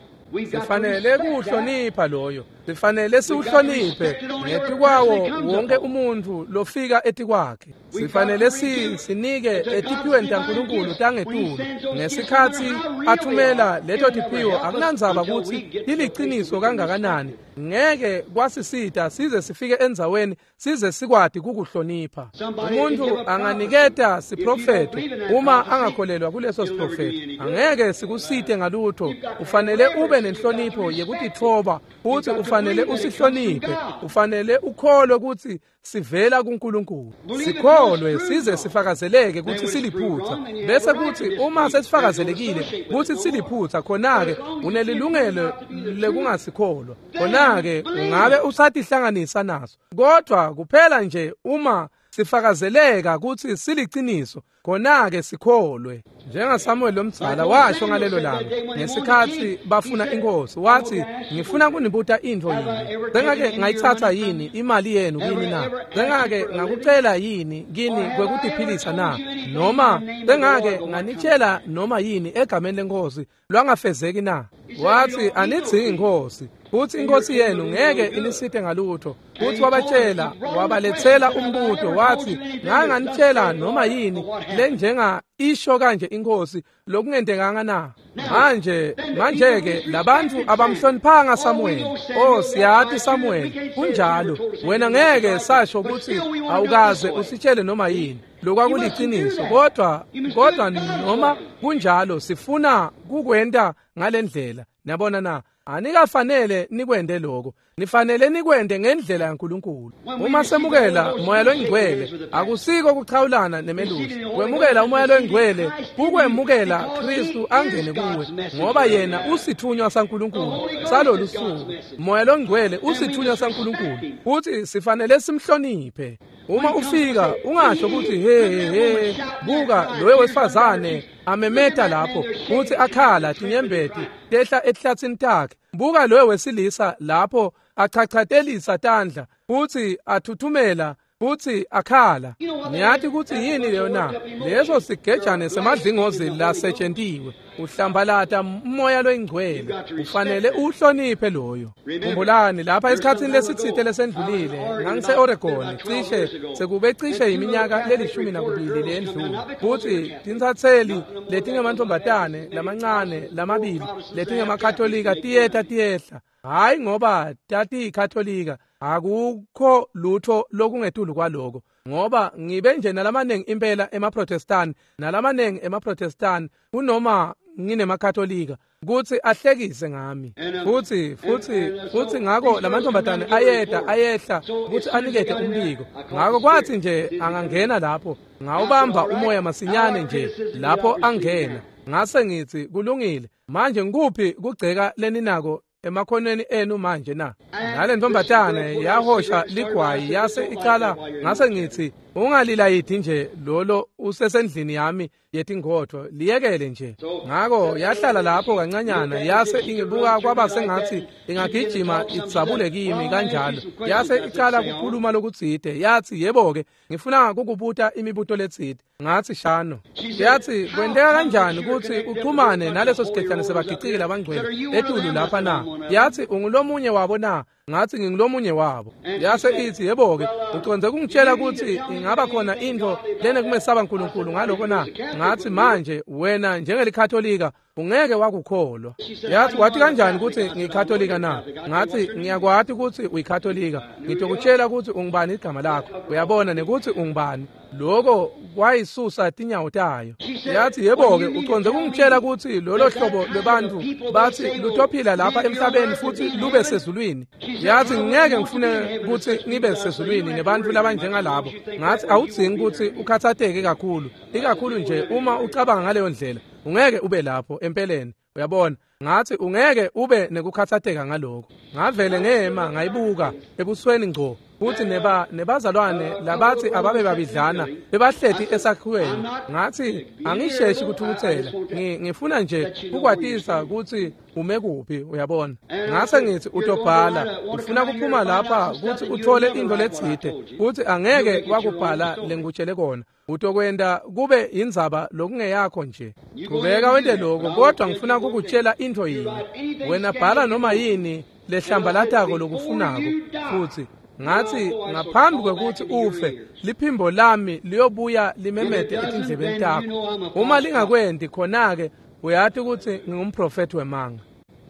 Sifanele kuhlonipha loyo, sifanele siwuhloniphe ngetikwawo wonke umuntu lofika etikwakhe. Sifanele sinike etiphiweni taNkulunkulu tangetulu ngesikhatsi athumela leto tiphiwo. Akunandzaba kutsi tiliciniso kangakanani, ngeke kwasisita size sifike endzaweni size sikwati kukuhlonipha. Umuntu anganiketa siprofetho, uma angakholelwa kuleso siprofetho angeke sikusite ngalutho. Ufanele ube nenhlonipho yekutitfoba futsi ufanele usihloniphe, ufanele ukholwe kutsi sivela kuNkulunkulu. Sikholwe size sifakazeleke kutsi siliphutha, bese kutsi uma sesifakazelekile kutsi siliphutha, khona-ke unelilungelo lekungasikholwa, khona-ke ungabe usatihlanganisa naso. Kodwa kuphela nje uma sifakazeleka kutsi siliciniso, khona-ke sikholwe. NjengaSamuel lomdzala washo ngalelo langa ngesikhatsi bafuna inkosi, wathi, ngifuna kunibuta intfo yini? Sengake ngayitsatsa yini imali yenu kini na? Sengake ngakucela yini kini kwekutiphilisa na? Noma sengake nganitshela noma yini egameni lenkosi lwangafezeki na? Wathi, anidzingi inkosi, futhi inkosi yenu ngeke inisite ngalutho. Futhi wabatshela, wabalethela umbuto, wathi, nganganitshela noma yini lenjenga isho kanje inkosi lokungentekanga na? Manje manje-ke labantu abamhloniphanga Samuel. Oh, siyati Samuel, kunjalo. Wena ngeke sasho ukuthi awukaze usitshele noma yini lokwakuliciniso, kodwa kodwa noma kunjalo sifuna kukwenta ngalendlela. Niyabona na? Anikafanele nikwende lokho, nifanele nikwende ngendlela yaNkulunkulu. Uma semukela umoya longcwele, akusiko kuchawulana nemelusi. Kwemukela umoya longcwele kukwemukela Kristu angene kuwe, ngoba yena usithunywa saNkulunkulu salolu suku. Umoya longcwele usithunywa saNkulunkulu, futhi sifanele simhloniphe. Uma ufika ungasho ukuthi he he, buka loyo wesifazane amemeta lapho futhi akhala tinyembeti tehla ehlathini takhe. Buka loyo wesilisa lapho achachatelisa tandla futhi athuthumela futhi akhala. Niyathi ukuthi yini leyo na? Leso sigejane semadlingozi lasetshentiwe. Uhlambalata umoya loyingcwele, ufanele uhloniphe loyo. Khumbulani lapha esikhatsini lesitsite lesendlulile, ngangise-Oregon cishe sekube cishe iminyaka lelishumi nakubili lendlule, futhi tintsatseli letingemantombazane lamancane lamabili letingemakatolika tiyeta tiyehla. Hayi ngoba tatiyikatolika, akukho lutho lokungetulu kwaloko, ngoba ngibe nje nalamanengi impela emaProtestant nalamanengi emaProtestant kunoma nginemakatolika kutsi ahlekise ngami. Futhi futhi futhi ngako lamantombazane ayeda ayehla kutsi anikete umbiko. Ngako kwathi nje angangena lapho, ngawubamba umoya masinyane nje lapho angena. Ngase ngithi, kulungile, manje ngikuphi kugceka leninako emakhoneni enu manje na? Nale ntombazane yahosha ligwayi yase icala. Ngase ngithi, ungalilayidi nje lolo usesendlini yami yetingotho, liyekele nje. Ngako yahlala lapho kancanyana, yase ingibuka kwaba sengathi ingagijima idzabule kimi kanjalo. Yase icala kukhuluma lokutsite, yathi, yebo-ke, ngifuna kukubuta imibuto letsite. Ngathi, shano. Yathi, kwenteka kanjani kutsi uchumane naleso sigejane sebagiciki labangcwele etulu lapha na? Yathi, ungulomunye wabo na? Ngathi, ngingulomunye wabo. Yase ithi, yebo-ke, ucondze kungitshela kutsi ingaba khona intfo lenekumesaba Nkulunkulu ngaloko na? Ngathi, manje wena njengelikatolika ungeke wakukholwa. Yathi, wathi kanjani kutsi ngiyikatolika na? Ngathi, ngiyakwati kutsi uyikatolika, ngitokutshela kutsi ungubani igama lakho, uyabona, nekutsi ungubani. Loko kwayisusa tinyawo tayo. Yathi, yebo-ke, ucondze kungitshela kutsi lolo hlobo lwebantfu batsi lutophila lapha emhlabeni futhi lube sezulwini. Yathi, ngeke ngifune kutsi ngibe sezulwini nebantfu labanjengalabo. Ngathi, awudzingi kutsi ukhatsateke kakhulu, ikakhulu nje uma ucabanga ngaleyo ndlela. Ungeke ube lapho empeleni, uyabona. Ngathi, ungeke ube nekukhatsateka ngaloko. Ngavele ngema ngayibuka ebusweni ngco, futhi neba nebazalwane labathi ababe babidlana bebahleti esakhiweni. Ngathi, angisheshi kuthukuthela, ngifuna nje kukwatisa kutsi ume kuphi, uyabona. Ngase ngithi, utobhala, ufuna kuphuma lapha kutsi uthole intfo letsite, kutsi angeke wakubhala lengikutshele kona. Utokwenta kube indzaba lokungeyakho nje. Qhubeka wente lokho, kodwa ngifuna kukutshela intfo yinye. Wena bhala noma yini lehlambalatako lokufunako. Futhi ngathi, ngaphambi kwekuthi ufe, liphimbo lami liyobuya limemete etindlebeni takho. Uma lingakwenti, khona-ke uyati kutsi ngingumprofethi wemanga.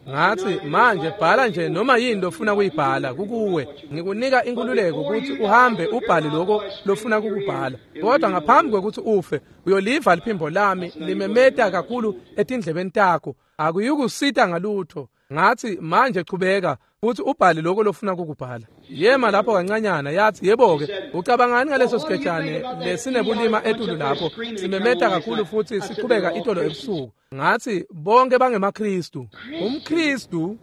Ngathi, manje bhala nje noma yini lofuna kuyibhala, kukuwe. Ngikunika inkululeko kutsi uhambe ubhale lokho lofuna kukubhala. Kodwa ngaphambi kwekuthi ufe, uyoliva liphimbo lami limemeta kakhulu etindlebeni takho. Akuyukusita ngalutho. Ngathi manje chubeka futhi ubhale lokho lofuna ukubhala. Yema lapho kancanyana yathi yebo-ke ucabangani ngaleso sigejane lesinebulima etulu lapho simemeta kakhulu futhi sichubeka itolo ebusuku. Ngathi bonke bangemaKristu. UmKristu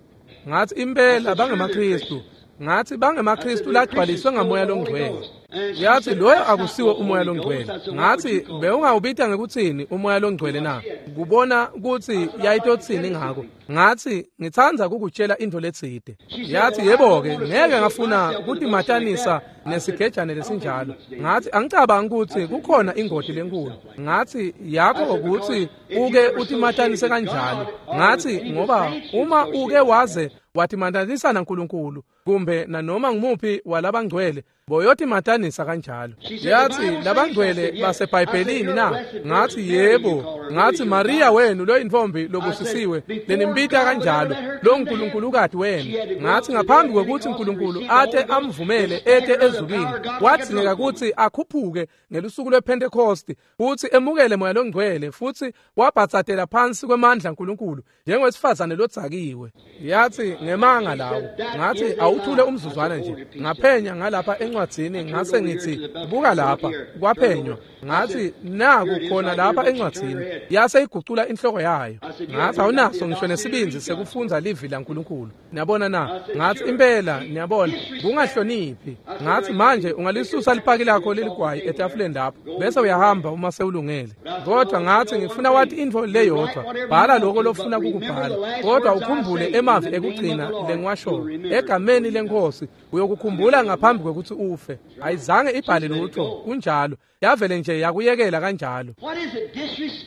ngathi impela bangemaKristu. Ngathi bangemaKristu lagcwaliswe ngamoya longcwele. Yathi loyo akusiwo umoya longcwele. Ngathi bewungawubita ngekuthini umoya longcwele na? Kubona ukuthi yayitothini ngako. Ngathi ngithanda ukukutshela into letside. Yathi yebo-ke ngeke ngafuna kutimatanisa nesigejane lesinjalo. Ngathi angicabangi ukuthi kukhona ingoti lenkulu. Ngathi yakho ukuthi uke utimatanise kanjalo. Ngathi ngoba uma uke waze watimatanisa naNkulunkulu kumbe nanoma ngumuphi walabangcwele boyotimatanisa kanjalo. Yathi labangcwele baseBhayibhelini na? Ngathi yebo. Ngathi Maria wenu lo intombi lobusisiwe lenimbita kanjalo lo nkulunkulukazi wenu. Ngathi ngaphambi kokuthi uNkulunkulu athe amvumele ete ezulwini wadingeka ukuthi akhuphuke ngelusuku lwePentecost futhi emukele moya longcwele futhi wabhatsatela phansi kwemandla kaNkulunkulu njengowesifazane lodzakiwe. Yathi ngemanga lawo. Ngathi awuthule umzuzwana nje. Ngaphenya ngalapha encwadzini ngase ngithi buka lapha kwaphenywa. Ngathi naku khona lapha encwadzini. Yase igucula inhloko yayo. Ngathi awunaso ngisho nesibindi sekufunza livi laNkulunkulu. Niyabona na? Ngathi impela niyabona kungahloniphi. Ngathi manje ungalisusa lipaki lakho leligwayi etafuleni lapho bese uyahamba uma sewulungele. Kodwa ngathi ngifuna wathi into leyodwa bhala lokho lofuna ukubhala kodwa ukhumbule emavi ekugcina lengiwasho egameni lenkosi uyokukhumbula ngaphambi kokuthi ufe. Ayizange ibhale lutho kunjalo yavele nje yakuyekela kanjalo.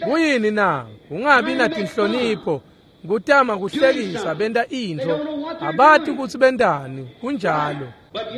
Kuyini na? Ungabi natinhlonipho kutama kuhlekisa benta intfo abati ukuthi bentani kunjalo.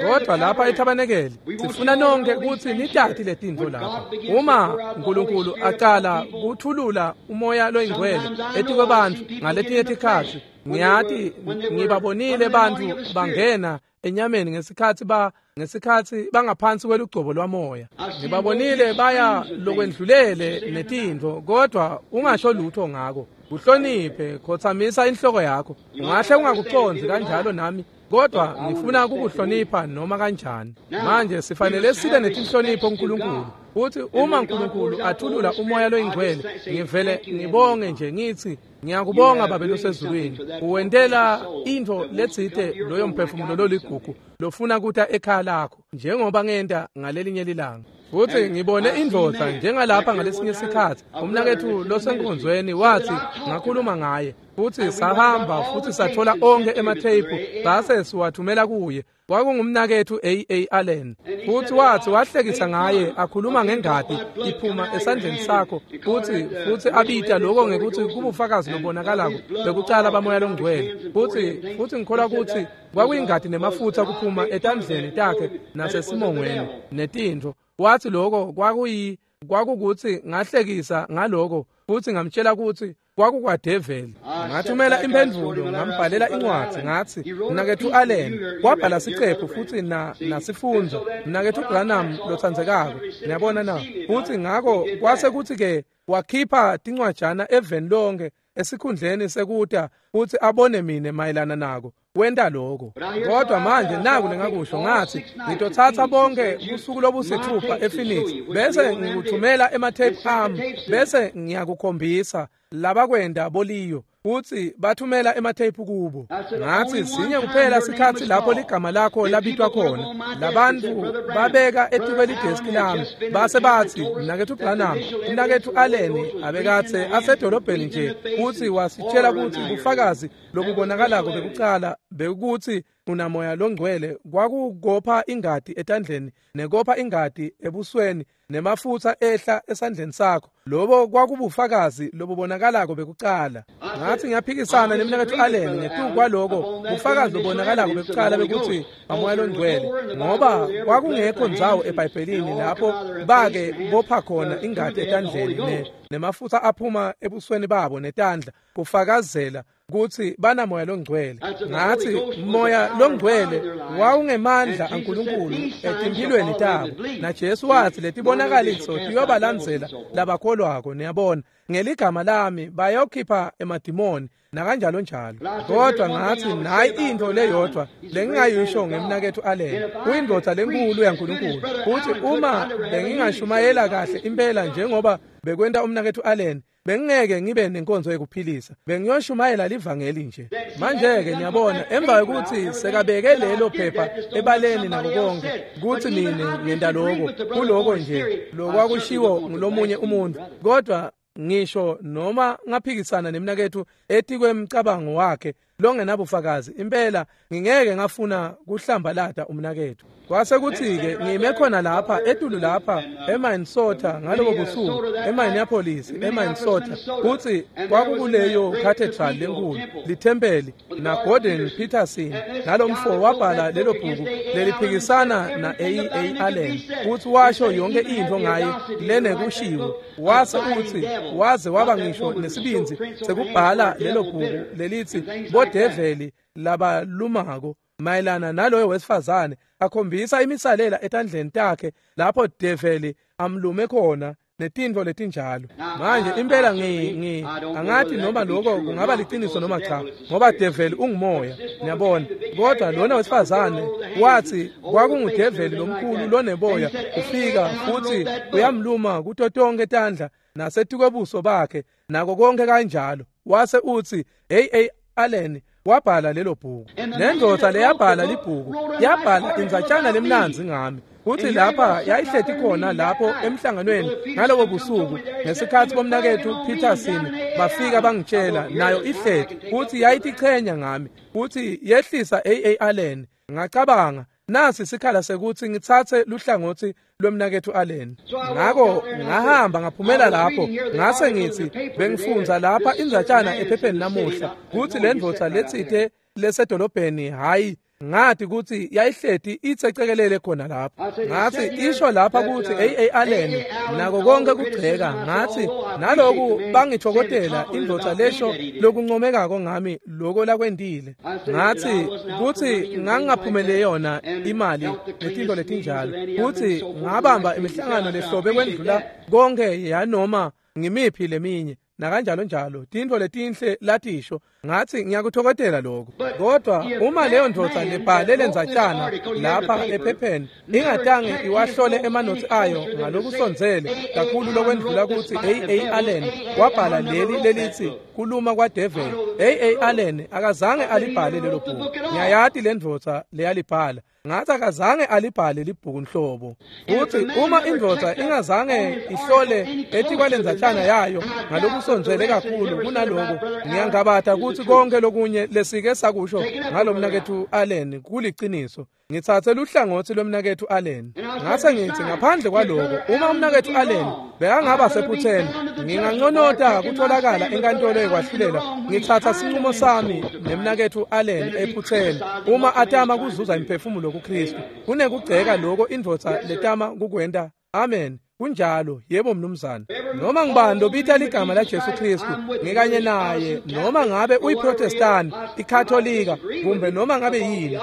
Kodwa lapha ethabanekele sifuna nonke ukuthi nitati letintfo lapha. Uma uNkulunkulu aqala kuthulula umoya loyingcwele etikwebantu ngaletinye tikhatsi ngiyati ngibabonile bantu bangena enyameni ngesikhathi ba ngesikhathi bangaphansi kwelugcobo lwamoya. Ngibabonile baya lokwendlulele netintfo kodwa ungasho lutho ngako. Uhloniphe khothamisa inhloko yakho. Ungahle ungakucondzi kanjalo nami kodwa ngifuna ukukuhlonipha noma kanjani. Manje sifanele sibe netinhlonipho kuNkulunkulu. Uthi uma uNkulunkulu athulula umoya loyingcwele ngivele ngibonge nje ngithi ngiyakubonga Babe losezulwini uwentela into letsite loyo mphefumulo loligugu lofuna kuta ekhaya lakho njengoba ngenta ngalelinye lilanga. Futhi ngibone indvodza njengalapha ngalesinye isikhathi umnakethu losenkonzweni wathi ngakhuluma ngaye futhi sahamba futhi sathola onke ematheyiphu base siwathumela kuye. Kwakungumnakethu A A Allen futhi wathi wahlekisa ngaye akhuluma ngengadi iphuma esandleni sakho futhi futhi abita lokho ngekuthi kubufakazi lobonakalako bekucala bamoya longcwele. Futhi futhi ngikholwa ukuthi kwakuyingadi nemafutha kuphuma etandleni takhe nasesimongweni netintfo. Wathi lokho kwakuyi kwakukuthi ngahlekisa ngaloko futhi ngamtshela ukuthi kwakukwadeveli. Ngathumela imphendvulo ngambhalela incwadi ngathi mnakethu Allen wabhala sicephu futhi na nasifundzo mnakethu Branham lotsandzekako. Niyabona na? Futhi ngako kwase kuthi ke wakhipha tincwajana eveni lonke esikhundleni sekuta futhi abone mine mayelana nako wenta lokho. Kodwa manje naku lengakusho ngathi ngitothatha bonke usuku lobusithupha ePhoenix bese ngikuthumela ematheyiphu ami bese ngiyakukhombisa labakwenda boliyo futhi bathumela ematheyiphu kubo. Ngathi sinye kuphela sikhathi lapho ligama lakho labitwa khona labantu babeka etukweli deski lami base bathi mnakethu Branham mnakethu Allen abekathe asedolobheni nje futhi wasitshela ukuthi ubufakazi lobubonakalako bekucala bekuthi unamoya longcwele kwakugopha ingadi etandleni nekopha ingadi ebusweni nemafutha ehla esandleni sakho. Lobo kwakubufakazi lobubonakalako bekucala. Ngathi ngiyaphikisana nemnakethu Allen ngetuku kwaloko bufakazi lobonakalako bekucala bekuthi amoya longcwele ngoba kwakungekho ndzawo eBhayibhelini lapho bake bopha khona ingadi etandleni ne nemafutha aphuma ebusweni babo netandla kufakazela ukuthi banamoya longcwele. Ngathi moya longcwele wawungemandla aNkulunkulu etimphilweni tabo naJesu wathi letibonakaliso tiyobalandzela labakholwako. Niyabona ngeligama lami bayokhipha emadimoni nakanjalo njalo. Kodwa ngathi nayi into leyodwa lengingayisho ngemnakethu Allen, uyindvodza lenkulu yaNkulunkulu, futhi uma bengingashumayela kahle impela njengoba bekwenta umnakethu Allen, bengingeke ngibe nenkonzo yekuphilisa, bengiyoshumayela livangeli nje. Manje-ke niyabona, emva kokuthi sekabeke lelo phepha ebaleni nako konke kutsi mine ngenta loko kuloko nje lokwakushiwo ngulomunye umuntu, kodwa ngisho noma ngaphikisana nemnakethu etikwemcabango wakhe longenabufakazi, impela ngingeke ngafuna kuhlambalata umnakethu. Kwase kuthi-ke ngime khona lapha etulu lapha eMinnesota ngalobo busuku, eMinneapolis, eMinnesota, kutsi kwakukuleyo cathedral lenkulu, lithempeli, na Gordon Peterson nalomfo wabhala lelo bhuku leliphikisana na A A Allen, kutsi washo yonke intfo ngaye lenekushiwo. Wase utsi waze waba ngisho nesibindzi sekubhala lelo bhuku lelithi bodeveli labalumako mayelana naloyo wesifazane, akhombisa imisalela etandleni takhe lapho develi amlume khona netintfo letinjalo. Manje impela ngi ngi angathi noma lokho kungaba liciniso noma cha, ngoba develi ungumoya, niyabona. Kodwa lona wesifazane wathi kwakungudeveli lomkhulu loneboya ufika futhi uyamluma kuto tonke tandla nasetikwebuso bakhe nako konke kanjalo. Wase utsi A A Allen wabhala lelo bhuku. Lendvodza leyabhala libhuku yabhala indzatshana lemnandzi ngami, kutsi lapha yayihleti khona lapho emhlanganweni ngalobo busuku ngesikhatsi bomnakethu Peterson bafika bangitshela, nayo ihleti, kutsi yayitichenya ngami, kutsi yehlisa A A Allen. Ngacabanga, nasi sikhala sekutsi ngitsatse luhlangotsi lwemnakethu Allen. Ngako ngahamba ngaphumela lapho, ngase ngitsi bengifundza lapha indzatshana ephepheni namuhla kutsi lendvodza letsite lesedolobheni, hayi ngathi kutsi yayihleti itsecekelele khona lapho. Ngathi isho lapha kutsi A A Allen nako konke kugceka. Ngathi naloku bangithokotela indvodza lesho lokuncomekako ngami loko lakwentile. Ngathi kutsi ngangingaphumele yona imali netintfo letinjalo, kutsi ngabamba imihlangano lehlobe kwendlula konke yanoma ngimiphi leminye nakanjalo njalo, tintfo letinhle latisho. Ngathi ngiyakuthokotela lokho. Kodwa uma leyo ndvodza lebhale lendzatshana lapha ephepheni ingatange iwahlole emanotsi ayo ngalokusondzele kakhulu lokwendlula kutsi A A Allen wabhala leli lelithi kuluma kwadeveli, A A Allen akazange alibhale lelo bhuku. Ngiyayati lendvodza leyalibhala. Ngathi akazange alibhale libhuku nhlobo. Futhi uma indvodza ingazange ihlole etikwalenzatshana yayo ngalokusondzele kakhulu kunaloko, ngiyangabata kutsi konke lokunye lesike sakusho ngalomnakethu Allen kuliciniso. Ngitsatse luhlangotsi lwemnakethu Allen. Ngase ngitsi ngaphandle kwaloko, uma umnakethu Allen bekangaba sephutheni, nginganconota kutholakala enkantolo yekwahlulela ngitsatsa sinqumo sami nemnakethu Allen ephutheni uma atama kuzuza imphefumulo kuKristu kunekugceka loko indvodza letama kukwenta. Amen. Kunjalo, yebo mnumzane. Noma ngibani lobita ligama la Jesu Kristu ngikanye naye, noma ngabe uyiProtestant, iKatolika, kumbe noma ngabe yini,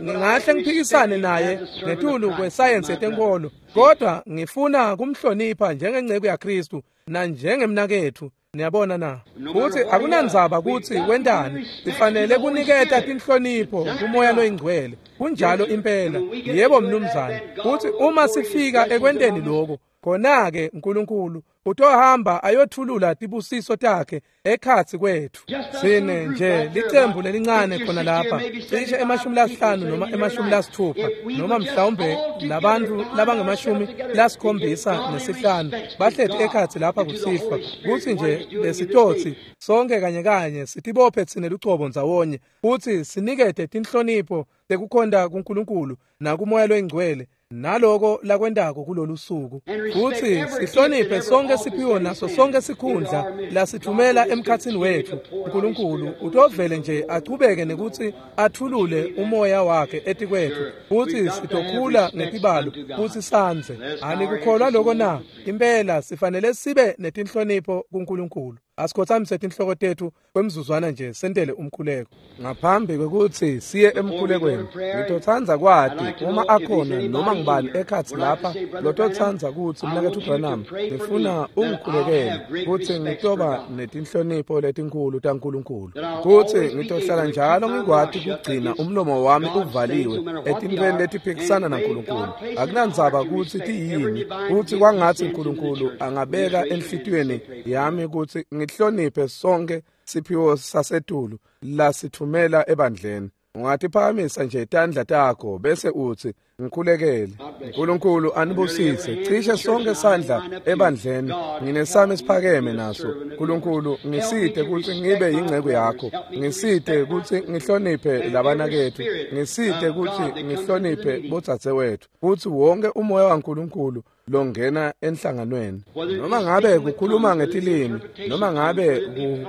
ngingahle ngiphikisane naye ngetulu kwesayensi yetenkolo, kodwa ngifuna kumhlonipha njengenceku yaKristu nanjengemnakethu. Niyabona na? Kutsi akunandzaba kutsi wentani, sifanele kuniketa tinhlonipho kumoya loyingcwele. Kunjalo impela. Yebo mnumzane. Kutsi uma sifika ekwenteni lokho, khona-ke uNkulunkulu utohamba ayothulula tibusiso takhe ekhatsi kwethu. Sine nje licembu lelincane khona lapha, cishe emashumi lasihlanu noma emashumi lasithupha noma mhlawumbe labantu labangemashumi lasikhombisa nesihlanu bahleti ekhatsi lapha kusihlwa, kutsi nje lesitotsi sonke kanye kanye sitibophe tsine lucobo ndzawonye futsi sinikete tinhlonipho tekukhonta kuNkulunkulu nakumoya loyingcwele naloko lakwentako kulolu suku, futsi sihloniphe sonke siphiwo naso sonke sikhundla lasithumela emkhatsini wethu. uNkulunkulu utovele nje achubeke nekutsi athulule umoya wakhe etikwethu, futsi sitokhula ngetibalo futsi sandze. Anikukholwa loko na? Impela sifanele sibe netinhlonipho kuNkulunkulu. Asikhothamise tinhloko tetfu kwemzuzwana nje sentele umkhuleko. Ngaphambi kwekutsi siye emkhulekweni, ngitotsandza kwati uma akhona noma ngibani ekhatsi lapha lototsandza kutsi mnaketfu Branham ngifuna ungikhulekele kutsi ngitoba netinhlonipho letinkhulu taNkulunkulu, kutsi ngitohlala njalo ngikwati kugcina umlomo wami uvaliwe etintfweni letiphikisana naNkulunkulu. Akunandzaba kutsi tiyini, kutsi kwangatsi uNkulunkulu angabeka enhlitiyweni yami kutsi ngihloniphe sonke siphiwo sasetulu lasithumela ebandleni. Ungatiphakamisa nje tandla takho bese utsi ngikhulekele. uNkulunkulu anibusise. Cishe sonke sandla ebandleni nginesami siphakeme naso. uNkulunkulu ngisite kutsi ngibe yingcebo yakho, ngisite kutsi ngihloniphe labanaketfu, ngisite kutsi ngihloniphe bodzadzewetfu, kutsi wonke umoya waNkulunkulu longena enhlanganweni, noma ngabe kukhuluma ngetilimi, noma ngabe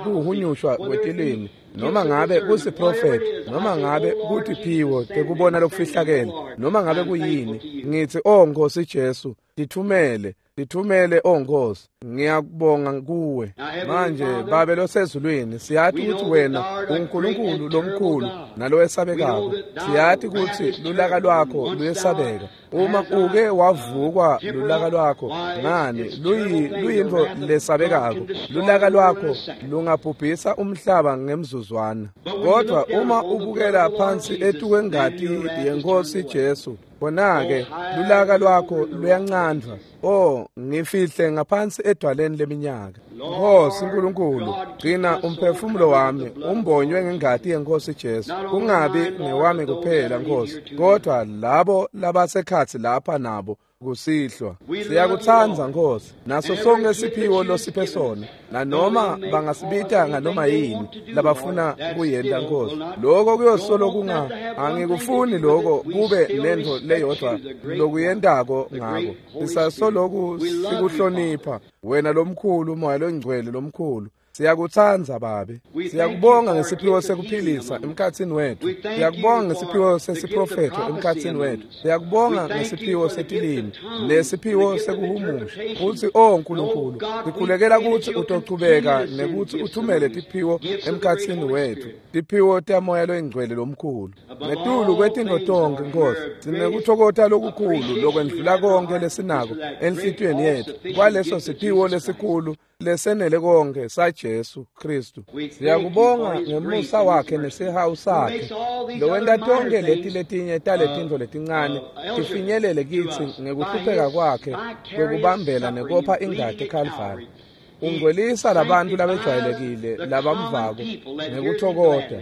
kuhunyushwa kwetilimi, noma ngabe kusiprofeti, noma ngabe kutiphiwo tekubona lokufihlakele, noma ngabe kuyini, ngitsi o Nkosi Jesu, tithumele, tithumele o Nkosi, ngiyakubonga kuwe. Manje Babe losezulwini, siyati kutsi wena uNkulunkulu lomkhulu nalowesabekako. Siyati kutsi lulaka lwakho luyesabeka. Uma uke wavukwa lulaka lwakho, ngani luyintfo lesabekako. Lulaka lwakho lungabhubhisa umhlaba ngemzuzwana. Kodwa uma ubukela phansi etukwengati yeNkosi Jesu, khona-ke lulaka lwakho luyancandvwa. Oh, ngifihle ngaphansi edwaleni leminyaka. Nkosi uNkulunkulu, gcina umphefumulo wami umbonywe ngengati yeNkosi Jesu. Kungabi ngewami kuphela Nkosi, kodwa labo labasekhatsi lapha nabo kusihlwa. Siyakutsandza Nkosi, naso sonke siphiwo losiphe sona, nanoma bangasibita nganoma yini labafuna kuyenta Nkosi. Lokho kuyosolo kunga angikufuni lokho kube nento leyodwa lokuyentako ngako. Sisasoloku sikuhlonipha wena lomkhulu, umoya longcwele lomkhulu. Siyakutsandza Babe. Siyakubonga ngesiphiwo sekuphilisa emkhatsini wetfu. Siyakubonga ngesiphiwo sesiprofetho emkhatsini wetfu. Siyakubonga ngesiphiwo setilimi nesiphiwo sekuhumusha. Utsi o Nkulunkulu, sikhulekela kutsi utochubeka nekutsi uthumele tiphiwo emkhatsini wetfu, tiphiwo tamoya loyingcwele lomkhulu. Ngetulu kwetintfo tonkhe Nkosi, sinekuthokota lokukhulu lokwendlula konke lesinako enhlitiyweni yetfu kwaleso siphiwo lesikhulu lesenele konke saJesu Kristu. Siyakubonga ngemusa wakhe nesihawu sakhe lowenta tonke leti letinye taletintfo letincane tifinyelele kitsi ngekuhlupheka kwakhe kwekubambela nekopha ingati eKalvari. Ungcwelisa labantu labejwayelekile labamvako ngekuthokota.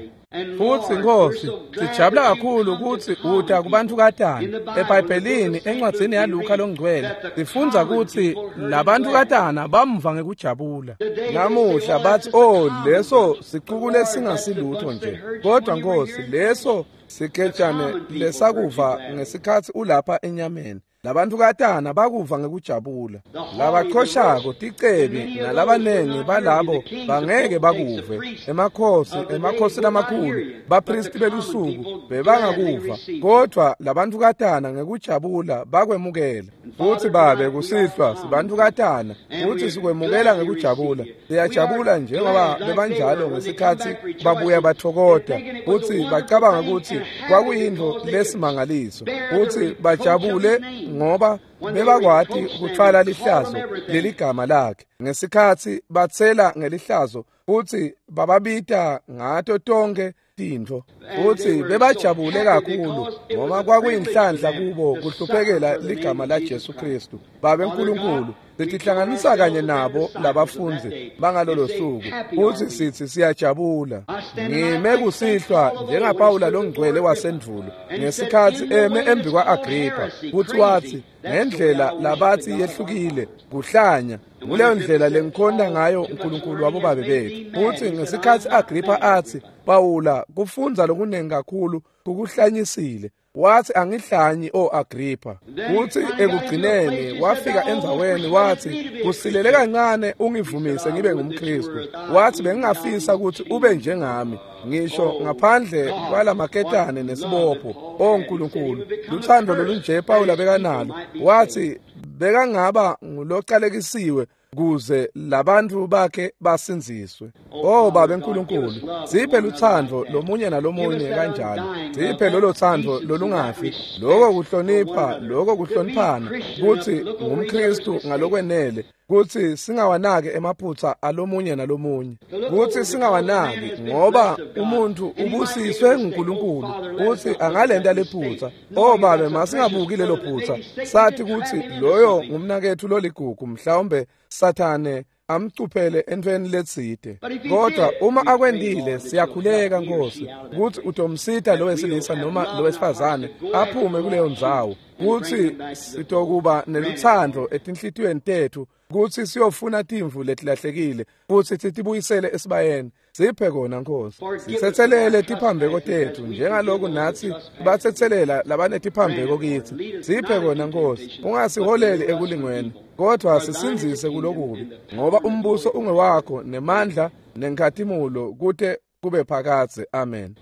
Futsi Nkosi, sijabula kakhulu kutsi uta kubantukatana. EBhayibhelini encwadzini yaLuka longcwele sifundza kutsi labantukatana bamva ngekujabula. Namuhla batsi oh leso sicuku lesingasilutho nje, kodwa Nkosi leso siketshane lesakuva ngesikhatsi ulapha enyameni. Labantukatana bakuva ngekujabula. Labachoshako ticebi nalabanengi balabo bangeke bakuve. Emakhosi, emakhosi lamakhulu, bapristi belusuku bebangakuva, kodwa labantukatana ngekujabula bakwemukela. Futsi Babe kusihlwa sibantukatana futsi sikwemukela ngekujabula. Siyajabula njengoba bebanjalo ngesikhatsi babuya bathokota, futsi bacabanga kutsi kwakuyintfo lesimangaliso, futsi bajabule ngoba bebakwati kutfwala lihlazo leligama lakhe. Ngesikhatsi batsela ngelihlazo futsi bababita ngato tonke tintfo, futsi bebajabule kakhulu ngoba kwakuyinhlanhla kubo kuhluphekela ligama la Jesu Kristu. Babe Nkulunkulu, sitihlanganisa kanye nabo labafundzi bangalolo suku, futsi sitsi siyajabula. Ngime kusihlwa njengaPawula longcwele wasendvulo ngesikhatsi eme embi kwa-Agripha, futsi watsi ngendlela labatsi yehlukile kuhlanya, nguleyo ndlela lengikhonta ngayo uNkulunkulu wabobabe betfu. Futsi ngesikhatsi Agripha atsi, Pawula, kufundza lokunengi kakhulu kukuhlanyisile, wathi angihlanyi o Agripha. Futsi ekugcineni wafika endzaweni wathi kusilele kancane ungivumise ngibe ngumKristu. Wathi bengingafisa ukuthi ube njengami ngisho ngaphandle kwalamaketane nesibopho. O Nkulunkulu, luthando lolunje Pawula bekanalo. Wathi bekangaba ngulocalekisiwe kuze labantu bakhe basindziswe. Oh Babe Nkulunkulu, siphe lutsandvo lomunye nalomunye kanjalo. Siphe lolo tsandvo lolungafi, loko kuhlonipha, loko kuhloniphana, kutsi ngumKristu ngalokwenele kutsi singawanaki emaphutsa alomunye nalomunye, kutsi singawanaki ngoba umuntu ubusiswe nguNkulunkulu kutsi angalenta lephutsa. Oh Babe, masingabuki lelo phutsa, sathi kutsi loyo ngumnaketfu loligugu, mhlawumbe Sathane amcuphele entweni letsite. Kodwa uma akwendile, siyakhuleka Nkosi kutsi utomsita lo wesilisa noma lo wesifazane aphume kuleyo ndzawo, kutsi sitokuba nelutsandvo etinhlitiyweni tetfu, kutsi siyofuna timvu letilahlekile futsi sitibuyisele esibayeni. Siphe kona Nkosi, sitsetselele tiphambeko tetfu njengaloku natsi batsetselela labanetiphambeko kitsi. Siphe kona Nkosi, ungasiholeli ekulingweni, kodwa sisindzise kulokubi, ngoba umbuso ungewakho nemandla nenkhatimulo kute kube phakadze. Amen.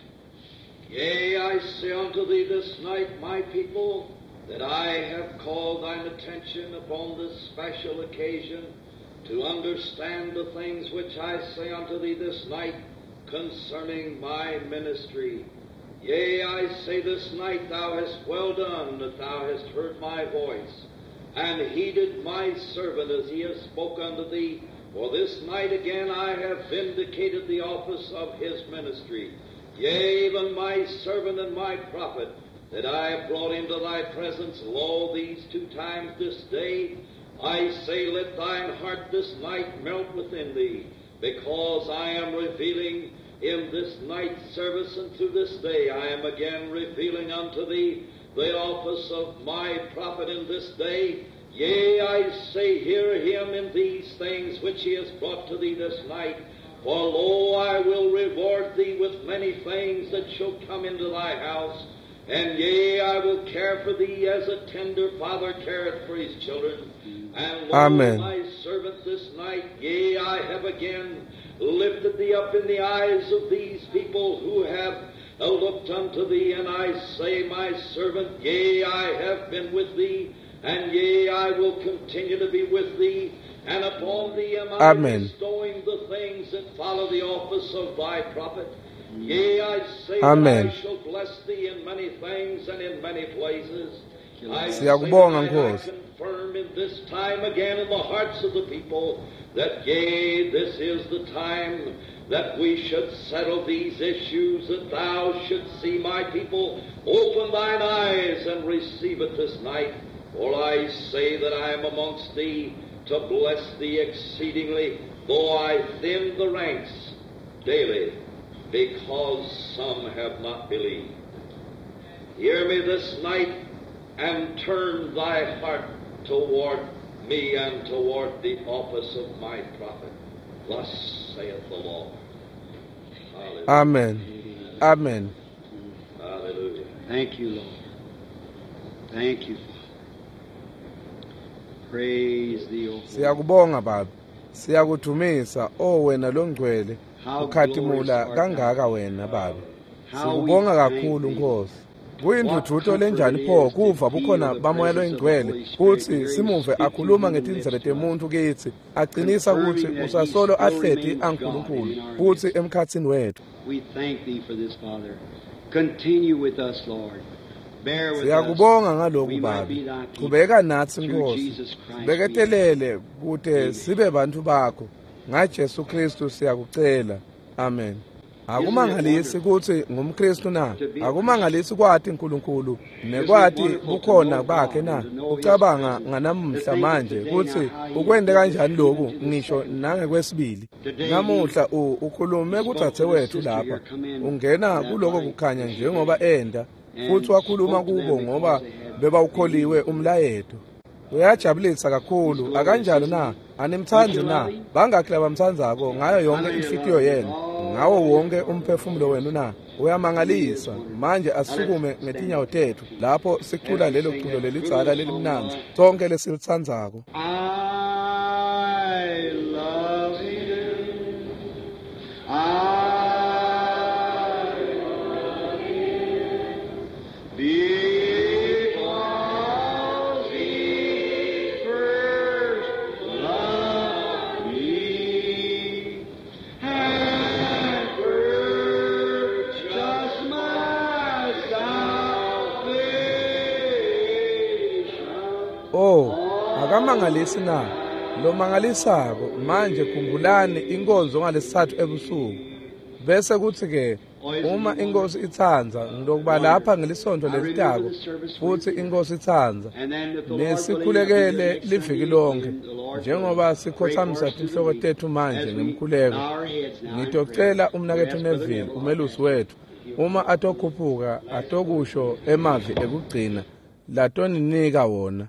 Yea, I say unto thee this night, my people, that I have called thine attention upon this special occasion to understand the things which I say unto thee this night concerning my ministry. Yea, I say this night thou hast well done that thou hast heard my voice, and heeded my servant as he hath spoke unto thee. For this night again I have vindicated the office of his ministry. Yea, even my servant and my prophet, that I have brought into thy presence, lo, these two times this day, I say, let thine heart this night melt within thee, because I am revealing in this night's service and to this day I am again revealing unto thee the office of my prophet in this day. Yea, I say, hear him in these things which he has brought to thee this night. For lo, I will reward thee with many things that shall come into thy house. And yea, I will care for thee as a tender father careth for his children. And lo, Amen. my servant this night, yea, I have again lifted thee up in the eyes of these people who have looked unto thee. And I say, my servant, yea, I have been with thee, and yea, I will continue to be with thee. And upon thee am I Amen. bestowing the things that follow the office of thy prophet. Yea, I say Amen. that I shall bless thee in many things and in many places. I say Siyakubonga, that I Nkosi. confirm in this time again in the hearts of the people that, yea, this is the time that we should settle these issues, that thou shouldst see my people open thine eyes and receive it this night. For I say that I am amongst thee to bless thee exceedingly, though I thin the ranks daily, because some have not believed. Hear me this night, and turn thy heart toward me and toward the office of my prophet. Thus saith the Lord. Hallelujah. Amen. Amen. Hallelujah. Thank you, Lord. Thank you, Father. Praise thee, O Lord. Siyakubonga Baba. Siyakudumisa, o wena longcwele, How ukhatimula glorious art kangaka thou. wena Baba. How we Sikubonga thank kakhulu thee. Nkosi. Kuyinduduzo lenjani pho kuva bukhona bamoya loyingcwele kutsi simuve akhuluma ngetindzebe temuntu kitsi, aqinisa kutsi usasolo ahleti aNkulunkulu kutsi emkhatsini wethu. We thank thee for this, Father. Continue with us, Lord. Bear with us. Siyakubonga ngaloku We might Babe. be thy people. Qhubeka natsi Through Nkosi. Jesus Christ we Beketelele kute sibe bantu bakho. NgaJesu Kristu siyakucela. Amen. Akumangalisi kutsi ngumKristu na? Akumangalisi kwati uNkulunkulu nekwati bukhona bakhe na? Ucabanga nganamuhla manje kutsi ukwente kanjani lokhu ngisho nangekwesibili. Namuhla u ukhulume kudzadze wethu lapha. Ungena kuloko kukhanya njengoba enda futhi wakhuluma kubo ngoba bebawukholiwe umlayeto. Uyajabulisa kakhulu akanjalo na? Animthandi na? Bangakhi labamthandzako ngayo yonke inhlitiyo yenu, ngawo wonke umphefumulo wenu na? Uyamangalisa. Manje asisukume ngetinyawo tetfu lapho sicula lelo culo lelidzala lelimnandzi sonke lesilitsandzako. I love him. I love him. Because he first loved Akamangalisi na? Lomangalisako. Manje khumbulani inkonzo ngalesithathu ebusuku. Bese kuthi-ke uma inkosi itsandza ngilokuba lapha ngelisonto lelitako futhi inkosi itsandza nesikhulekele liviki lonke njengoba sikhothamisa tinhloko tethu manje ngemkhuleko. Ngitocela umnaketfu Neville, umelusi wethu, uma atokhuphuka atokusho emavi ekugcina latoninika wona.